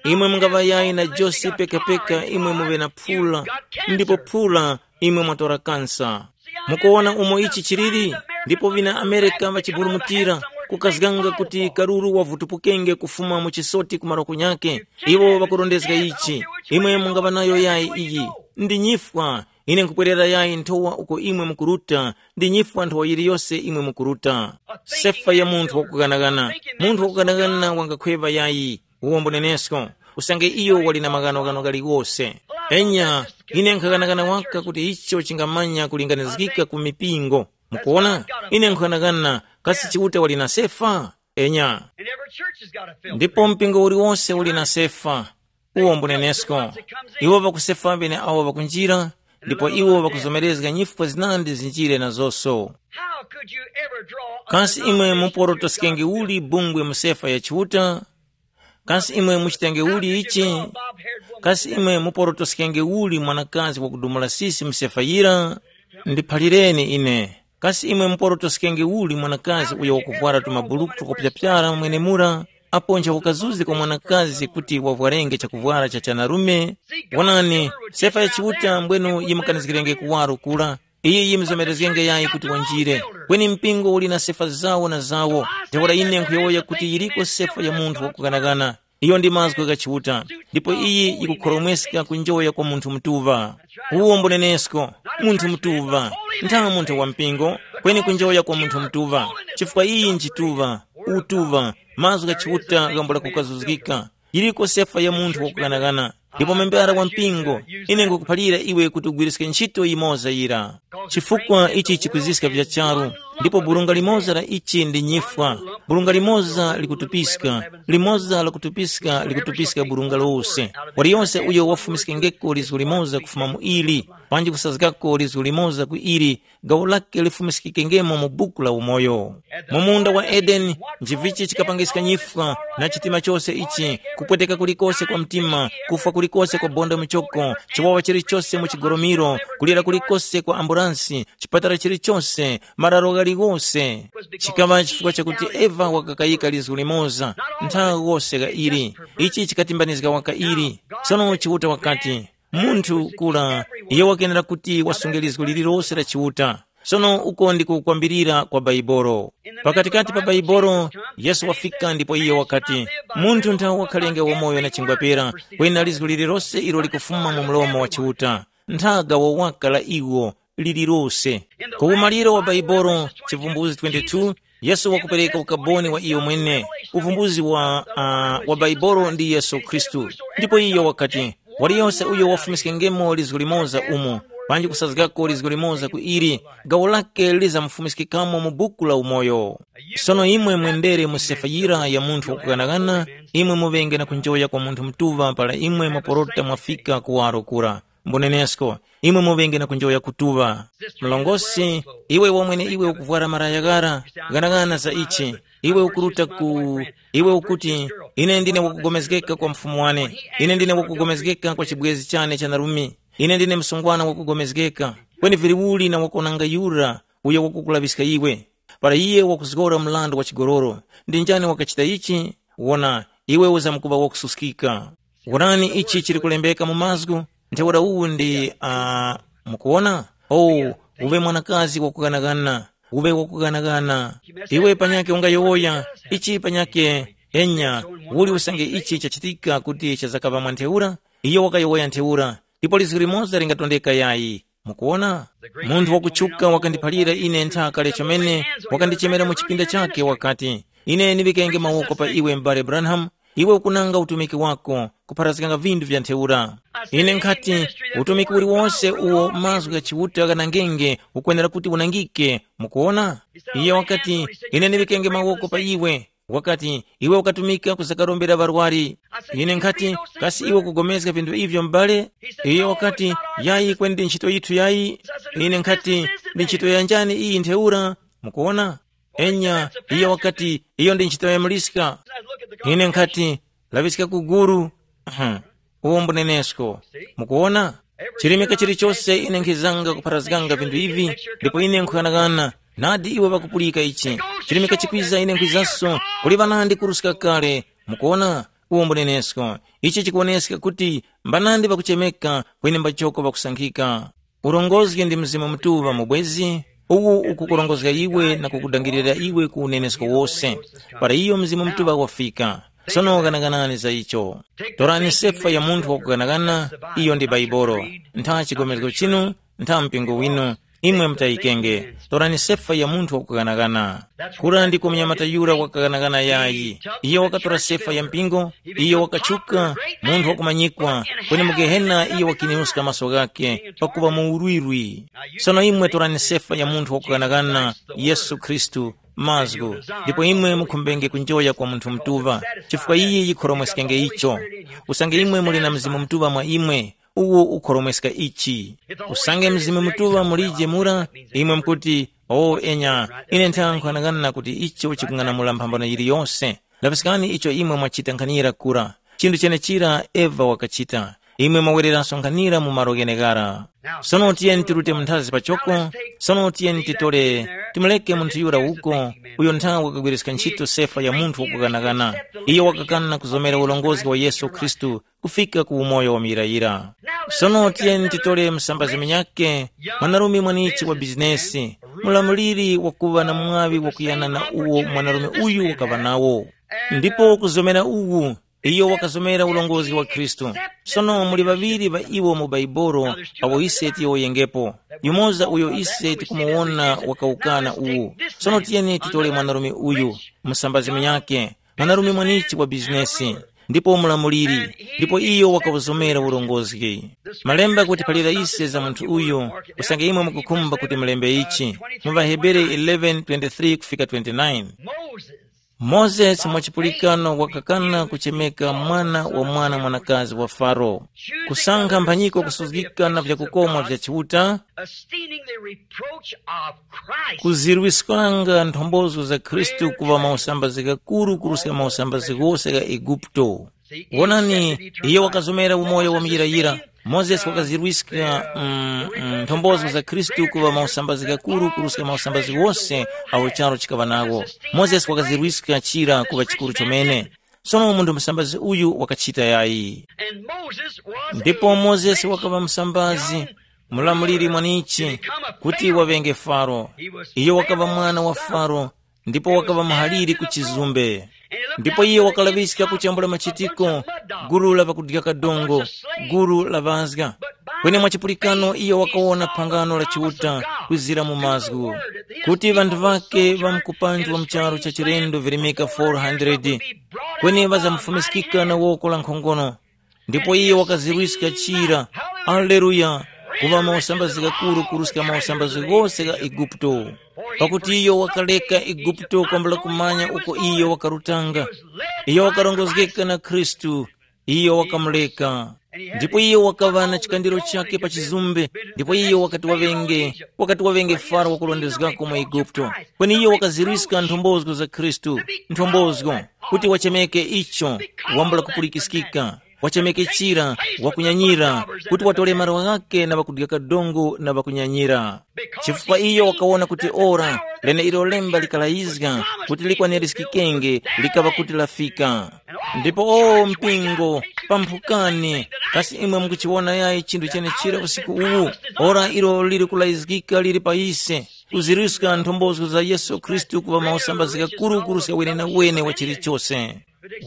Imwe mungaŵayayi na josi pekapeka imwe muŵe na phula, ndipo phula imwe mwatora kansa. Mukuwona umo ichi chiliri? Ndipo vina Amerika ŵachiburumutira, kukazganga kuti karuru wavutupukenge kufuma mu chisoti ku maroko nyakhe. Iwo ŵakurondezga ichi. Imwe mungaŵa nayo yayi iyi. Ndi nyifwa. Ine nkupwerera yayi nthowa uko imwe mukuruta. Ndi nyifwa nthowa yiliyose imwe mukuruta. Sefa ya munthu wakughanagana. Munthu wakughanagana wangakhweva yayi. Uwo mbunenesko, usange iyo wali na maghanoghano ghaliwose. Enya, ine nkhaghanaghana waka kuti icho chingamanya kulinganizgika ku mipingo. Mukuona, ine nkhaghanaghana kasi Chiuta wali na sefa? Enya. Ndipo mpingo uliwose uli na sefa. Uwo mbunenesko. Iwo ŵakusefa ŵene awo ŵakunjira, ndipo iwo ŵakuzomerezga nyifwa zinandi zinjire nazonso. Kasi imwe muporotoskenge uli bungwe mu sefa ya Chiuta? Kasi imwe muchitenge uli ichi? Kasi imwe muporotoskenge uli mwanakazi wakudumula sisi msefa yira? Ndiphalireni ine. Kasi imwe muporotoskenge uli mwanakazi uyo wakuvwara tumabuluku twakupyapyara mwenemura? Apo nchakukazuzi kwa mwanakazi kuti wavwarenge chakuvwara cha chanarume? Wonani, sefa ya Chiuta mbwenu yimukanizgirenge kuwaro kura. Iyi yimzomerezgenge yayi kuti wanjire. Kweni mpingo uli na sefa zawo na zawo. Ntheura ine nkhuyowoya kuti yiriko sefa ya munthu wakughanaghana. Iyo ndi mazgu gha Chiuta. Ndipo iyi yikukhoromweska kunjoya kwa munthu mutuŵa. Uwo mbunenesko, munthu mutuŵa. Ntha munthu wa mpingo, kweni kunjoya kwa munthu mutuŵa. Chifukwa iyi nchituŵa, utuŵa, mazgu gha Chiuta ghambula kukazuzgika. Yiriko sefa ya munthu wakughanaghana. Ndipo membara wa mpingo, ine nkukuphalira iwe kuti ugwiriske ntchito yimoza yira. Chifukwa ichi chikuziska vya charu, ndipo burunga limoza la ichi ndi nyifwa. Burunga limoza likutupiska, limoza lakutupiska likutupiska burunga lose. Waliyonse uyo wafumiskengeko lizgu limoza kufuma mu ili, panji kusazgako lizgu limoza ku ili, gawo lake lifumiskikengemo mu buku la umoyo. Mu munda wa Edeni, nchivichi chikapangiska nyifwa na chitima chose ichi, kupweteka kulikose kwa mtima, kufwa kulikose kwa bonda muchoko, chiwawa chilichose mu chigoromiro, kulira kulikose kwa ambulansi, chipatala chilichose, mararo ghaliwose. Chikaŵa chifukwa chakuti Eva wakakayika lizgu limoza, nthawi wose gha ili. Ichi chikatimbanizga waka ili. Sono Chiuta wakati, Munthu kula, iyo wakenera kuti wasunge lizgu lililose la Chiuta. Sono uko ndiko kwambirira kwa Baibolo. Pakatikati pa Baibolo, Yesu wafika ndipo iye wakati, munthu nthawe wakhalenge wamoyo na chingwapera, kwena lizgu lililose ilo likufuma mu mlomo wa Chiuta, nthaga wowaka la iwo lililose. Ku umaliro wa Baibolo, chivumbuzi twenty-two, Yesu wakupereka ukaboni wa iyo mwene. Uvumbuzi wa, uh, wa Baibolo ndi Yesu Khristu. Ndipo iyo wakati, waliyose uyo wafumiskengemo lizgu limoza umu, panji kusazgako lizgu limoza ku ili, gawo lake lizamufumiskikamo mu buku la umoyo. Sono imwe mwendere mu sefa yira ya munthu wakughanaghana, imwe muŵenge na kunjoya kwa munthu mutuŵa para imwe mwaporota mwafika kuwaro kura. Mbunenesko, imwe muŵenge na kunjoya kutuŵa. Mlongosi, iwe wamwene iwe ukuvwara maraya ghara, ghanaghana za ichi. Iwe ukuruta ku iwe ukuti, ine ndine wakugomezgeka kwa mfumu wane, ine ndine wakugomezgeka kwa chibwezi chane cha narumi, ine ndine msungwana wakugomezgeka. Kweni vili uli na wakonanga yura uyo wakukulaŵiska iwe? Para iye wakuzgora mrandu wa chigololo, ndi njani wakachita ichi? Wona, iwe uzamkuŵa wakususkika. Wonani ichi chili kulembeka mu mazgu, ntheura uwu ndi uh, mukuwona? Oh, uwe mwanakazi wakughanaghana, uwe wakughanaghana. Iwe panyake ungayowoya, ichi panyake, enya, uli usange ichi chachitika kuti chazakaŵa mwa ntheura? Iyo wakayowoya ntheura, ndipo lizgu limoza lingatondeka yayi. Mukuwona? Munthu wakutchuka wakandiphalira ine ntha kale chomene, wakandichemera mu chipinda chake wakati, ine ndiŵikenge mawoko pa iwe m'bale Branham, iwe ukunanga utumiki wako, kupharazganga vinthu vya ntheura. Ine nkhati, utumiki uliwonse uwo mazgu gha Chiuta ghanangenge ukwenera kuti unangike. Mukuwona? Iye wakati, ine ndiŵikenge mawoko pa iwe. Wakati, iwe ukatumika kuzakarombera ŵarwari. Ine nkhati, kasi iwe ukugomezga vinthu ivyo m'bale? Iye wakati, yayi kweni ndi ntchito yithu yayi. Ine nkhati, ndi ntchito yanjani iyi ntheura? Mukuwona? Enya, iye wakati, iyo ndi ntchito ya muliska. Ine nkhati, laŵiska ku guru. Uwo mbunenesko. Mukuwona? Chirimika chilichose ine nkhizanga kupharazganga vinthu ivi, ndipo ine nkhughanagana, nadi iwo ŵakupulika ichi. Chirimika chikwiza ine nkhwizanso, kuli ŵanandi kuruska kale. Mukuwona? Uwo mbunenesko. Ichi chikuwoneska kuti mbanandi ŵakuchemeka, kweni mbachoko ŵakusankhika. Urongozgi ndi Mzimu Mutuŵa mubwezi, uwu ukukurongozga iwe na kukudangirira iwe ku unenesko wose. Para iyo Mzimu Mutuŵa wafika, sono ghanaganani za icho. Torani sefa ya munthu wakughanaghana, iyo ndi Baibolo. Ntha chigomezgo chinu, ntha mpingo winu, imwe mutayikenge. Torani sefa ya munthu wakughanaghana. Kura ndiko munyamata yura wakaghanaghana yayi. Iyo wakatora sefa ya mpingo, iyo wakatchuka, munthu wakumanyikwa, kweni mu Gehena iyo wakiniuska maso ghakhe, pakuŵa mu urwirwi. Sono imwe torani sefa ya munthu wakughanaghana, Yesu Khristu, mazgu, ndipo imwe mukhumbenge kunjoya kwa munthu mutuŵa, chifukwa iyi yikhoromweskenge icho. Usange imwe muli na Mzimu Mutuŵa mwa imwe, uwo ukhoromweska ichi. Usange Mzimu Mutuŵa mulije mura, imwe mukuti, o enya, ine nthankhanang'ana kuti icho chikung'anamula mphambano yiliyose. Laŵiskani icho imwe mwachita nkhanira kura. Chinthu chenechira Eva wakachita. Imwe mwawereranso nkhanira mu malo gheneghara. Sono tiyeni tirute munthazi pachoko, sono tiyeni titole, timuleke munthu yura uko, uyo nthawi wakagwiriska ntchito sefa ya munthu wakukanakana. Iyo wakakana kuzomera ulongozi wa Yesu Khristu kufika ku umoyo wa muyirayira. Sono tiyeni titole msambazi munyakhe, mwanarume mwanichi wa bizinesi, mulamuliri wakuŵa na mwaŵi wakuyana na uwo mwanarume uyu wakaŵa nawo. Ndipo kuzomera uwu, iyo wakazomera ulongozi wa Khristu. Sono muli ŵaŵiri ŵa iwo mu Baibolo awo ise tiyowoyengepo. Yumoza uyo ise tikumuwona wakawukana uwu. Sono tiyeni titole mwanarume uyu, musambazi munyakhe, mwanarume mwanichi wa bizinesi, ndipo mulamuliri, ndipo iyo wakawuzomera ulongozi. Malemba kuti palira ise za munthu uyu, usange imwe mukukhumba kuti mulembe ichi, mu ŵaHebere eleven twenty-three kufika twenty-nine. Moses mwa chipulikano wakakana kuchemeka mwana wa mwana mwanakazi wa Faro, kusankha mphanyiko kusuzgika na vyakukomwa vya Chiuta, esteeming the reproach of Christ. Kuzirwiskanga nthombozo za Khristu kuŵa mausambazi ghakuru kuruska mausambazi ghose gha Eguputo. Wonani, iyo wakazomera umoyo wa muyirayira. Mozesi wakazirwiska mm, mm, nthombozo za Khristu kuŵa mausambazi ghakuru kuruska mausambazi ghose awo charo chikaŵa nawo. Mozesi wakazirwiska chira kuŵa chikuru chomene. Sono munthu musambazi uyu wakachita yayi. And Moses was ndipo a mozesi great wakaŵa musambazi, mulamuliri mwanichi, kuti waŵenge faro. Iyo wakaŵa mwana wa faro, ndipo wakaŵa muhaliri ku chizumbe. Ndipo iye wakalaŵiska kuchambula machitiko, gulu la ŵakudya kadongo, gulu la ŵazga. Kweni mwachipulikano iye wakawona phangano la Chiuta kwizira mu mazgu, kuti ŵanthu ŵake ŵa mkupanji wa mcharu cha chilendo virimika four hundred, kweni ŵazamufumiskika na woko la nkhongono. Ndipo iye wakazirwiska chira, aleluya, kuŵa mausambazi ghakuru kuruska mausambazi ghose gha Eguputo. Pakuti iyo wakaleka Eguputo kwambula kumanya uko iyo wakarutanga. Iyo wakarongozgeka na Khristu, iyo wakamuleka. Ndipo iyo wakaŵa na chikandiro chake pa chizumbe, ndipo iyo wakati waŵenge, wakati waŵenge faro wakulondezgako mu Eguputo. Kweni iyo wakaziriska nthombozo za Khristu, nthombozo, kuti wachemeke icho, wambula kupulikiskika, wachemeke chira, wakunyanyira, kuti watole malo ghake na ŵakudya kadongo na ŵakunyanyira. Chifukwa iyo wakawona kuti ora leneilo lemba likalayizga kuti likwanirizgikenge, likaŵa kuti lafika. Ndipo o mpingo, pamphukani, kasi imwe mukuchiwona yayi chinthu chenechira usiku uwu? Ora ilo liri kulayizgika liri pa ise, kuziriska nthombozo za Yesu Khristu kuŵa mausambazika kurukuru sa wenenawene wa chilichose.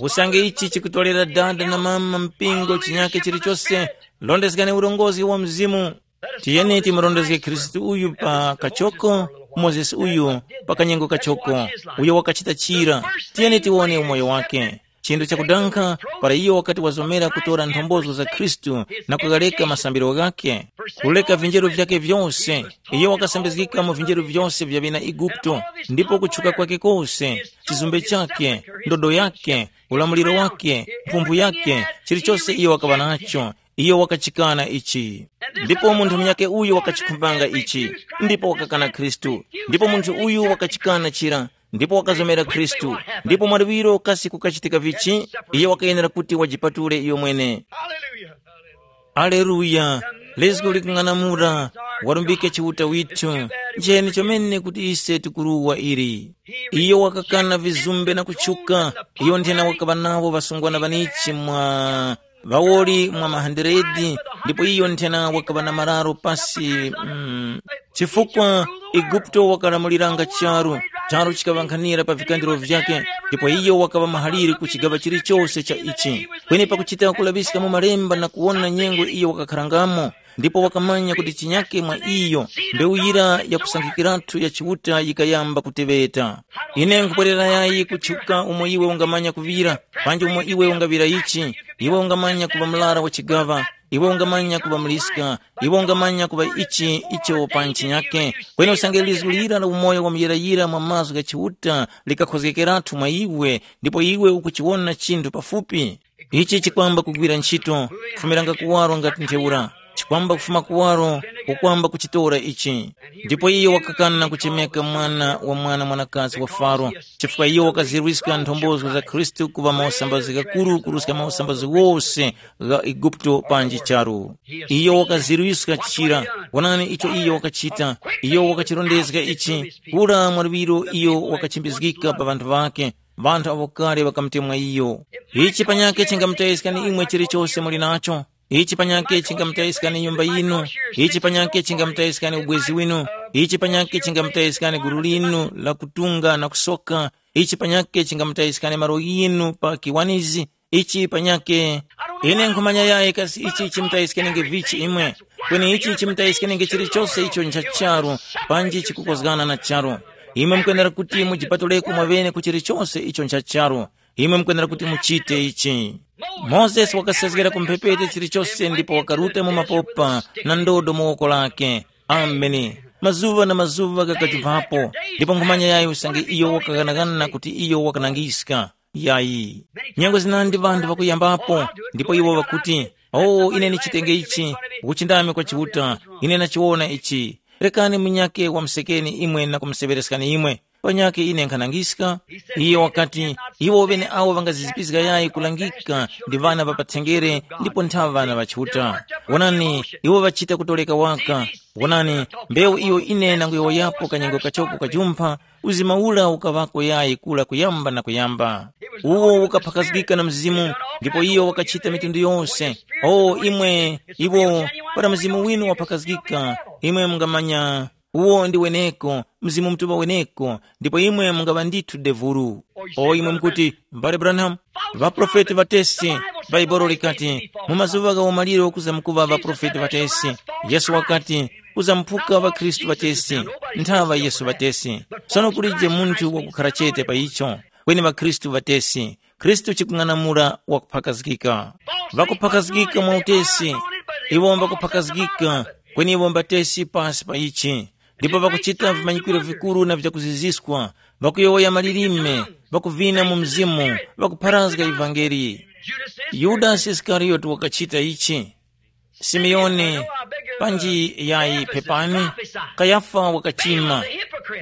Usange ichi chikutolera dada na mama mpingo chinyake chilichose, londezgani urongozi wa Mzimu. Tiyeni timurondezge Khristu uyu pa kachoko, Mozesi uyu pa kanyengo kachoko, uyo wakachita chira. Tiyeni tiwone umoyo wake. Chinthu chakudankha, para iyo wakati wazomera kutora nthombozo za Khristu na kukaleka masambiro ghakhe, kuleka vinjeru vyakhe vyose, iyo wakasambizgika mu vinjeru vyose vya ŵena Eguputo, ndipo kutchuka kwake kose, chizumbe chakhe, ndodo yakhe, ulamuliro wake, mphumphu yake, chilichose iyo wakaŵa nacho, iyo wakachikana ichi. Ndipo munthu munyakhe uyo wakachikhumbanga ichi, ndipo wakakana Khristu. Ndipo munthu uyu wakachikana chira, ndipo wakazomera Khristu. Ndipo mwaluŵiro kasi kukachitika vichi? Iye wakayenera kuti wajipatule iyo mwene. Aleluya. Lizgu likung'anamula, warumbike Chiuta withu. Njeni chomene kuti ise tikuruwa ili. Iyo wakakana vizumbe na kutchuka. Iyo nthena wakaŵa nawo ŵasungwana ŵanichi mwa ŵawoli mwa mahandiredi, ndipo iyo nthena wakaŵa na mararo pasi. Mm, chifukwa Eguputo wakalamuliranga charu, charu chikaŵankhanira pa vikandiro vyake, ndipo iyo wakaŵa mahaliri ku chigaŵa chilichose cha ichi. Kweni pakuchita kulaŵiska mu malemba na kuwona nyengo iyo wakakharangamo, ndipo wakamanya kuti chinyake mwa iyo mbewu yira yakusankhikiratu ya Chiuta yikayamba kuteŵeta. Ine nkupwerera yayi kutchuka umo iwe ungamanya kuŵira, panji umo iwe ungaŵira ichi, iwe ungamanya kuŵa mlara wa chigaŵa, iwe ungamanya kuŵa muliska, iwe ungamanya kuŵa ichi icho pa ntchinyake. Kweni usange lizgu lira la umoyo wa muyirayira mwa mazgu gha Chiuta likakhozgekeratu mwa iwe, ndipo iwe ukuchiwona chinthu pafupi. Ichi chikwamba kugwira ntchito, kufumiranga kuwaro ngati ntheura, chikwamba kufuma kuwaro, ukwamba kuchitora ichi. Ndipo iyo wakakana kuchemeka mwana wa mwana mwanakazi wa Faro, chifukwa iyo wakazirwiska nthombozo za Khristu kuŵa mausambazgi ghakuru kuruska mausambazgi wose gha Eguputo panji charu. Iyo wakazirwiska chira. Wonani icho iyo wakachita. Iyo wakachirondezga ichi, kura mwa luŵiro iyo wakachimbizgika pa ŵanthu ŵakhe, ŵanthu awo kale ŵakamutemwa iyo. Ichi panyakhe chingamutayiskani imwe chilichose muli nacho. Ichi panyakhe chingamutayiskani nyumba yinu. Ichi panyakhe chingamutayiskani ubwezi winu. Ichi panyakhe chingamutayiskani gulu linu la kutunga na kusoka. Ichi panyakhe chingamutayiskani malo ghinu pa kiwanizi. Ichi panyakhe. Ine nkhumanya yayi kasi ichi chimutayiskenge vichi imwe. Kweni ichi chimutayiskenge chilichose icho ncha charu, panji chikukozgana na charu. Imwe mukwenera kuti mujipatuleko mwaŵene ku chilichose icho ncha charu. Imwe mukwenera kuti muchite ichi. Mozesi wakasezgera ku mphepete chilichose ndipo wakaruta mu mapopa na ndodo mu woko lake. Ameni. Mazuŵa na mazuŵa ghakajumphapo, ndipo nkhumanya yayi usange iyo wakaghanagana kuti iyo wakanangiska. Yayi. Nyengo zinandi ŵanthu ŵakuyambapo, ndipo iwo ŵakuti, "Oh, ine ndichitenge ichi, ukuchindami kwa Chiuta, ine ndachiwona ichi." Rekani munyakhe wamusekeni imwe na kumuseŵereskani imwe. Panyakhe ine nkhanangiska. Iye wakati, iwo ŵeneawo ŵangazizipizga yayi kulangika ndi ŵana ŵa pathenjere ndipo nthaŵa ŵana ŵa Chiuta. Wonani, iwo ŵachita kutoleka waka. Wonani, mbewu iyo ine nanguyowoyapo kanyengo kachoko kajumpha, uzima ura ukaŵako yayi kula kuyamba na kuyamba. Uwo ukaphakazgika na Mzimu, ndipo iyo wakachita mitundu yose. O imwe, iwo, para Mzimu winu waphakazgika, imwe mungamanya. Uwo ndi weneko, Mzimu Mutuŵa weneko, ndipo imwe mungaŵa ndithu devulu. O imwe mukuti, mbale Branham, ŵaprofeti ŵatesi, Baibolo likati, mu mazuŵa gha umaliro kuzamkuŵa ŵaprofeti ŵatesi. Yesu wakati, kuzamuphuka ŵakhristu ŵatesi, nthaŵa Yesu ŵatesi. Sono kulije munthu wakukhara chete pa icho, kweni ŵakhristu ŵatesi. Khristu chikung'anamula wakuphakazgika. Ŵakuphakazgika mwa utesi, iwo mbakuphakazgika, kweni iwo mbatesi pasi pa ichi. Ndipo ŵakuchita vimanyikiro vikuru na vyakuziziskwa, ŵakuyowoya malilime, ŵakuvina mu mzimu, ŵakupharazga ivangeli. Yudasi Isikariyoti wakachita ichi. Simeoni, panji yayi pepani, Kayafa wakachima,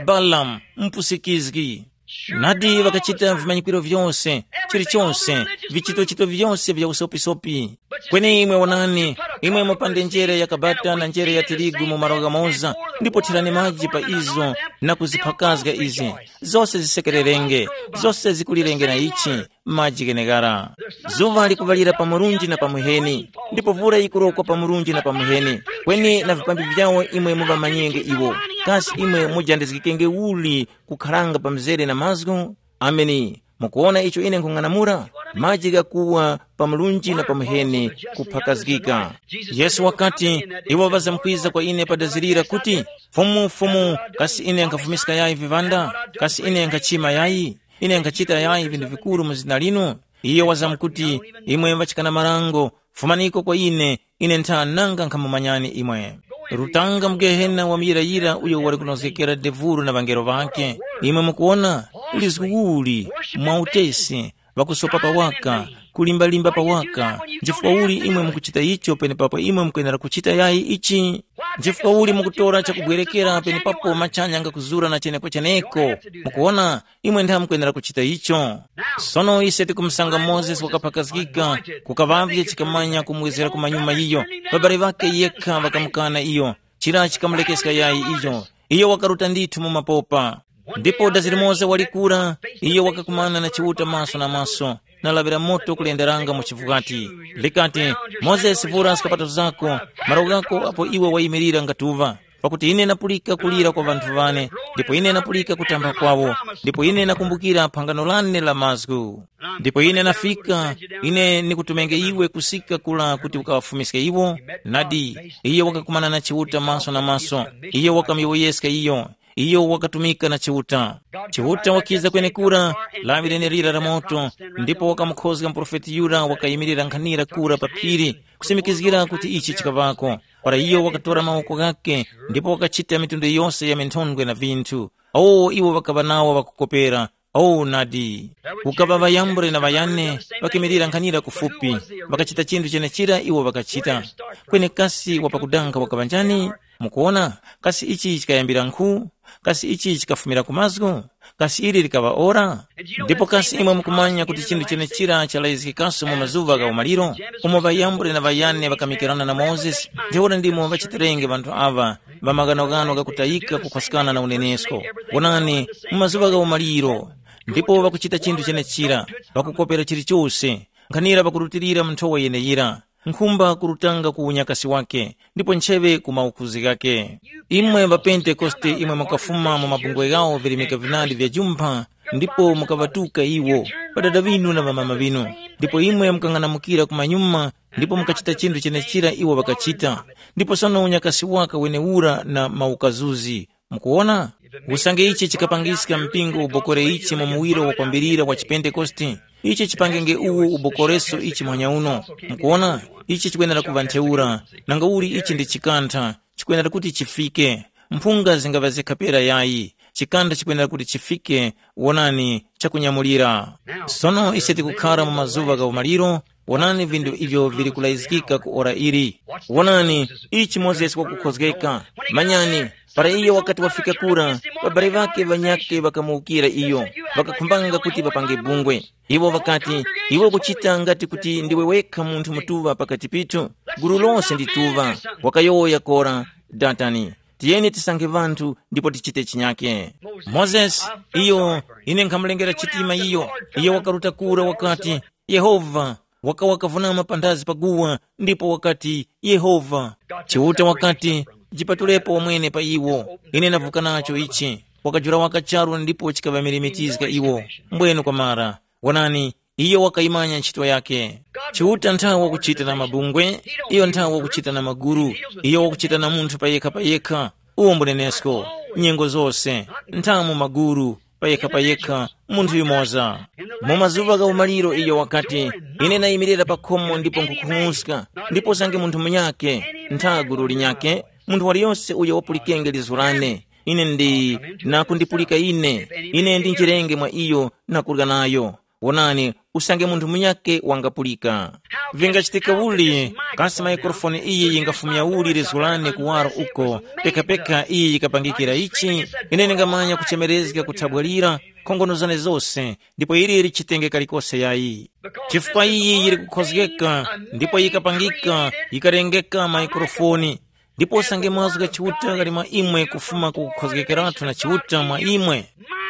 Balamu, mpusikizgi. Nadi ŵakachita vimanyikiro vyose, chilichonse, vichitochito vyose vya usopisopi. Kweni imwe wonani, imwe mupande njere ya kabata na njere ya tirigu mu malo ghamoza, ndipo thirani maji pa izo na kuziphakazga izi. Zose zisekererenge, zose zikulirenge na ichi, maji gheneghara. Zuŵa likuŵalira pa murunji na pa muheni, ndipo vura yikurokwa pa murunji na pa muheni. Kweni na vipambi vyawo imwe muŵamanyenge iwo. Kasi imwe mujandizgikenge uli kukharanga pa mzere na mazgu? Ameni. Mukuwona icho ine nkhung'anamula? Maji ghakuwa pa mlunji na pa muheni kuphakazgika. Yesu wakati, iwo ŵazamkwiza kwa ine padazirira kuti, Fumu, Fumu, kasi ine nkhafumiska yayi viŵanda? Kasi ine nkhachima yayi? Ine nkhachita yayi vinthu vikuru mu zina linu? Iyo wazamkuti, imwe ŵachikana marango, fumaniko kwa ine, ine ntha nanga nkhamumanyani imwe. Rutanga mu gehena wa muyirayira uyo wali kunozgekera devuro na ŵangelo ŵakhe. Imwe mukuwona, ulizgu uli, mwa utesi, ŵakusopa pawaka, kulimbalimba pawaka. Nchifukwa uli imwe mukuchita icho penepapo imwe mukwenera kuchita yayi ichi? Nchifukwa uli mukutora chakubwerekera penepapo machanya ngakuzura na chenekocheneko? Mukuwona, imwe ntha mukwenera kuchita icho. Sono ise tikumusanga Mozesi wakaphakazgika, kukaŵavye chikamanya kumwezera ku manyuma iyo. Ŵabale ŵakhe yekha ŵakamukana iyo, chira chikamulekeska yayi iyo. Iyo wakaruta ndithu mu mapopa. Ndipo dazi limoza walikura, iyo wakakumana na Chiuta maso na maso, na lawi la moto kulenderanga mu chivukati. Likati, Mozesi, vura skapato zako, malo ghako apo iwe wayimirira ngatuŵa. Pakuti ine napulika kulira kwa ŵanthu ŵane, ndipo ine napulika kutamba kwawo, ndipo ine nakumbukira phangano lane la mazgu. Ndipo ine nafika, ine nikutumenge iwe kusika kula kuti ukawafumiske iwo. Nadi, iye wakakumana na Chiuta maso na maso, iye wakamuyowoyeska iyo, iyo wakatumika na Chiuta. Chiuta wakiza kwenekura, lawi lenelira la moto, ndipo wakamukhozga muprofeti yura wakayimirira nkhanira kura pa phiri, kusimikizgira kuti ichi chikaŵako. Para iyo wakatora mawoko ghakhe, ndipo wakachita mitundu yose ya minthondwe na vinthu. Awo iwo ŵakaŵa nawo ŵakukopera. Awo nadi. Kukaŵa ŵayambule na ŵayane, ŵakimirira nkhanira kufupi, ŵakachita chinthu chenechira iwo ŵakachita. Kweni kasi wapakudanga wakaŵa njani? Mukuwona, kasi ichi chikayambira nkhu? Kasi ichi chikafumira ku mazgu? Kasi ili likaŵa ora? Ndipo kasi imwe mukumanya kuti chinthu chenechira chalayizgikaso mu mazuŵa gha umaliro, umo ŵayambule na ŵayane ŵakamikirana na Mozesi, ntheura ndimo ŵachitirenge ŵanthu aŵa ŵa maghanoghano ghakutayika kukhwaskana na unenesko. Wonani, mu mazuŵa gha umaliro, ndipo ŵakuchita chinthu chenechira, ŵakukopera chilichose, nkhanira ŵakurutilira mu nthowa yeneyira. Nkhumba kurutanga ku unyakasi wake, ndipo ncheŵe ku maukuzi ghake. Imwe ŵaPentekoste imwe mukafuma mu mabungwe ghawo virimika vinandi vya jumpha, ndipo mukaŵatuka iwo, ŵadada ŵinu na ŵamama ŵinu, ndipo imwe mukang'anamukira kumanyuma, ndipo mukachita chinthu chenechira iwo ŵakachita. Ndipo sono unyakasi waka wenewura na maukazuzi. Mukuwona? Usange ichi chikapangiska mpingo ubokore ichi mu muwiro wa kwambirira wa chipentekoste, ichi chipangenge uwu ubokoreso ichi muhanya uno. Mukuwona? Ichi chikwenera kuŵa ntheura, nangauli ichi ndi chikantha, chikwenera kuti chifike. Mphunga zingaŵa zikha pera yayi, chikantha chikwenera kuti chifike. Wonani, chakunyamulira. Sono ise tikukhara mu mazuŵa gha umaliro. Wonani vinthu ivyo vili kulayizgika ku ora ili. Wonani, ichi Mozesi wakukhozgeka. Manyani, Para iyo wakati wafika kura, ŵabale ŵakhe ŵanyakhe ŵakamuwukira iyo, ŵakakhumbanga kuti ŵapange bungwe. Iwo ŵakati, “Iwe ukuchita ngati kuti ndiwe wekha munthu mutuŵa pakati pithu. Gulu lose ndi tuŵa.” Wakayowoya Kora, Datani, “Tiyeni tisankhe ŵanthu ndipo tichite chinyake.” Mozesi, iyo, ine nkhamulengera chitima iyo, iyo wakaruta kura wakati, “Yehova.” Wakawa kavunama panthazi pa guwa, ndipo wakati, “Yehova.” Chiuta wakati, “Jipatulepo wamwene pa iwo, ine ndavuka nacho ichi.” Wakajula waka charu ndipo chikaŵamirimitizga iwo. Mbwenu kwamara, wonani, iyo wakayimanya ntchito yake. Chiuta nthawe wakuchita na mabungwe, iyo nthawe wakuchita na maguru, iyo wakuchita na munthu payekha payekha. Uwo mbunenesko, nyengo zose, nthamu maguru, payekha payekha, munthu yumoza. Mu mazuŵa gha umaliro iyo wakati, “Ine ndayimirira pa khomo ndipo nkhukhung'uska, ndipo usange munthu munyakhe, ntha gulu linyakhe, munthu waliyose uyo wapulikenge lizgu lane, ine ndi, na kundipulika ine, ine ndinjirenge mwa iyo na kurya nayo. Wonani, usange munthu munyakhe wangapulika.” Vingachitika uli, kasi maikrofoni iyi yingafumya uli lizgu lane kuwaro uko, pekapeka iyi yikapangikira ichi? Ine ndingamanya kuchemerezga kuthabwa lira, nkhongono zane zose, ndipo ili lichitenge kalikose yayi. Chifukwa iyi yili kukhozgeka, ndipo yikapangika, yikalengeka maikrofoni. Ndipo usange mazgu gha Chiuta ghali mwa imwe kufuma ku kukhozgekeratu na Chiuta mwa imwe,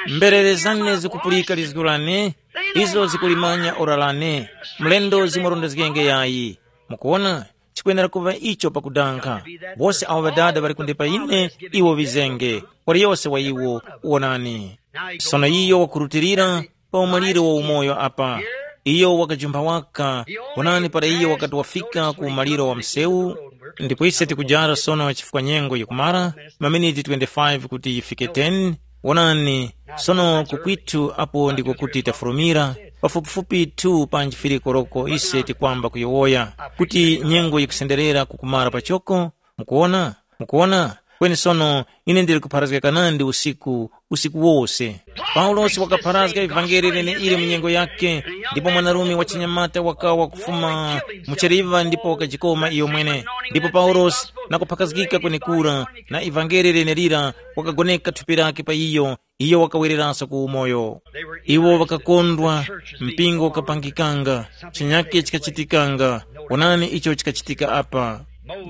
mberere zane zikupulika lizgu lane, izo zikulimanya ora lane, mlendo zimurondezgenge yayi. Mukuwona, chikwenera kuŵa icho pakudankha. Wose awo Ŵadada ŵali kundipa ine, iwo ŵizenge, waliyose wa iwo, wonani. Sono iyo wakurutilira pa umaliro wa umoyo apa. Iyo wakajumpha waka, wonani, para iyo wakati wafika ku umaliro wa msewu. Ndipo ise tikujara sono chifukwa nyengo yikumara, maminiti twenty-five kuti yifike ten. Wonani, sono kukwitu apo ndiko kuti tafurumira, pafupifupi two panji fili koroko ise tikwamba kuyowoya, kuti nyengo yikusenderera kukumara pachoko. Mukuwona? Mukuwona? Kweni sono, ine ndili kupharazgika nandi usiku, usiku wose. Paulosi wakapharazga ivangeli leneili mu nyengo yakhe, ndipo mwanarume wa chinyamata wakawa kufuma mu cheriva ndipo wakajikoma iyo mwene. Ndipo Paulosi, na kuphakazgika kwenekura, na ivangeli lenelira, wakagoneka thupi lake pa iyo, iyo wakawereranso ku umoyo. Iwo ŵakakondwa, mpingo ukapangikanga, chinyake chikachitikanga. Wonani icho chikachitika apa.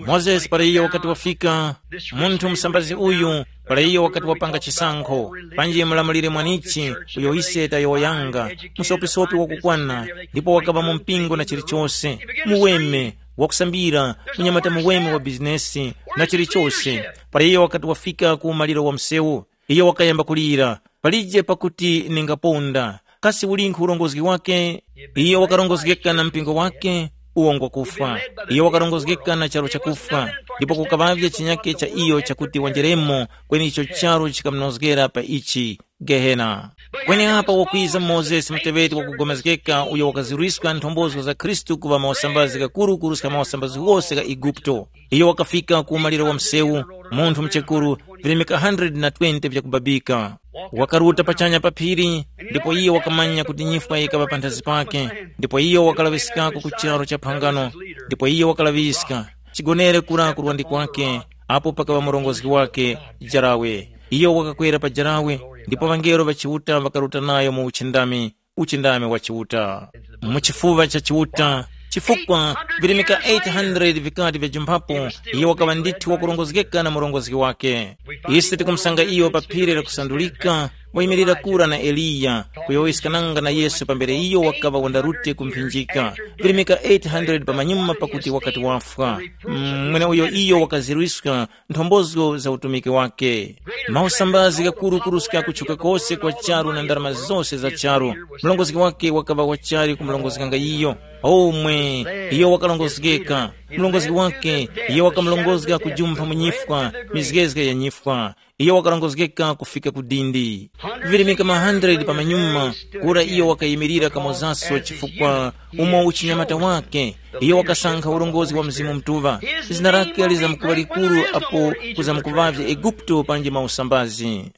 Mozesi para iyo wakati wafika, munthu musambazi uyu, para iyo wakati wapanga chisankho, panji mulamulire mwanichi uyo ise tayowoyanga, musopisopi wakukwana, ndipo wakaŵa mu mpingo na chilichose, muweme, wakusambira, munyamata muweme wa bizinesi, na chilichose. Para iyo wakati wafika ku umaliro wa msewu, iyo wakayamba kulira, palije pakuti ningaponda. Kasi ulinkhu urongozgi wake? Iyo wakarongozgeka na mpingo wake, uwo ngwakufwa. Iyo wakarongozgeka na charu chakufwa, ndipo kukaŵavye chinyake cha iyo chakuti wanjeremo, kweni icho charu chikamunozgera pa ichi, Gehena. Kweni apa wakwiza Mozesi muteŵeti wakugomezgeka uyo wakazirwiska nthombozo za Khristu kuŵa mawasambazi ghakuru kuruska mawasambazi ghose gha Eguputo. Iyo wakafika ku umaliro wa msewu, munthu muchekuru, virimika hundred na twenty vyakubabika. Wakaruta pachanya pa phiri, ndipo iyo wakamanya kuti nyifwa yikaŵa panthazi pake, ndipo iyo wakalaŵiskako ku charo cha phangano, ndipo iyo wakalaŵiska chigonere kura kurwandi kwake, apo pakaŵa murongozgi wake, jarawe. Iyo wakakwera pa jarawe, ndipo ŵangelo ŵa Chiuta ŵakaruta nayo mu uchindami, uchindami wa Chiuta. Mu chifuŵa cha Chiuta, chifukwa virimika eight hundred vikati vyajumphapo, iye wakaŵa ndithu wakurongozgeka na murongozgi wake. Ise tikumusanga iyo pa phiri la kusandulika, wayimirira kura na Eliya, kuyowoyeskananga na Yesu pambere iyo wakaŵa wandarute ku mphinjika. Virimika eight hundred pamanyuma pakuti wakati wafwa. Mm, mweneuyo iyo wakazirwiska nthombozo za utumiki wake. Mausambazi ghakuru kuruska kutchuka kose kwa charu na ndarama zose za charu. Mlongozgi wake wakaŵa wachali kumulongozganga iyo. Omwe, iyo wakalongozgeka. Mlongozgi wake, iyo wakamulongozga kujumpha mu nyifwa, mizgezge ya nyifwa. Iyo wakalongozgeka kufika ku dindi. Virimika ma hundred pamanyuma, kura iyo wakayimirira kamozaso chifukwa umo uchinyamata wake, iyo wakasankha ulongozi wa Mzimu Mutuŵa. Zina lake lizamkuŵa likuru apo kuzamkuŵavye Eguputo panji mausambazi.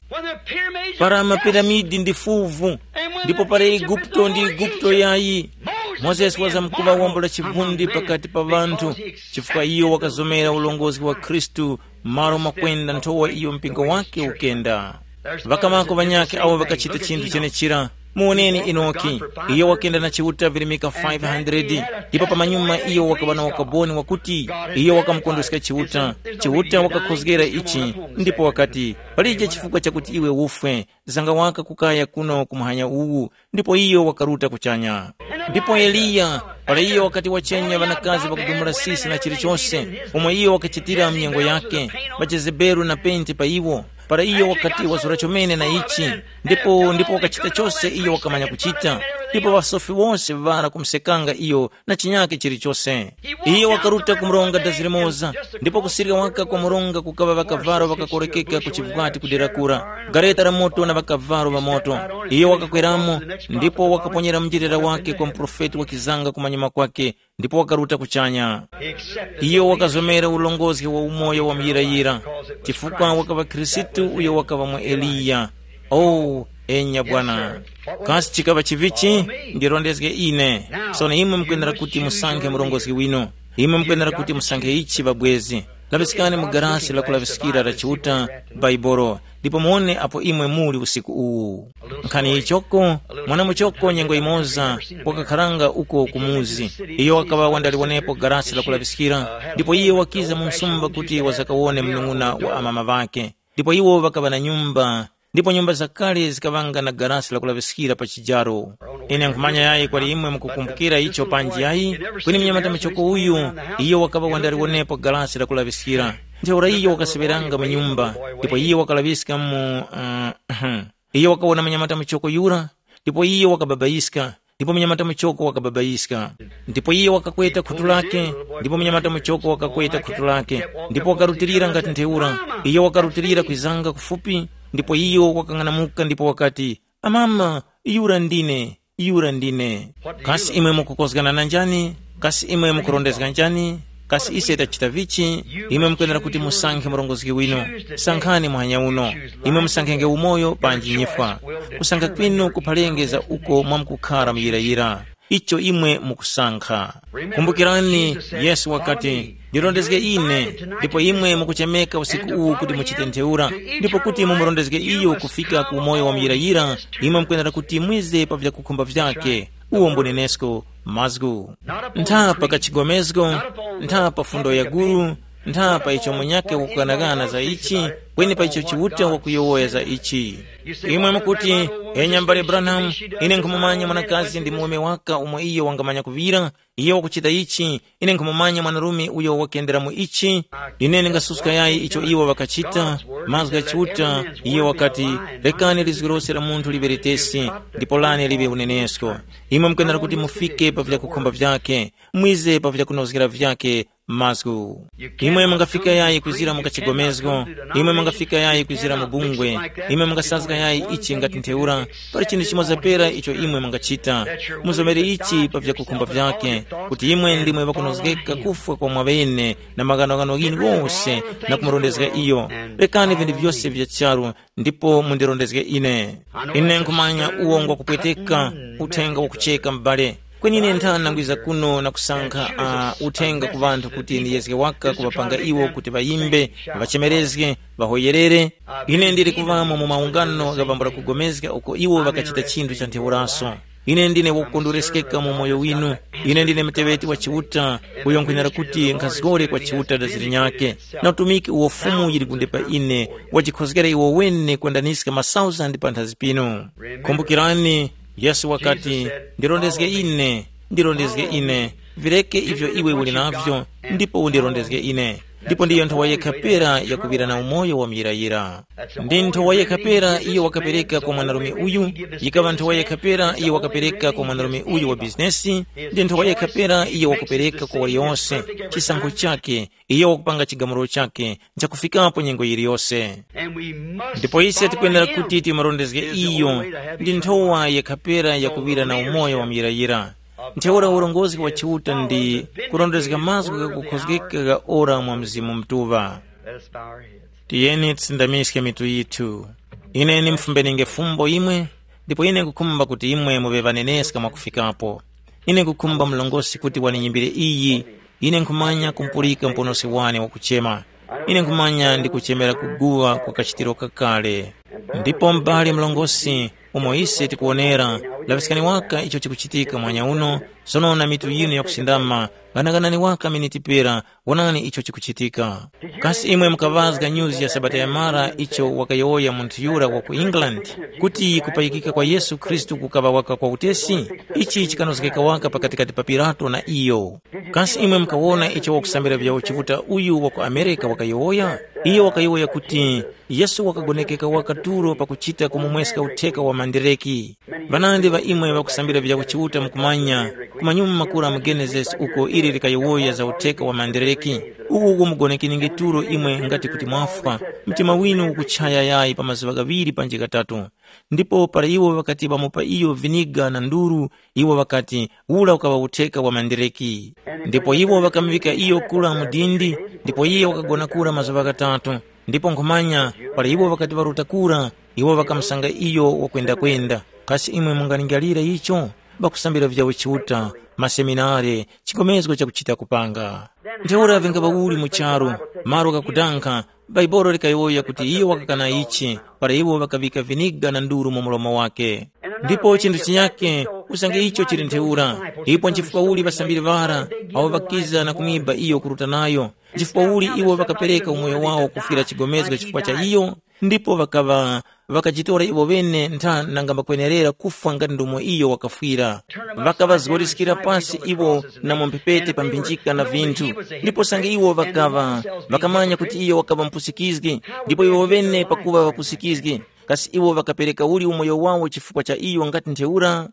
Para mapiramidi ndi fuvu, ndipo para Eguputo ndi Eguputo yayi. Mozesi wazamkuŵa wombo la chivundi pakati pa ŵanthu, chifukwa iyo wakazomera ulongozi wa Khristu Malo mwakwenda nthowa iyo mpingo wake ukenda. Ŵakamako ŵanyakhe awo ŵakachita chinthu chenechira. Muwoneni Enoki. Iyo wakenda na Chiuta virimika five hundred, ndipo pamanyuma iyo wakaŵa na ukaboni wakuti iyo wakamukondweska Chiuta. Chiuta wakakhozgera ichi, ndipo wakati, "Palije chifukwa chakuti iwe ufwe, zanga waka kukaya kuno ku muhanya uwu," ndipo iyo wakaruta kuchanya. Ndipo Eliya, para iyo wakati wachenya ŵanakazi ŵakudumula sisi na chilichose, umo iyo wakachitira mnyengo yake, ŵaJezebeli na penti pa iwo, para iyo wakati wazura chomene na ichi, ndipo ndipo wakachita chose iyo wakamanya kuchita, ndipo ŵasofi wose ŵara kumusekanga iyo na chinyake chilichose. Iyo wakaruta ku mronga dazi limoza, ndipo kusirika waka kwa mronga kukaŵa ŵakavalo ŵakakorekeka ku chivwati kudera kura, gareta la moto na ŵakavalo ŵa moto. Iyo wakakweramo, ndipo wakaponyera mnjilira wake kwa muprofeti wakizanga kumanyuma kwake, ndipo wakaruta kuchanya. Iyo wakazomera ulongozi wa umoyo wa muyirayira, chifukwa wakaŵa Khristu uyo wakaŵa mwa Eliya. Oh, enya Bwana. Kasi chikaŵa chivichi? Ndirondezge ine. Sono imwe mukwenera kuti musankhe murongozgi winu. Imwe mukwenera kuti musankhe ichi ŵabwezi. Laŵiskani mu garasi lakulaŵiskira la Chiuta, Baibolo, ndipo muwone apo imwe muli usiku uwu. Nkhani yichoko, mwana muchoko nyengo yimoza wakakharanga uko ku muzi. Iyo wakaŵa wandaliwonepo garasi lakulaŵiskira, ndipo iye wakiza mu msumba kuti wazakawone munung'una wa amama ŵakhe. Ndipo iwo ŵakaŵa na nyumba, ndipo nyumba zakale zikaŵanga na garasi lakulaŵiskira pa chijaro. Ine nkhumanya yayi kwali imwe mukukumbukira icho panji yayi, kweni mnyamata muchoko uyu, iyo wakaŵa wandaliwonepo galasi lakulaŵiskira. Ntheura iyo wakaseŵeranga mu nyumba, ndipo iyo wakalaŵiska mu uh, iyo wakawona mnyamata muchoko yura, ndipo iyo wakababayiska, ndipo mnyamata muchoko wakababayiska. Ndipo iyo wakakweta khutu lake, ndipo mnyamata muchoko wakakweta khutu lake, ndipo wakarutilira ngati ntheura. Iyo wakarutilira kwizanga kufupi, ndipo iyo wakang'anamuka ndipo wakati, "Amama, yura ndine, yura ndine." Kasi imwe mukukozgana na njani? Kasi imwe mukurondezga njani? Kasi ise tachita vichi? Imwe mukwenera kuti musankhe murongozgi winu. Sankhani muhanya uno. Imwe musankhenge umoyo panji nyifwa. Kusankha kwinu kuphalenge za uko mwamkukhara muyirayira. Icho imwe mukusankha. Kumbukirani, Yesu wakati, "Ndirondezge ine," ndipo imwe mukuchemeka usiku uwu kuti muchite ntheura, ndipo kuti mumurondezge iyo kufika ku umoyo wa muyirayira, imwe mukwenera kuti mwize pa vyakukhumba vyake. Uwo mbunenesko mazgu. Ntha pa kachigomezgo, ntha pa fundo ya guru, ntha pa icho munyakhe wakughanaghana za ichi, kweni pa icho Chiuta wakuyowoya za ichi. Imwe mukuti, "Enya mbale Branham, ine nkhumumanya mwanakazi ndi muweme waka umo iyo wangamanya kuŵira, iyo wakuchita ichi, ine nkhumumanya mwanarume uyo wakendera mu ichi." Ine ndingasuska yayi icho iwo ŵakachita. Mazgu gha Chiuta, iyo wakati, "Rekani lizgu lose la munthu liŵe litesi, ndipo lane liŵe unenesko." Imwe mukwenera kuti mufike pa vyakukhumba vyake, mwize pa vyakunozgera vyake mazgu. Imwe mungafika yayi kwizira mu kachigomezgo, imwe mungafika yayi kwizira mu bungwe, imwe mungasazga yayi ichi ngati ntheura. Pali chinthu chimoza pera icho imwe mungachita. Muzomere ichi pa vyakukhumba vyake, kuti imwe ndimwe ŵakunozgeka kufwa kwa mwaŵene na maghanoghano ghinu ghose, na kumurondezga iyo. Rekani vinthu vyose vya charu ndipo mundirondezge ine. Ine nkhumanya uwo ngwakupweteka, uthenga wakucheka m'bale. Kweni ine nthana nangwiza kuno na kusankha uh, uthenga ku ŵanthu kuti ndiyezge waka kuŵapanga iwo kuti ŵayimbe, ŵachemerezge, ŵahoyerere. Ine ndili kuŵamo mu maungano ghapambula kugomezga uko iwo ŵakachita chinthu cha ntheuraso. Ine ndine wakukondwereskeka mu moyo winu. Ine ndine muteŵeti wa Chiuta, uyo nkhwenera kuti nkhazgore kwa Chiuta daziri nyakhe, na utumiki uwo Fumu yili kunde pa ine, wajikhozgera iwo wene kwendaniska masauzandi panthazi pinu. Kumbukirani, Yesu wakati, "Ndirondezge ine, ndirondezge ine, vireke ivyo iwe uli navyo, ndipo undirondezge ine." Ndipo ndiyo nthowa yekha pera yakuŵira na umoyo wa muyirayira. Ndi nthowa yekha pera iyo wakapereka kwa mwanarume uyu, yikaŵa nthowa yekha pera iyo wakapereka kwa mwanarume uyu wa bizinesi, ndi nthowa yekha pera iyo wakupereka kwa waliyonse, chisankho chake, iyo wakupanga chigamulo chake, nchakufikapo nyengo yiliyose. Ndipo ise tikwenera kuti timurondezge iyo, ndi nthowa yekha pera yakuŵira na umoyo wa muyirayira. Ntheura urongozi wa Chiuta ndi kurondezga mazgu ghakukhozgeka gha ora mwa Mzimu Mutuŵa. Let us bow our heads. Tiyeni tisindamiske mitu yithu. Ine nimufumbenenge fumbo imwe, ndipo ine nkukhumba kuti imwe muŵe ŵaneneska mwakufikapo. Ine nkukhumba mlongosi kuti waninyimbire iyi, ine nkhumanya kumpulika muponosi wane wakuchema. Ine nkhumanya ndikuchemera kuguŵa kwa kachitiro kakale. Ndipo m'bale mlongosi, umo ise tikuwonera, laŵiskani waka icho chikuchitika mwanya uno, sono na mitu yinu yakusindama, ghanaghanani waka miniti pera, wonani icho chikuchitika. Kasi imwe mukaŵazga nyuzi ya Sabata yamara icho wakayowoya munthu yura wa ku England, kuti kupayikika kwa Yesu Khristu kukaŵa waka kwa utesi? Ichi chikanozgeka waka pakatikati pa Pilato na iyo. Kasi imwe mukawona icho wakusambira vyawo Chiuta uyu wa ku Amerika wakayowoya? Iyo wakayowoya kuti, Yesu wakagonekeka waka tulo pakuchita kumumweska utheka wa mandireki. Ŵanandi ŵa imwe ŵakusambira vyawo Chiuta mukumanya, kumanyuma makura mu Genesis uko ili likayowoya za utheka wa mandireki. Uku kumugonekeninge tulo imwe ngati kuti mwafwa, mtima winu ukuchaya yayi pa mazuŵa ghaŵiri panji ghatatu. Ndipo para iwo ŵakati ŵamupa iyo viniga na nduru, iwo ŵakati, ura ukaŵa utheka wa mandireki. Ndipo iwo ŵakamuŵika iyo kura mu dindi, ndipo iye wakagona kura mazuŵa ghatatu. Ndipo nkhumanya, para iwo ŵakati ŵaruta kura, iwo ŵakamusanga iyo wakwendakwenda. Kasi imwe mungalingalira icho? Ŵakusambira vyawo Chiuta, maseminare, chigomezgo chakuchita kupanga. Ntheura vingaŵa uli mu charu, malo ghakudankha, Baibolo likayowoya kuti iyo wakakana ichi, para iwo ŵakaŵika viniga na nduru mu mlomo wake. Ndipo chinthu chinyake, usange icho chili ntheura, ipo nchifukwa uli ŵasambiri ŵara awo ŵakiza na kumwiba iyo kuruta nayo? Nchifukwa uli iwo ŵakapereka umoyo wawo kufwira chigomezgo chifukwa cha iyo? Ndipo ŵakaŵa ŵakajitora iwo ŵene ntha nanga mbakwenerera kufwa ngati ndomwe iyo wakafwira. Ŵakaŵazgoriskira pasi iwo na mu mphepete pa mphinjika na vinthu. Ndipo sange iwo ŵakaŵa ŵakamanya kuti iyo wakaŵa mupusikizgi, ndipo iwo ŵene pakuŵa ŵapusikizgi, kasi iwo ŵakapereka uli umoyo wawo chifukwa cha iyo ngati ntheura?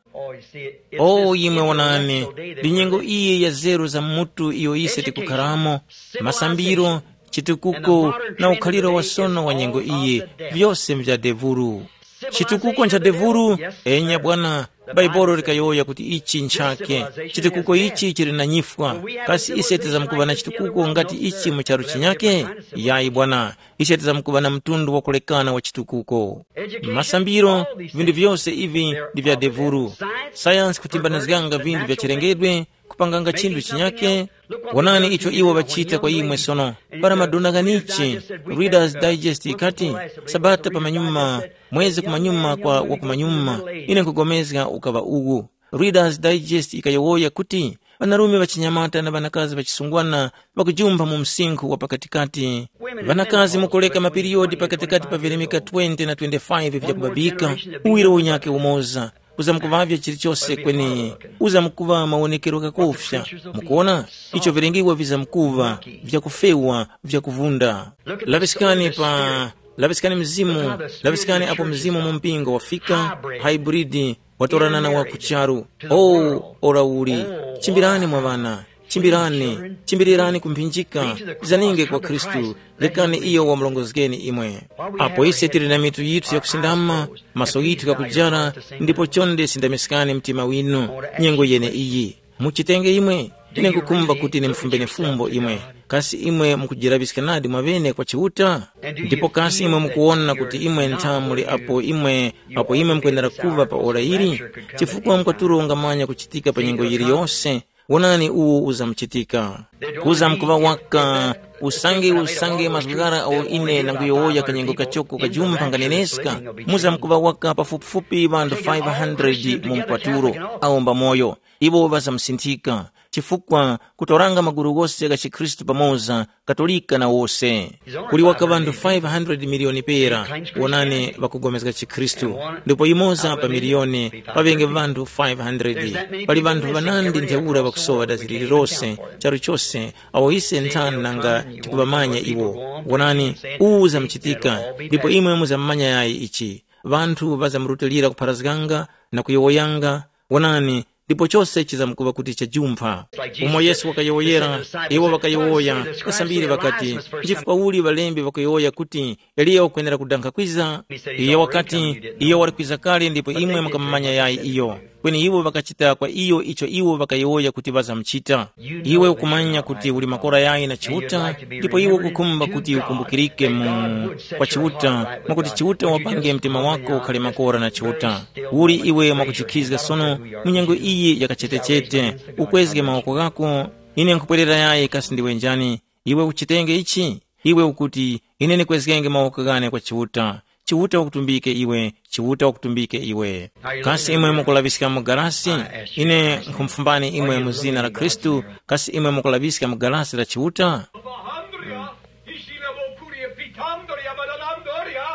O imwe wonani, ndi nyengo iyi ya zeru za mutu iyo ise tikukharamo, masambiro, chitukuko, na ukhaliro wasono wa nyengo iyi, vyose mvya devuru. Chitukuko ncha devuru? Enya bwana, Baibolo likayowoya kuti ichi nchake. Chitukuko ichi chili na nyifwa. Kasi ise tizamkuŵa na chitukuko ngati ichi mu charu chinyake? Yayi bwana, ise tizamkuŵa na mtundu wakulekana wa chitukuko. Masambiro, vinthu vyose ivi ndi vya devuru. Sayansi kutimbanizganga vinthu vya chilengedwe, kupanganga chinthu chinyake. Wonani icho iwo ŵachita kwa imwe sono. Para madona ghanichi, Reader's Digest ikati, sabata pamanyuma, mwezi kumanyuma kwa wakumanyuma, ine nkupulikana ukaŵa uwu. Reader's Digest ikayowoya kuti, ŵanarume ŵachinyamata na ŵanakazi ŵachisungwana ŵakujumpha mu msinkhu wa pakatikati. Ŵanakazi mukuleka mapiriyodi pakatikati pa vilemeka twenty na twenty-five vyakubabika, uwiro unyake umoza. Uzamkuŵavya chilichose kweni uzamkuŵa mawonekero ghakofya. Mukuona, icho vilengewa vizamkuŵa vyakufewa, vyakuvunda. Laŵiskani pa laŵiskani mzimu, laŵiskani apo mzimu mu mpingo wafika, hybrid, watorana na wa ku charu. O, ora uli, chimbirani mwa ŵana, chimbirani, chimbirirani ku mphinjika, zaninge kwa Khristu, rekani iyo wamurongozgeni imwe. Apo ise tili na mitu yithu yakusindama, maso yithu ghakujara, ndipo chonde sindamiskani mtima winu, nyengo yene iyi. Muchitenge imwe, ine nkukhumba kuti nimfumbeni fumbo imwe. Kasi imwe mukujiraŵiska nadi mwaŵene kwa Chiuta? Ndipo kasi imwe mukuwona kuti imwe ntha muli apo imwe apo imwe mukwenera kuŵa pa ora ili? Chifukwa mukatulo ungamanya kuchitika pa nyengo yiliyose, wonani uwo uzamuchitika. Kuzamkuŵa waka usange usange mazgu ghara agho ine ndanguyowoya kanyengo kachoko kajumpha nganeneska, muzamkuŵa waka pafupifupi ŵanthu five hundred mu mkwatulo awo mbamoyo. Iwo ŵazamusinthika, chifukwa kutoranga magulu ghose gha chikhristu pamoza, Katolika na wose. Kuli waka ŵanthu five hundred miliyoni pera wonani ŵakupulikana chikhristu, ndipo yumoza pa miliyoni paŵenge ŵanthu five hundred. Pali ŵanthu ŵanandi ntheura ŵakusowa dazi lililose charu chose awo ise nthani nanga tikuŵamanya iwo. Wonani, uwu uzamuchitika, ndipo imwe muzammanya yayi ichi. Ŵanthu ŵazamurutilira kupharazganga na kuyowoyanga, wonani, ndipo chose chizamkuŵa kuti chajumpha. Umo Yesu wakayowoyera, iwo ŵakayowoya, ŵasambiri ŵakati, nchifukwa uli ŵalembi ŵakuyowoya kuti Eliya wakwenera kudankha kwiza? Iyo wakati, iyo wali kwiza kale ndipo imwe mukamumanya yayi iyo. Kweni iwo ŵakachita kwa iyo icho iwo ŵakayowoya kuti ŵazamuchita. Iwe ukumanya kuti uli makora yayi na Chiuta, ndipo iwe ukukhumba kuti ukumbukirike mu kwa Chiuta, mwakuti Chiuta wapange mtima wako ukhale makora na Chiuta. Uli iwe mwakujikhizga sono mu nyengo iyi yakachetechete, ukwezge mawoko ghako. Ine nkhupwerera yayi kasi ndiwe njani? Iwe uchitenge ichi? Iwe ukuti, ine ndikwezgenge mawoko ghane kwa Chiuta. Chiuta wakutumbike iwe, Chiuta wakutumbike iwe. Kasi imwe mukulaŵiska mu galasi? Ine nkhumufumani imwe mu zina la Khristu, kasi imwe mukulaŵiska mu galasi la Chiuta? Hila handria, ishile bokuri pitandria badalandria,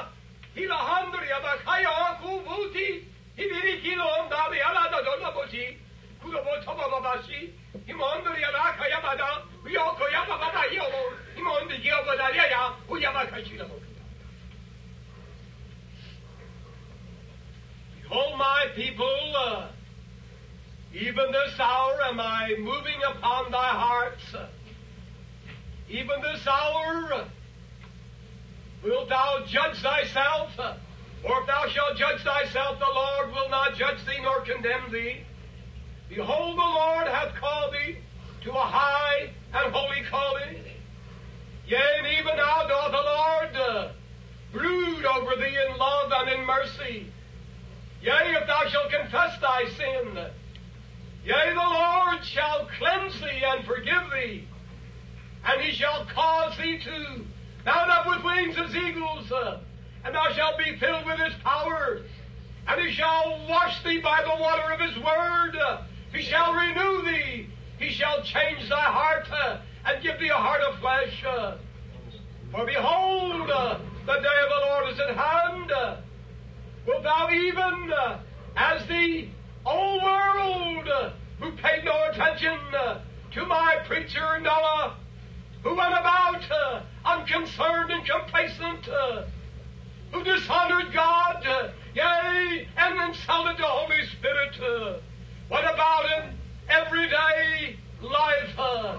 hila handria bakaya kuvuti, hibirikilo ndari alada dona boti, kudo botoma babashi, imondo ya laka ya bada, yoko ya baba yobo, imondo ya bada ya ya, uya bakashira bokita. Behold, my people, uh, even this hour am I moving upon thy hearts. Even this hour wilt thou judge thyself, or if thou shalt judge thyself, the Lord will not judge thee nor condemn thee. Behold, the Lord hath called thee to a high and holy calling. Yea, and even now doth the Lord uh, brood over thee in love and in mercy. Yea, if thou shalt confess thy sin, yea, the Lord shall cleanse thee and forgive thee, and he shall cause thee to mount up with wings as eagles, uh, and thou shalt be filled with his power, and he shall wash thee by the water of his word, uh, he shall renew thee, he shall change thy heart, uh, and give thee a heart of flesh. Uh, for behold, uh, the day of the Lord is at hand. Uh, wilt thou even, uh, as the old world, uh, who paid no attention uh, to my preacher Noah, who went about uh, unconcerned and complacent, uh, who dishonored God, uh, yea, and insulted the Holy Spirit, uh, went about in everyday life uh,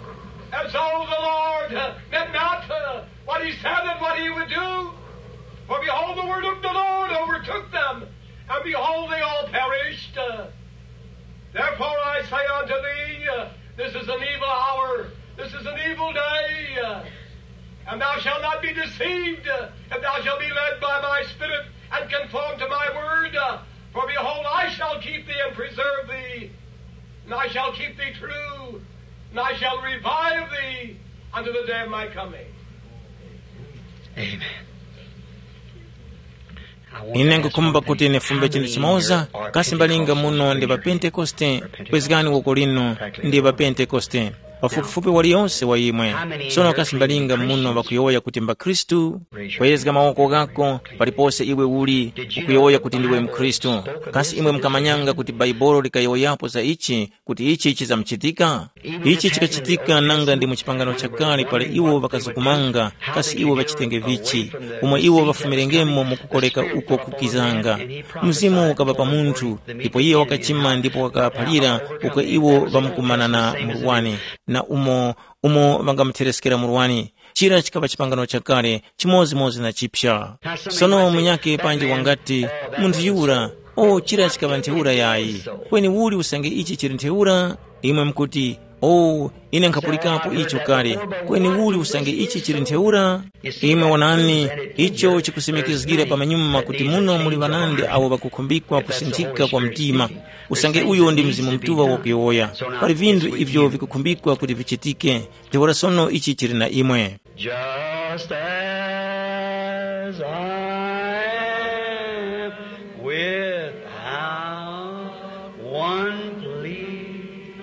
as though the Lord uh, meant not uh, what he said and what he would do. For behold, the word of the Lord overtook them, and behold, they all perished. Uh, Therefore I say unto thee, uh, this is an evil hour, this is an evil day, uh, and thou shalt not be deceived, uh, if thou shalt be led by my Spirit and conform to my word. Uh, for behold, I shall keep thee and preserve thee, and I shall keep thee true, and I shall revive thee unto the day of my coming. Amen. Ine nkukhumba kuti nifumbe chinthu chimoza, kasi mbalinga muno ndi pa Pentekoste, kwezgani woko lino, ndi pa Pentekoste. Pafupifupi waliyonse wa imwe. Sono kasi mbalinga muno ŵakuyowoya kuti mbakhristu? Kwezga mawoko ghako palipose iwe uli, ukuyowoya kuti ndiwe mkhristu. Kasi imwe mukamanyanga kuti Baibolo likayowoyapo za ichi, kuti ichi chizamuchitika? Ichi chikachitika nanga ndi mu chipangano chakale pali iwo ŵakazukumanga, kasi iwo ŵachitenge vichi, umo iwo ŵafumirengemo mu kukoreka uko kukizanga. Mzimu ukaba pa munthu, ndipo iye wakachima ndipo wakaphalira uko iwo ŵamkumanana murwani, na umo umo ŵangamutheskera murwani. Chira chikaba chipangano chakale chimodzimodzi na chipya. Sono munyakhe panji wangati, munthu yura, o chira chikaba ntheura yayi. Kweni uli usange ichi chili ntheura? Imwe mukuti, o, ine nkhapulikapo icho kale. Kweni uli usange ichi chili ntheura? Imwe wonani, icho chikusimikizgira pamanyuma kuti muno muli ŵanandi awo ŵakukhumbikwa kusinthika kwa mtima. Usange uyo ndi Mzimu Mutuŵa wakuyowoya. Pali vinthu ivyo vikukhumbikwa kuti vichitike. Ntheura sono ichi chili na imwe. Just as I am without one plea,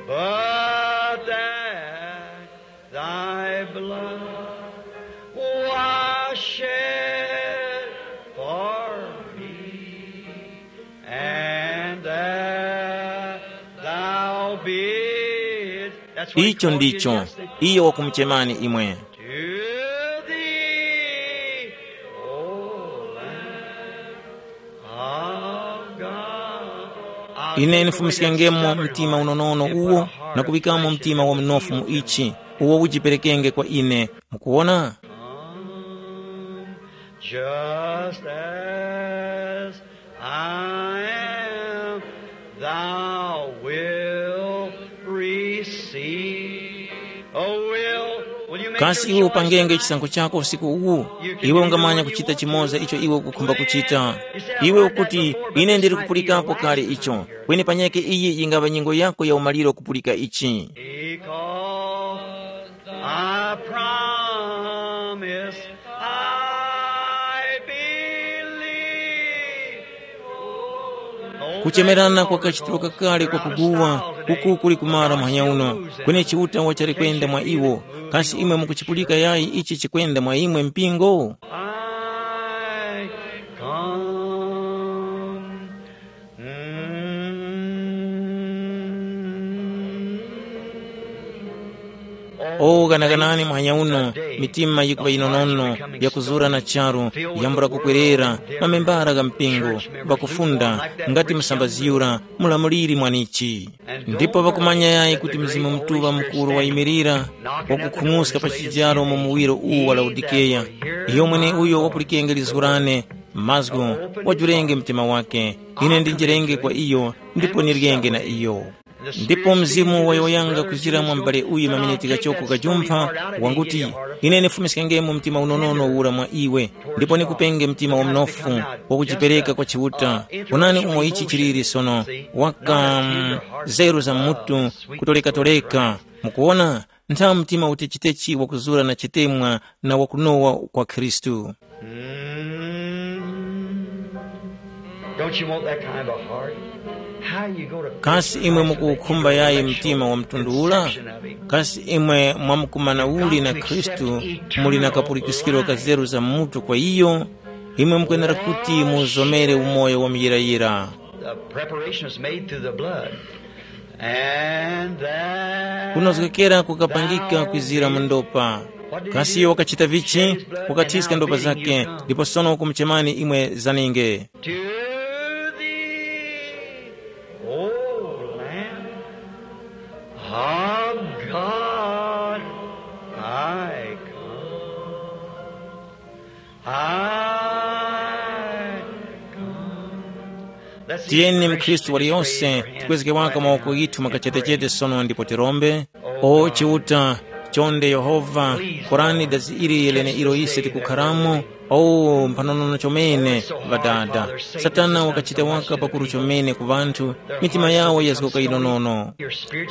but that thy blood was shed for me, and that thou bidst. That's what he Icho called you ndicho, yesterday. Iye wakumuchemani imwe. To thee, O Lamb of God. Ine nifumiskengemo mtima unonono uwo, na kuŵikamo mtima wa mnofu mu ichi, uwo ujiperekenge kwa ine. Mukuwona? Just as I am, thou wilt receive. Oh, will, will you make Kasi your iwe choice upangenge tonight? Chisankho chako usiku uwu? Iwe ungamanya kuchita chimoza icho iwe ukukhumba kuchita. Iwe ukuti, ine ndili kupulikapo kale icho. Kweni panyeke iyi yingava nyengo yako ya umaliro kupulika ichi. Because I promise I believe. Kuchemerana kwa kachitiro kakale kwa kuguwa, uku kuli kumara muhanya uno, kweni Chiuta wachali kwenda mwa iwo. Kasi imwe mukuchipulika yayi ichi chikwenda mwa imwe mpingo? I come. Mm. O, ganaganani muhanya uno, mitima yikuŵa yinonono, yakuzura na charu, yambula kukwerera, mamembara gha mpingo, ŵakufunda, ngati msambaziyura, mulamuliri mwanichi. Ndipo ŵakumanya yayi kuti Mzimu Mutuŵa mukuru wayimirira, wakukhung'uska pa chijaro mu muwiro uwu wa Laodikeya. Iyo mweneuyo wapulikenge lizgu lane, mazgu, wajurenge mtima wake, ine ndinjerenge kwa iyo, ndipo niryenge na iyo. Ndipo Mzimu wayowoyanga kujira mwa m'bale uyu maminiti ghachoko ghajumpha, wanguti, ine nifumiskengemo mtima unonono ura mwa iwe, ndipo nikupenge mtima wa mnofu, wakujipereka kwa Chiuta. Onani umo ichi chiliri sono, waka mm, zeru za mutu, kutoleka-toleka. Mukuwona, ntha mtima utechi-techi wakuzura na chitemwa na wakunowa kwa Khristu. Mm. Don't you want that kind of a heart? How you go to Kasi imwe mukuwukhumba yayi mtima wa mtundu ula? Kasi imwe mwamkumana uli na Khristu, muli na kapulikiskiro ka zeru za mutu kwa iyo? Imwe mukwenera kuti muzomere umoyo wa muyirayira. The preparation is made through the blood. And that Kunozgekera kukapangika kwizira mu ndopa. Kasi iyo wakachita vichi? Wakathiska ndopa zake, ndipo sono wakumuchemani imwe zaninge. To thee, O Lamb of God, I come. I come. Let's see if Tiyeni Mkhristu waliyonse tikwezeke waka mawoko ghithu makachetechete sono ndipo tirombe. O Chiuta, chonde Yehova, korani dazi ili leneilo ise tikukharamo. O mphanonono chomene, Ŵadada. Satana wakachita waka pakuru chomene ku ŵanthu, mitima yawo yazgoka yinonono.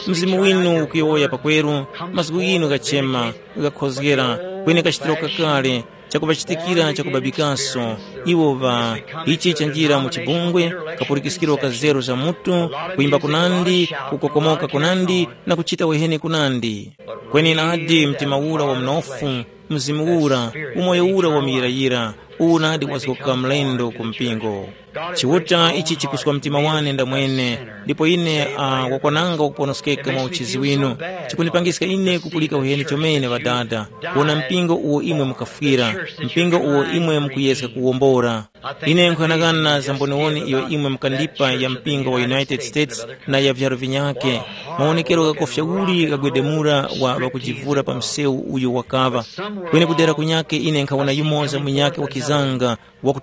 Mzimu winu ukuyowoya pakweru, mazgu ghinu ghachema, ghakhozgera, kweni kachitiro kakale, chakuŵachitikira chakubabikaso. Iwo ŵa ichi chanjira mu chibungwe, kapulikiskiro ka zeru za mutu, kuyimba kunandi, kukokomoka kunandi, na kuchita wehene kunandi. Kweni nadi mtima ura wa mnofu, mzimu ura, umoyo ura wa muyirayira, uwu nadi wazgoka mlendo ku mpingo. Chiuta ichi chikuswa mtima wane ndamwene, ndipo ine uh, wakwananga wakuponoskeka mwa uchizi winu. Chikunipangiska ine kupulika uheni chomene ŵadada, kuwona mpingo uwo imwe mukafwira, mpingo uwo imwe mukuyeska kuwombora. Ine nkhughanaghana za mboniwoni iyo imwe mukandipa ya mpingo wa United States na ya vyaro vinyake. Mawonekero ghakofya uli ghagwedemura wa ŵakujivura pa msewu uyo wakaŵa. Kweni kudera kunyake ine nkhawona yumoza munyake wakizanga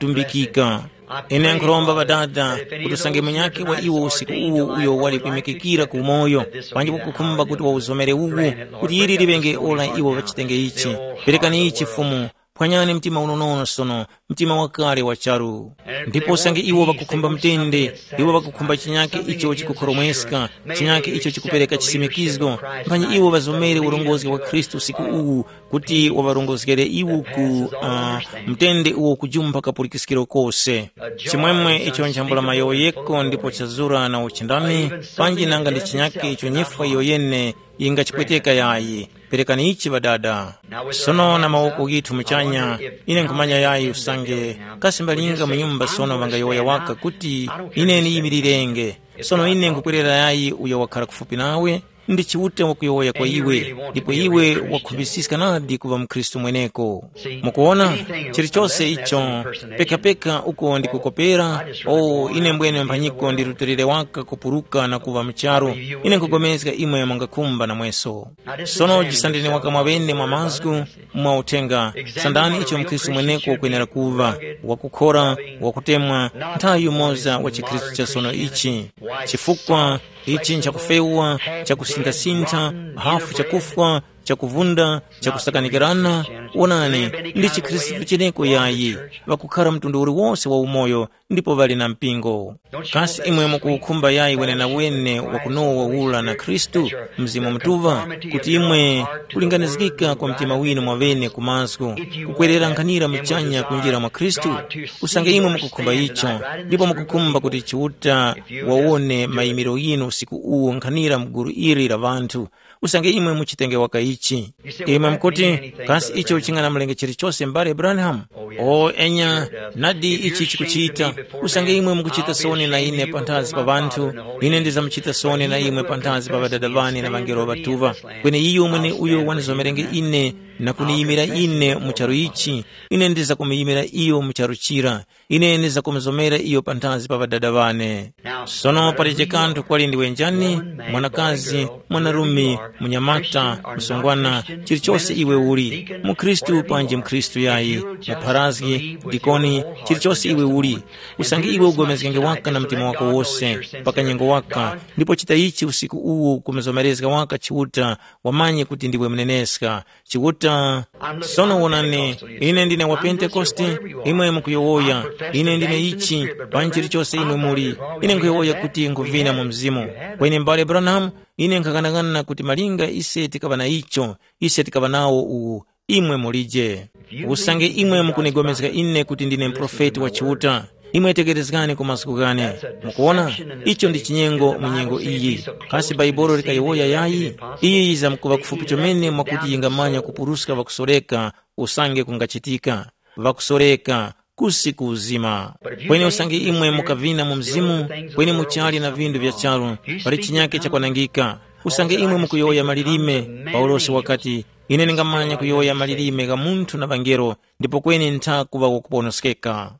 wakutumbikika. Ine nkhuromba Ŵadada kuti usange munyakhe wa iwo usiku uwu uyo wali kwimikikira ku umoyo, panji kukukhumba kuti wauzomere uwu, kuti ili liŵenge ora iwo ŵachitenge ichi. Perekani ichi Fumu, phwanyani mtima unonono sono, mtima wakale wa charu. Ndipo usange iwo ŵakukhumba mtende, iwo ŵakukhumba chinyakhe icho chikukhoromweska, chinyakhe icho chikupereka chisimikizgo, mphanyi iwo ŵazomere urongozi wa Khristu usiku uwu, kuti waŵarongozgere iwo ku uh, mtende uwo kujumpha kapulikiskiro kose. Chimwemwe icho nchambula mayowoyeko ndipo chazura na uchindami, panji nanga ndi chinyakhe icho nyifwa iyo yene yingachipweteka yayi. Perekani ichi Ŵadada. Sono na mawoko ghithu muchanya, ine nkhumanya yayi usange kasi mbalinga mu nyumba sono ŵangayowoya waka kuti, ine niyimirirenge. Sono ine nkhukwerera yayi uyo wakhala kufupi nawe, ndi Chiuta wakuyowoya kwa iwe, ndipo iwe wakhumbisiska nadi kuŵa mukhristu mweneko. Mukuwona, chilichose icho, pekapeka uko ndikukopera, o ine mbwene mphanyiko ndirutilire waka kupuruka na kuŵa mu charu. Ine nkhupulikana imwe mungakhumba namweso. Sono jisandeni waka mwaŵene mwa mazgu, mwa uthenga, sandani icho mukhristu mweneko ukwenera kuŵa, wakukhora, wakutemwa, nthawi yumoza wa chikhristu cha sono ichi. Chifukwa ichi nchakufewa, chakusinthasintha, hafu chakufwa, chakuvunda, chakusakanikirana, wonani, ndi chikhristu cheneko yayi, ŵakukhara mtundu uliwose wa umoyo, ndipo ŵali na mpingo. Kasi imwe mukuwukhumba yayi wenenawene wakunowa ula na Khristu, Mzimu Mutuŵa, kuti imwe kulinganizgika kwa mtima winu mwaŵene ku mazgu, kukwerera nkhanira muchanya kunjira mwa Khristu? Usange imwe mukukhumba icho, ndipo mukukhumba kuti Chiuta wawone mayimiro yinu usiku uwu nkhanira mgulu ili la ŵanthu, usange imwe muchitenge waka ichi. Imwe mukuti, kasi icho chinganamulenga chilichose mbale Branham? O enya, nadi ichi chikuchita. Usange imwe mukuchita soni na ine panthazi pa ŵanthu, ine ndizamuchita soni na imwe panthazi pa ŵadada ŵane na ŵangelo ŵatuŵa. Kweni iyo mwene uyo wandizomerenge ine na kuniyimira ine mu charu ichi, ine ndizakumuyimira iyo mu charu chira. Ine ndizakumuzomera iyo panthazi pa ŵadada ŵane. Sono palije kanthu kwali ndiwe njani, mwanakazi, mwanarume, munyamata, msungwana, chilichose iwe uli, mukhristu panji mkhristu yayi, mupharazgi, dikoni, chilichose iwe uli, usange iwe ugomezgenge waka na mtima wako wose, pakanyengo waka, ndipo chita ichi usiku uwu kumuzomerezga waka Chiuta, wamanye kuti ndiwe muneneska. Chiuta, sono wonani, ine ndine wa Pentekoste, imwe mukuyowoya, ine ndine ichi, panji chilichose imwe muli, ine nkuyowoya kuti nkuvina mu mzimu. Kweni mbale Branham, ine nkhakanakana kuti malinga ise tikaŵa na icho, ise tikaŵa nawo uwu, imwe mulije. Usange imwe mukunigomezga ine kuti ndine muprofeti wa Chiuta, imwe tekerezgani ku mazgu ghane. Mukuona, icho ndi chinyengo mu nyengo iyi. Kasi Bhaibuli likayowoya yayi? Iyi yizamkuŵa kufupi chomene mwakuti yingamanya kupuruska ŵakusoreka usange kungachitika. Ŵakusoreka, kusi ku uzima. Kweni usange imwe mukavina mu mzimu, kweni muchali na vindu vya charu, pali chinyake chakwanangika. Usange imwe mukuyowoya malilime, Paulosi wakati, ine ndingamanya kuyowoya malilime gha munthu na ŵangelo, ndipo kweni ntha kuŵa wakuponoskeka.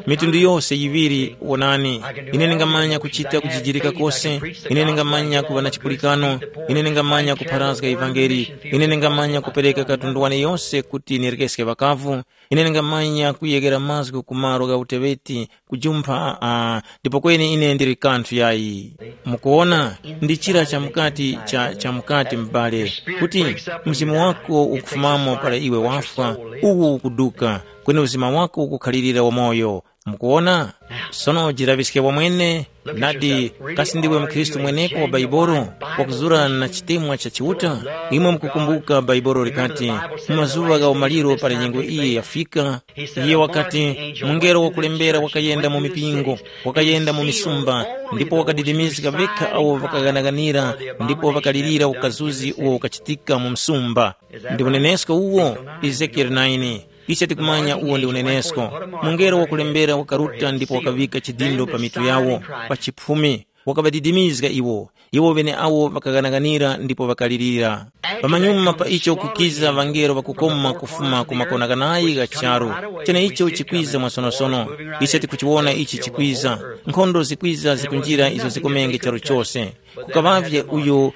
Mitundu yose yiŵiri wonani, ine ndingamanya kuchita kujijirika kose, ine ndingamanya kuŵa na chipulikano, ine ndingamanya kupharazga ivangeli, ine ndingamanya kupereka katundu wane yose kuti nirekeske ŵakavu, ine ndingamanya kuyeghera mazgu ku malo gha uteŵeti, kujumpha, uh, ndipo kweni ine ndili kanthu yayi. Mukuona, ndi chira chamukati cha chamukati m'bale, kuti mzimu wako ukufumamo para iwe wafwa, uwu ukuduka, kweni uzima wako ukukhalirira wamoyo. Mukuona? Sono jilaŵiske wamwene, nadi, kasi ndiwe mkhristu mweneko wa Baibolo, wakuzura na chitemwa cha Chiuta? Imwe mukukumbuka Baibolo likati, mu mazuŵa gha umaliro para nyengo iyi yafika, iye wakati, mungelo wakulembera wakayenda mu mipingo, wakayenda mu misumba, ndipo wakadidimizga vekha awo ŵakaghanaghanira ndipo ŵakalirira ukazuzi uwo ukachitika mu msumba. Ndi unenesko uwo, Ezekieli naini. Ise tikumanya uwo ndi unenesko. Mungelo wakulembera wakaruta ndipo wakaŵika chidindo pa mitu yawo, pa chiphumi, wakaŵadidimizga iwo. Iwo ŵeneawo ŵakaghanaghanira ndipo ŵakalirira. Pamanyuma pa icho kukiza ŵangelo ŵakukoma kufuma ku makona ghanayi gha charu. Cheneicho chikwiza mwasonosono. Ise tikuchiwona ichi chikwiza. Nkhondo zikwiza zikunjira izo zikomenge charu chose. Kukaŵavye uyo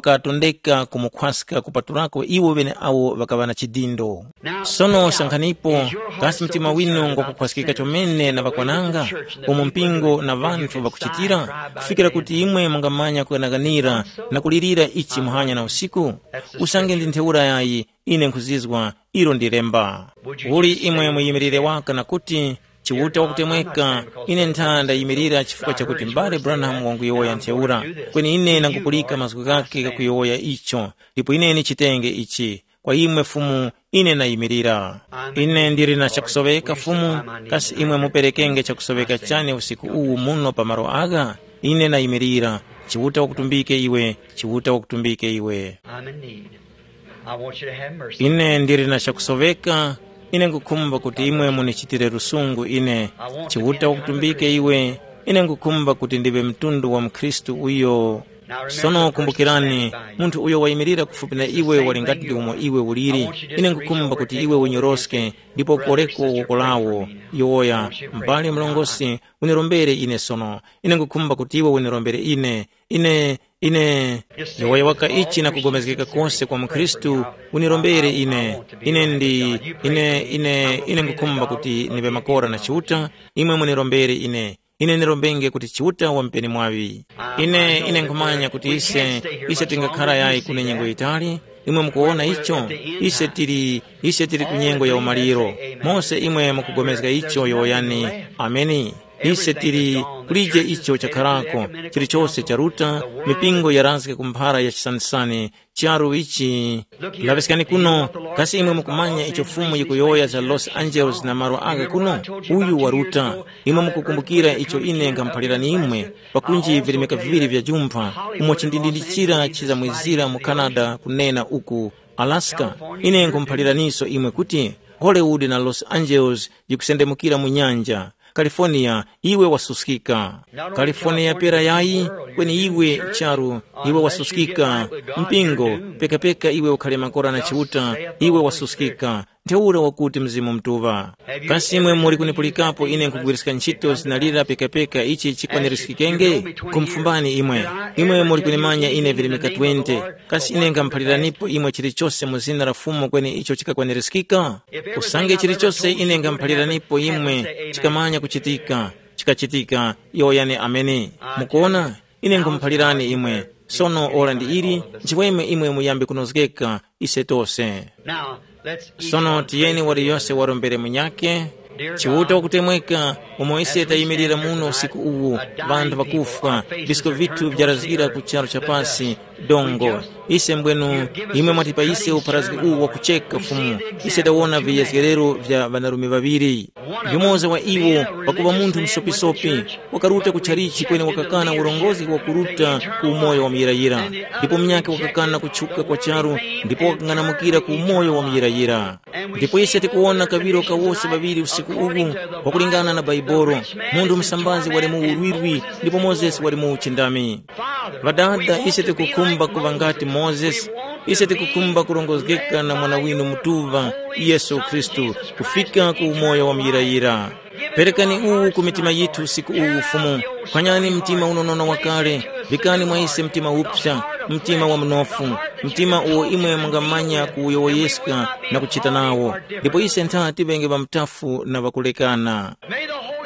wakatondeka kumukhwaska kupatulako iwo ŵeneawo ŵakaŵa na chidindo. Sono sankhanipo, kasi mtima winu ngwakukhwaskika chomene na ŵakwananga, umo mpingo na ŵanthu ŵakuchitira, kufikira kuti imwe mungamanya kughanaghanira na kulirira ichi muhanya na usiku? Usange ndi ntheura yayi, ine nkhuzizwa, ilo ndi lemba. Uli imwe muyimirire waka na kuti, Chiuta wakutemweka, ine ntha ndayimirira chifukwa chakuti m'bale Branham wanguyowoya ntheura, kweni ine ndangupulika mazgu ghakhe ghakuyowoya icho, ndipo ine nichitenge ichi. Kwa imwe Fumu, ine nayimirira. Ine ndili na chakusoweka Fumu, kasi imwe muperekenge chakusoweka chane usiku uwu muno pa malo agha? Ine nayimirira. Chiuta wakutumbike iwe, Chiuta wakutumbike iwe. I'm in need. I want you to have mercy. Ine ndili na chakusoweka, ine nkukhumba kuti imwe munichitire lusungu ine. Chiuta wakutumbike iwe, ine nkukhumba kuti ndiwe mtundu wa mkhristu uyo. Sono kumbukirani, munthu uyo wayimirira kufupi na iwe wali ngati ndi umo iwe uliri. Ine nkukhumba kuti iwe unyoroske ndipo ukoleko woko lawo. Yowoya, m'bale mlongosi, unirombere ine sono. Ine nkukhumba kuti iwe unirombere ine. Ine, ine, yowoya waka ichi na kugomezgeka kose kwa mukhristu, unirombere ine. Ine ndi, ine, ine, ine nkukhumba kuti niŵe makora na Chiuta, imwe munirombere ine. Ine nirombenge kuti Chiuta wamupeni mwaŵi. Ine, ine nkhumanya kuti ise, ise tingakhara yayi kune nyengo yitali, Imwe mukuwona icho? Ise tili, ise tili ku nyengo ya umaliro. Mose imwe mukugomezga icho, yowoyani, “Ameni.” Ise tili, kulije icho chakharako, chilichose charuta, mipingo yarazga ku mphara ya chisanisani, charu ichi. Laŵiskani kuno, kasi imwe mukumanya icho Fumu yikuyowoya za Los Angeles na malo agha kuno? Uyu waruta. Imwe mukukumbukira icho ine nkhamuphalirani imwe, pakunji virimika viŵiri vya jumpha, umo chindindindi chira chizamwizira mu Canada kunena uku, Alaska. Ine nkhumuphaliraniso imwe kuti Hollywood na Los Angeles yikusendemukira mu nyanja. California, iwe wasuskika. California pera yayi, kweni iwe charu, iwe wasuskika. Mpingo, pekapeka iwe ukhale makora na Chiuta, iwe wasuskika. Ntheura wakuti Mzimu Mutuŵa. Kasi imwe muli kunipulikapo ine nkhugwiriska ntchito zina lira pekapeka ichi chikwanirizgikenge? Nkhumufumbani imwe. Imwe muli kunimanya ine virimika twenty. Kasi ine nkhamuphaliranipo imwe chilichose mu zina la Fumu kweni icho chikakwanirizgika? Usange chilichose ine nkhamuphaliranipo imwe chikamanya kuchitika, chikachitika, yowoyani ameni. Mukuona? Ine nkhumuphalirani imwe. Sono ora ndi ili, nchimwemwe imwe muyambe kunozgeka, ise tose. Sono tiyeni waliyose warombere munyakhe. Chiuta wakutemweka, umo ise tayimirira muno usiku uwu, vanthu vakufwa, visko vithu vyarazgira ku charu cha pasi, dongo. Ise mbwenu, imwe mwatipa ise upharazgi uwu wakucheka Fumu. Ise tawona viyezgerero vya ŵanarume ŵaŵiri. Yumoza wa iwo, pakuŵa munthu msopisopi, wakaruta ku chalichi kweni wakakana urongozi wa kuruta ku umoyo wa muyirayira. Ndipo munyakhe wakakana kutchuka kwa charu, ndipo wakang'anamukira ku umoyo wa muyirayira. Ndipo ise tikuwona kaŵiro kawose ŵaŵiri usiku uwu, wakulingana na Baibolo, munthu musambazi wali mu urwirwi ndipo Mozesi wali mu uchindami. Ŵadada, ise tikukhumba kuŵa ngati Mozesi. Ise tikukhumba kurongozgeka na Mwana winu Mutuŵa, Yesu Khristu, kufika ku umoyo wa muyirayira. Perekani uwu ku mitima yithu usiku uwu, Fumu. Phwanyani mtima unonono wakale, vikani mwa ise mtima uphya, mtima wa mnofu, mtima uwo imwe mungamanya kuwuyowoyeska na kuchita nawo. Ndipo ise ntha tiŵenge ŵamutafu na ŵakulekana.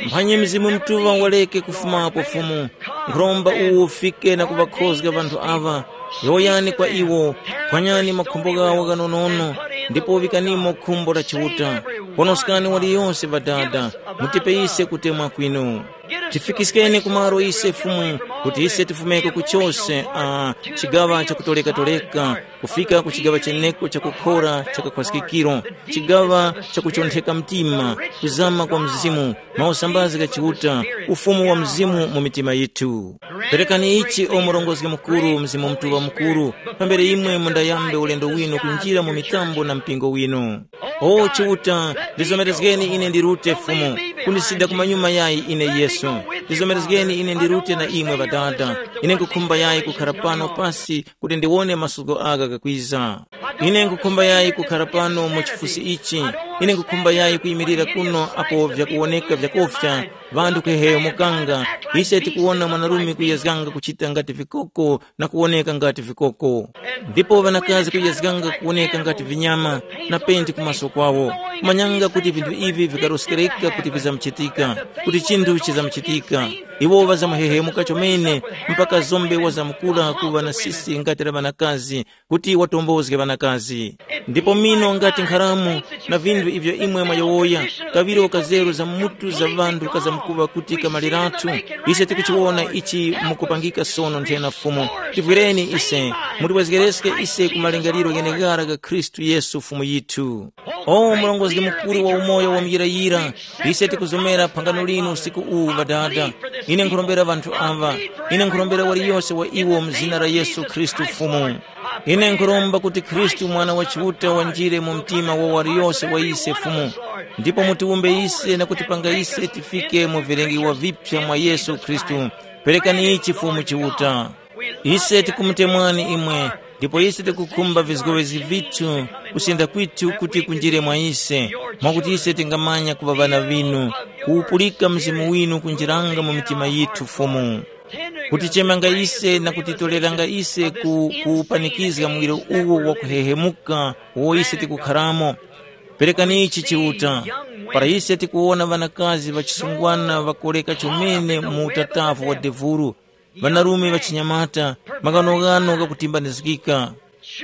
Mphanye Mzimu Mutuŵa waleke kufumapo Fumu. Nkhuromba uwo ufike na kuŵakhozga ŵanthu aŵa. Yowoyani kwa iwo, phwanyani makhumbo ghawo ghanonono, ndipo vikanimo khumbo la Chiuta. Ponoskani waliyose Ŵadada, mutipe ise kutemwa kwinu. Tifikiskeni kumaro ise Fumu, kuti ise tifumeko kuchose, a, chigaŵa chakutoleka-toleka, kufika ku chigaŵa cheneko chakukhora cha kakhwaskikiro, chigaŵa chakuchontheka mtima, kuzama kwa Mzimu, mausambazi gha Chiuta, ufumu wa Mzimu mu mitima yithu. Perekani ichi, o Murongozgi Mukuru, Mzimu Mutuŵa Mukuru, pambere imwe mundayambe ulendo winu kunjira mu mitambo na mpingo winu. O Chiuta, ndizomerezgeni ine ndirute Fumu, kundisida kumanyuma yayi ine Yesu. Ndizomerezgeni ine ndirute na imwe Ŵadada. Ine nkukhumba yayi kukhara pano pasi kuti ndiwone masuko agha ghakwiza. Ine nkukhumba yayi kukhara pano mu chifusi ichi. Ine nkukhumba yayi kuyimirira kuno apo vyakuwoneka vyakofya, ŵanthu kuheheyo mukanga, ise tikuwona mwanarume kuyezganga kuchita ngati vikoko na kuwoneka ngati vikoko. Ndipo ŵanakazi kuyezganga kuwoneka ngati vinyama na penti kumaso kwawo. Manyanga kuti vinthu ivi vikaroskereka kuti vizamuchitika, kuti chinthu chizamuchitika. Iwo ŵazamuhehemuka chomene mpaka zombe wazamkula kuŵa na sisi ngati la ŵanakazi, kuti watombozge ŵanakazi. Ndipo mino ngati nkharamu na vinthu ivyo imwe mwayowoya, kaŵiro kazeru za mutu za ŵanthu kazamkuŵa kuti kamaliratu. Ise tikuchiwona ichi mukupangika sono nthena Fumu. Tivwireni ise, mutiwezgereske ise ku malingaliro gheneghara gha Khristu Yesu Fumu yithu. O Murongozgi Mukuru wa umoyo wa muyirayira, ise tikuzomera phangano linu usiku uwu Ŵadada. Ine nkhurombera ŵanthu aŵa. Ine nkhurombera waliyose wa iwo mu zina la Yesu Khristu Fumu. Ine nkhuromba kuti Khristu Mwana wa Chiuta wanjire mu mtima wa waliyose wa ise Fumu, ndipo mutiwumbe ise na kutipanga ise tifike mu vilengiwa vipya mwa Yesu Khristu. Perekani ichi Fumu Chiuta. Ise tikumutemwani imwe, ndipo ise tikukhumba vizgowezgi vithu, kusenda kwithu kuti kunjire mwa ise, mwakuti ise tingamanya kuŵa ŵana vinu, kuwupulika Mzimu winu kunjiranga mu mitima yithu Fumu. Kutichemanga ise na kutitoreranga ise ku kuwupanikizga muwiro uwo wakuhehemuka uwo ise tikukharamo. Perekani ichi Chiuta, para ise tikuwona ŵanakazi ŵachisungwana ŵakoleka chomene mu utatavu wa devuru, ŵanarume ŵachinyamata, maghanoghano ghakutimbanizgika.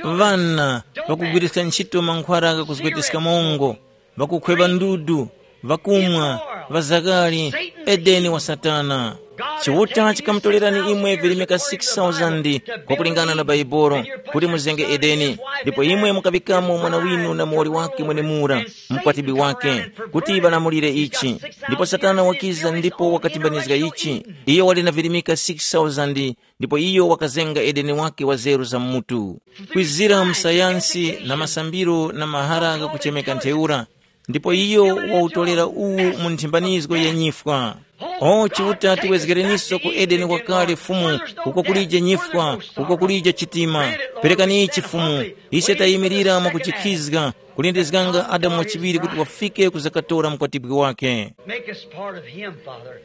Ŵana ŵakugwiriska ntchito mankhwara ghakuzgweteska mongo, ŵakukhweva ndudu, ŵakumwa, ŵazakali, Edeni wa Satana. Chiuta chikamutorerani imwe virimika six thousand kwakulingana na Baibolo, kuti muzenge Edeni, ndipo imwe mukaŵikamo mwana winu na muwoli wake mwenemura, mkwatibwi wake, kuti ŵalamulire ichi. Ndipo Satana wakiza ndipo wakatimbanizga ichi. Iyo wali na virimika six thousand, ndipo iyo wakazenga Edeni wake wa zeru za mutu. Kwizira mu sayansi na masambiro na mahara ghakuchemeka ntheura, ndipo iyo wawutolera uwu mu nthimbanizgo ya nyifwa. O Chiuta, tiwezgereniso ku Edeni wakale Fumu, uko kulije nyifwa, uko kulije chitima. Perekani ichi Fumu, ise tayimirira mwakuchikhizga, kulindizganga Adamu wachiŵiri kuti wafike kuzakatora mkwatibwi wake. Make us part of him, Father.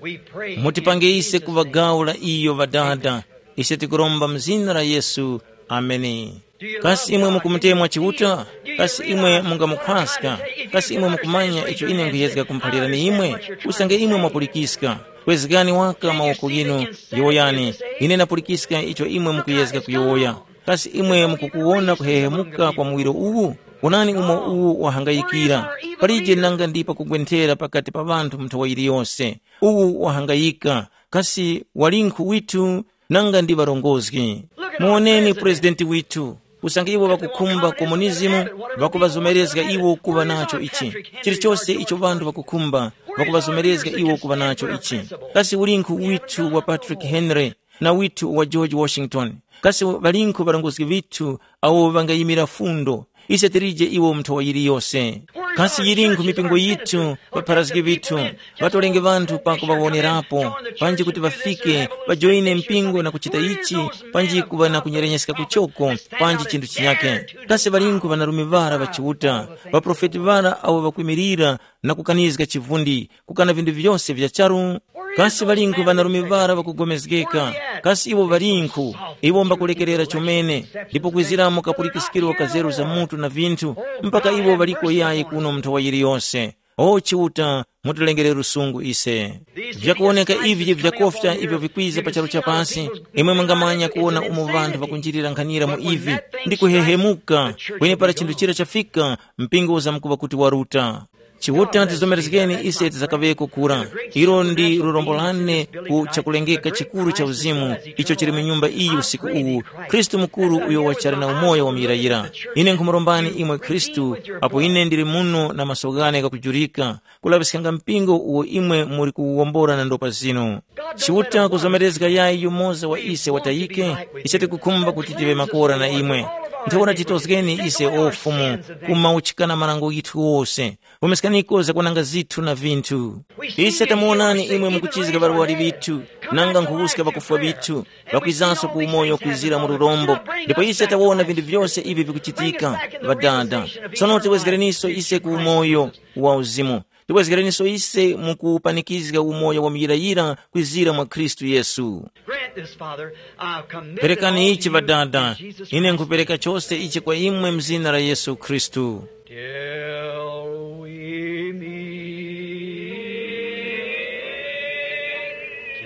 We pray in Mutipange ise Jesus' kuŵa name. Gawo la iyo Ŵadada. Ise tikuromba mu zina la Yesu. Ameni. Kasi imwe mukumutemwa Chiuta? Kasi imwe mungamukhwaska? Kasi imwe mukumanya icho ine nkhuyezga kumuphalirani imwe? Usange imwe mwapulikiska, kwezgani waka mawoko ghinu, yowoyani, ine ndapulikiska icho imwe mukuyezga kuyowoya. Kasi imwe mukukuwona kuhehemuka kwa muwiro uwu? Wonani umo uwu wahangayikira. Palije nanga ndi pakugwenthera pakati pa ŵanthu mu nthawa yiliyose. Uwu wahangayika. Kasi walinkhu withu nanga ndi ŵarongozgi? Muwoneni purezidenti withu. Usange iwo ŵakukhumba komunizimu, ŵakuŵazomerezga iwo kuŵa nacho ichi. Chilichose icho ŵanthu ŵakukhumba, ŵakuŵazomerezga iwo kuŵa nacho ichi. Kasi ulinkhu withu wa Patrick Henry na withu wa George Washington? Kasi ŵalinkhu ŵarongozgi ŵithu awo ŵangayimira fundo? Ise tilije iwo mu nthowa yiliyose. Kasi yilinkhu mipingo yithu, ŵapharazgi ŵithu, ŵatolenge ŵanthu pa kuŵawonerapo, panji kuti ŵafike, ŵajoyine mpingo na kuchita ichi, panji kuŵa na kunyerenyeskako choko, panji chinthu chinyake? Kasi ŵalinkhu ŵanarume ŵara ŵa Chiuta, ŵaprofeti ŵara awo ŵakwimirira na kukanizga chivundi, kukana vinthu vyose vya charu? Kasi ŵalinkhu ŵanarume ŵara ŵakugomezgeka? Kasi iwo ŵalinkhu? Iwo mbakulekerera chomene, ndipo kwiziramo kapulikiskiro ka zeru za mutu na vinthu, mpaka iwo ŵaliko yayi kuno mu nthowa yiliyose. O Chiuta, mutilengere lusungu ise. Vyakuwoneka ivi vyakofya ivyo vikwiza pa charu cha pasi, imwe mungamanya kuwona umo ŵanthu ŵakunjirira nkhanira mu ivi, ndi kuhehemuka, kwenepara chinthu chira chafika, mpingo uzamkuŵa kuti waruta. Chiuta tizomerezgeni ise tizakaŵeko kura. Ilo ndi lurombo lane ku chakulengeka chikuru cha uzimu icho chili mu nyumba iyi usiku uwu, Khristu mukuru uyo wachali na umoyo wa muyirayira. Ine nkhumurombani imwe Khristu, apo ine ndili muno na maso ghane ghakujurika, kulaŵiskanga mpingo uwo imwe muli kuwuwombora na ndopa zinu. Chiuta kuzomerezga yayi yumoza wa ise watayike, ise tikukhumba kuti tive makora na imwe. Ntheura titozgeni ise o Fumu, kumauchikana marango ghithu ghose. Pumiskaniko zakwananga zithu na vinthu. Ise tamuwonani imwe mukuchizga ŵarwari ŵithu, nanga nkhuwuska ŵakufwa ŵithu, ŵakwizanso ku umoyo kwizira mu lurombo. Ndipo ise tawona vinthu vyose ivi vikuchitika, Ŵadada. Sono tiwezgereniso ise ku umoyo wa uzimu. Tiwezgereniso ise mu kupanikizga umoyo wa muyirayira kwizira mwa Khristu Yesu. Grant this, Father. I commit it all to you in Jesus' name. Perekani ichi Ŵadada, ine nkhupereka chose ichi kwa imwe mu zina la Yesu Khristu. Till we meet,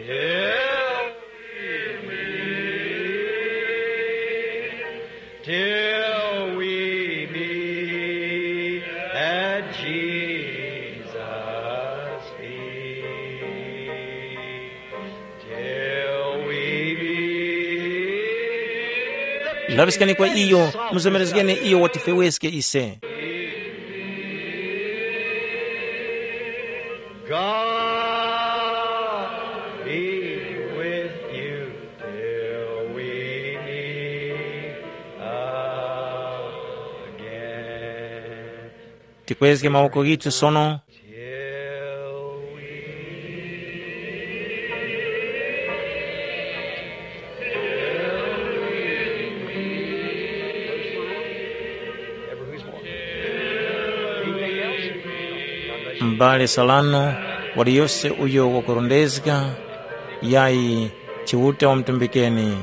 till we meet, till we meet at Jesus' feet. Till we meet. Laŵiskani kwa iyo, muzomerezgeni iyo watifeweske ise. God be with you till we meet again. Tikwezge mawoko ghithu sono. M'bale Solano, waliyose uyo wakurondezga, yayi, Chiuta wamutumbikeni.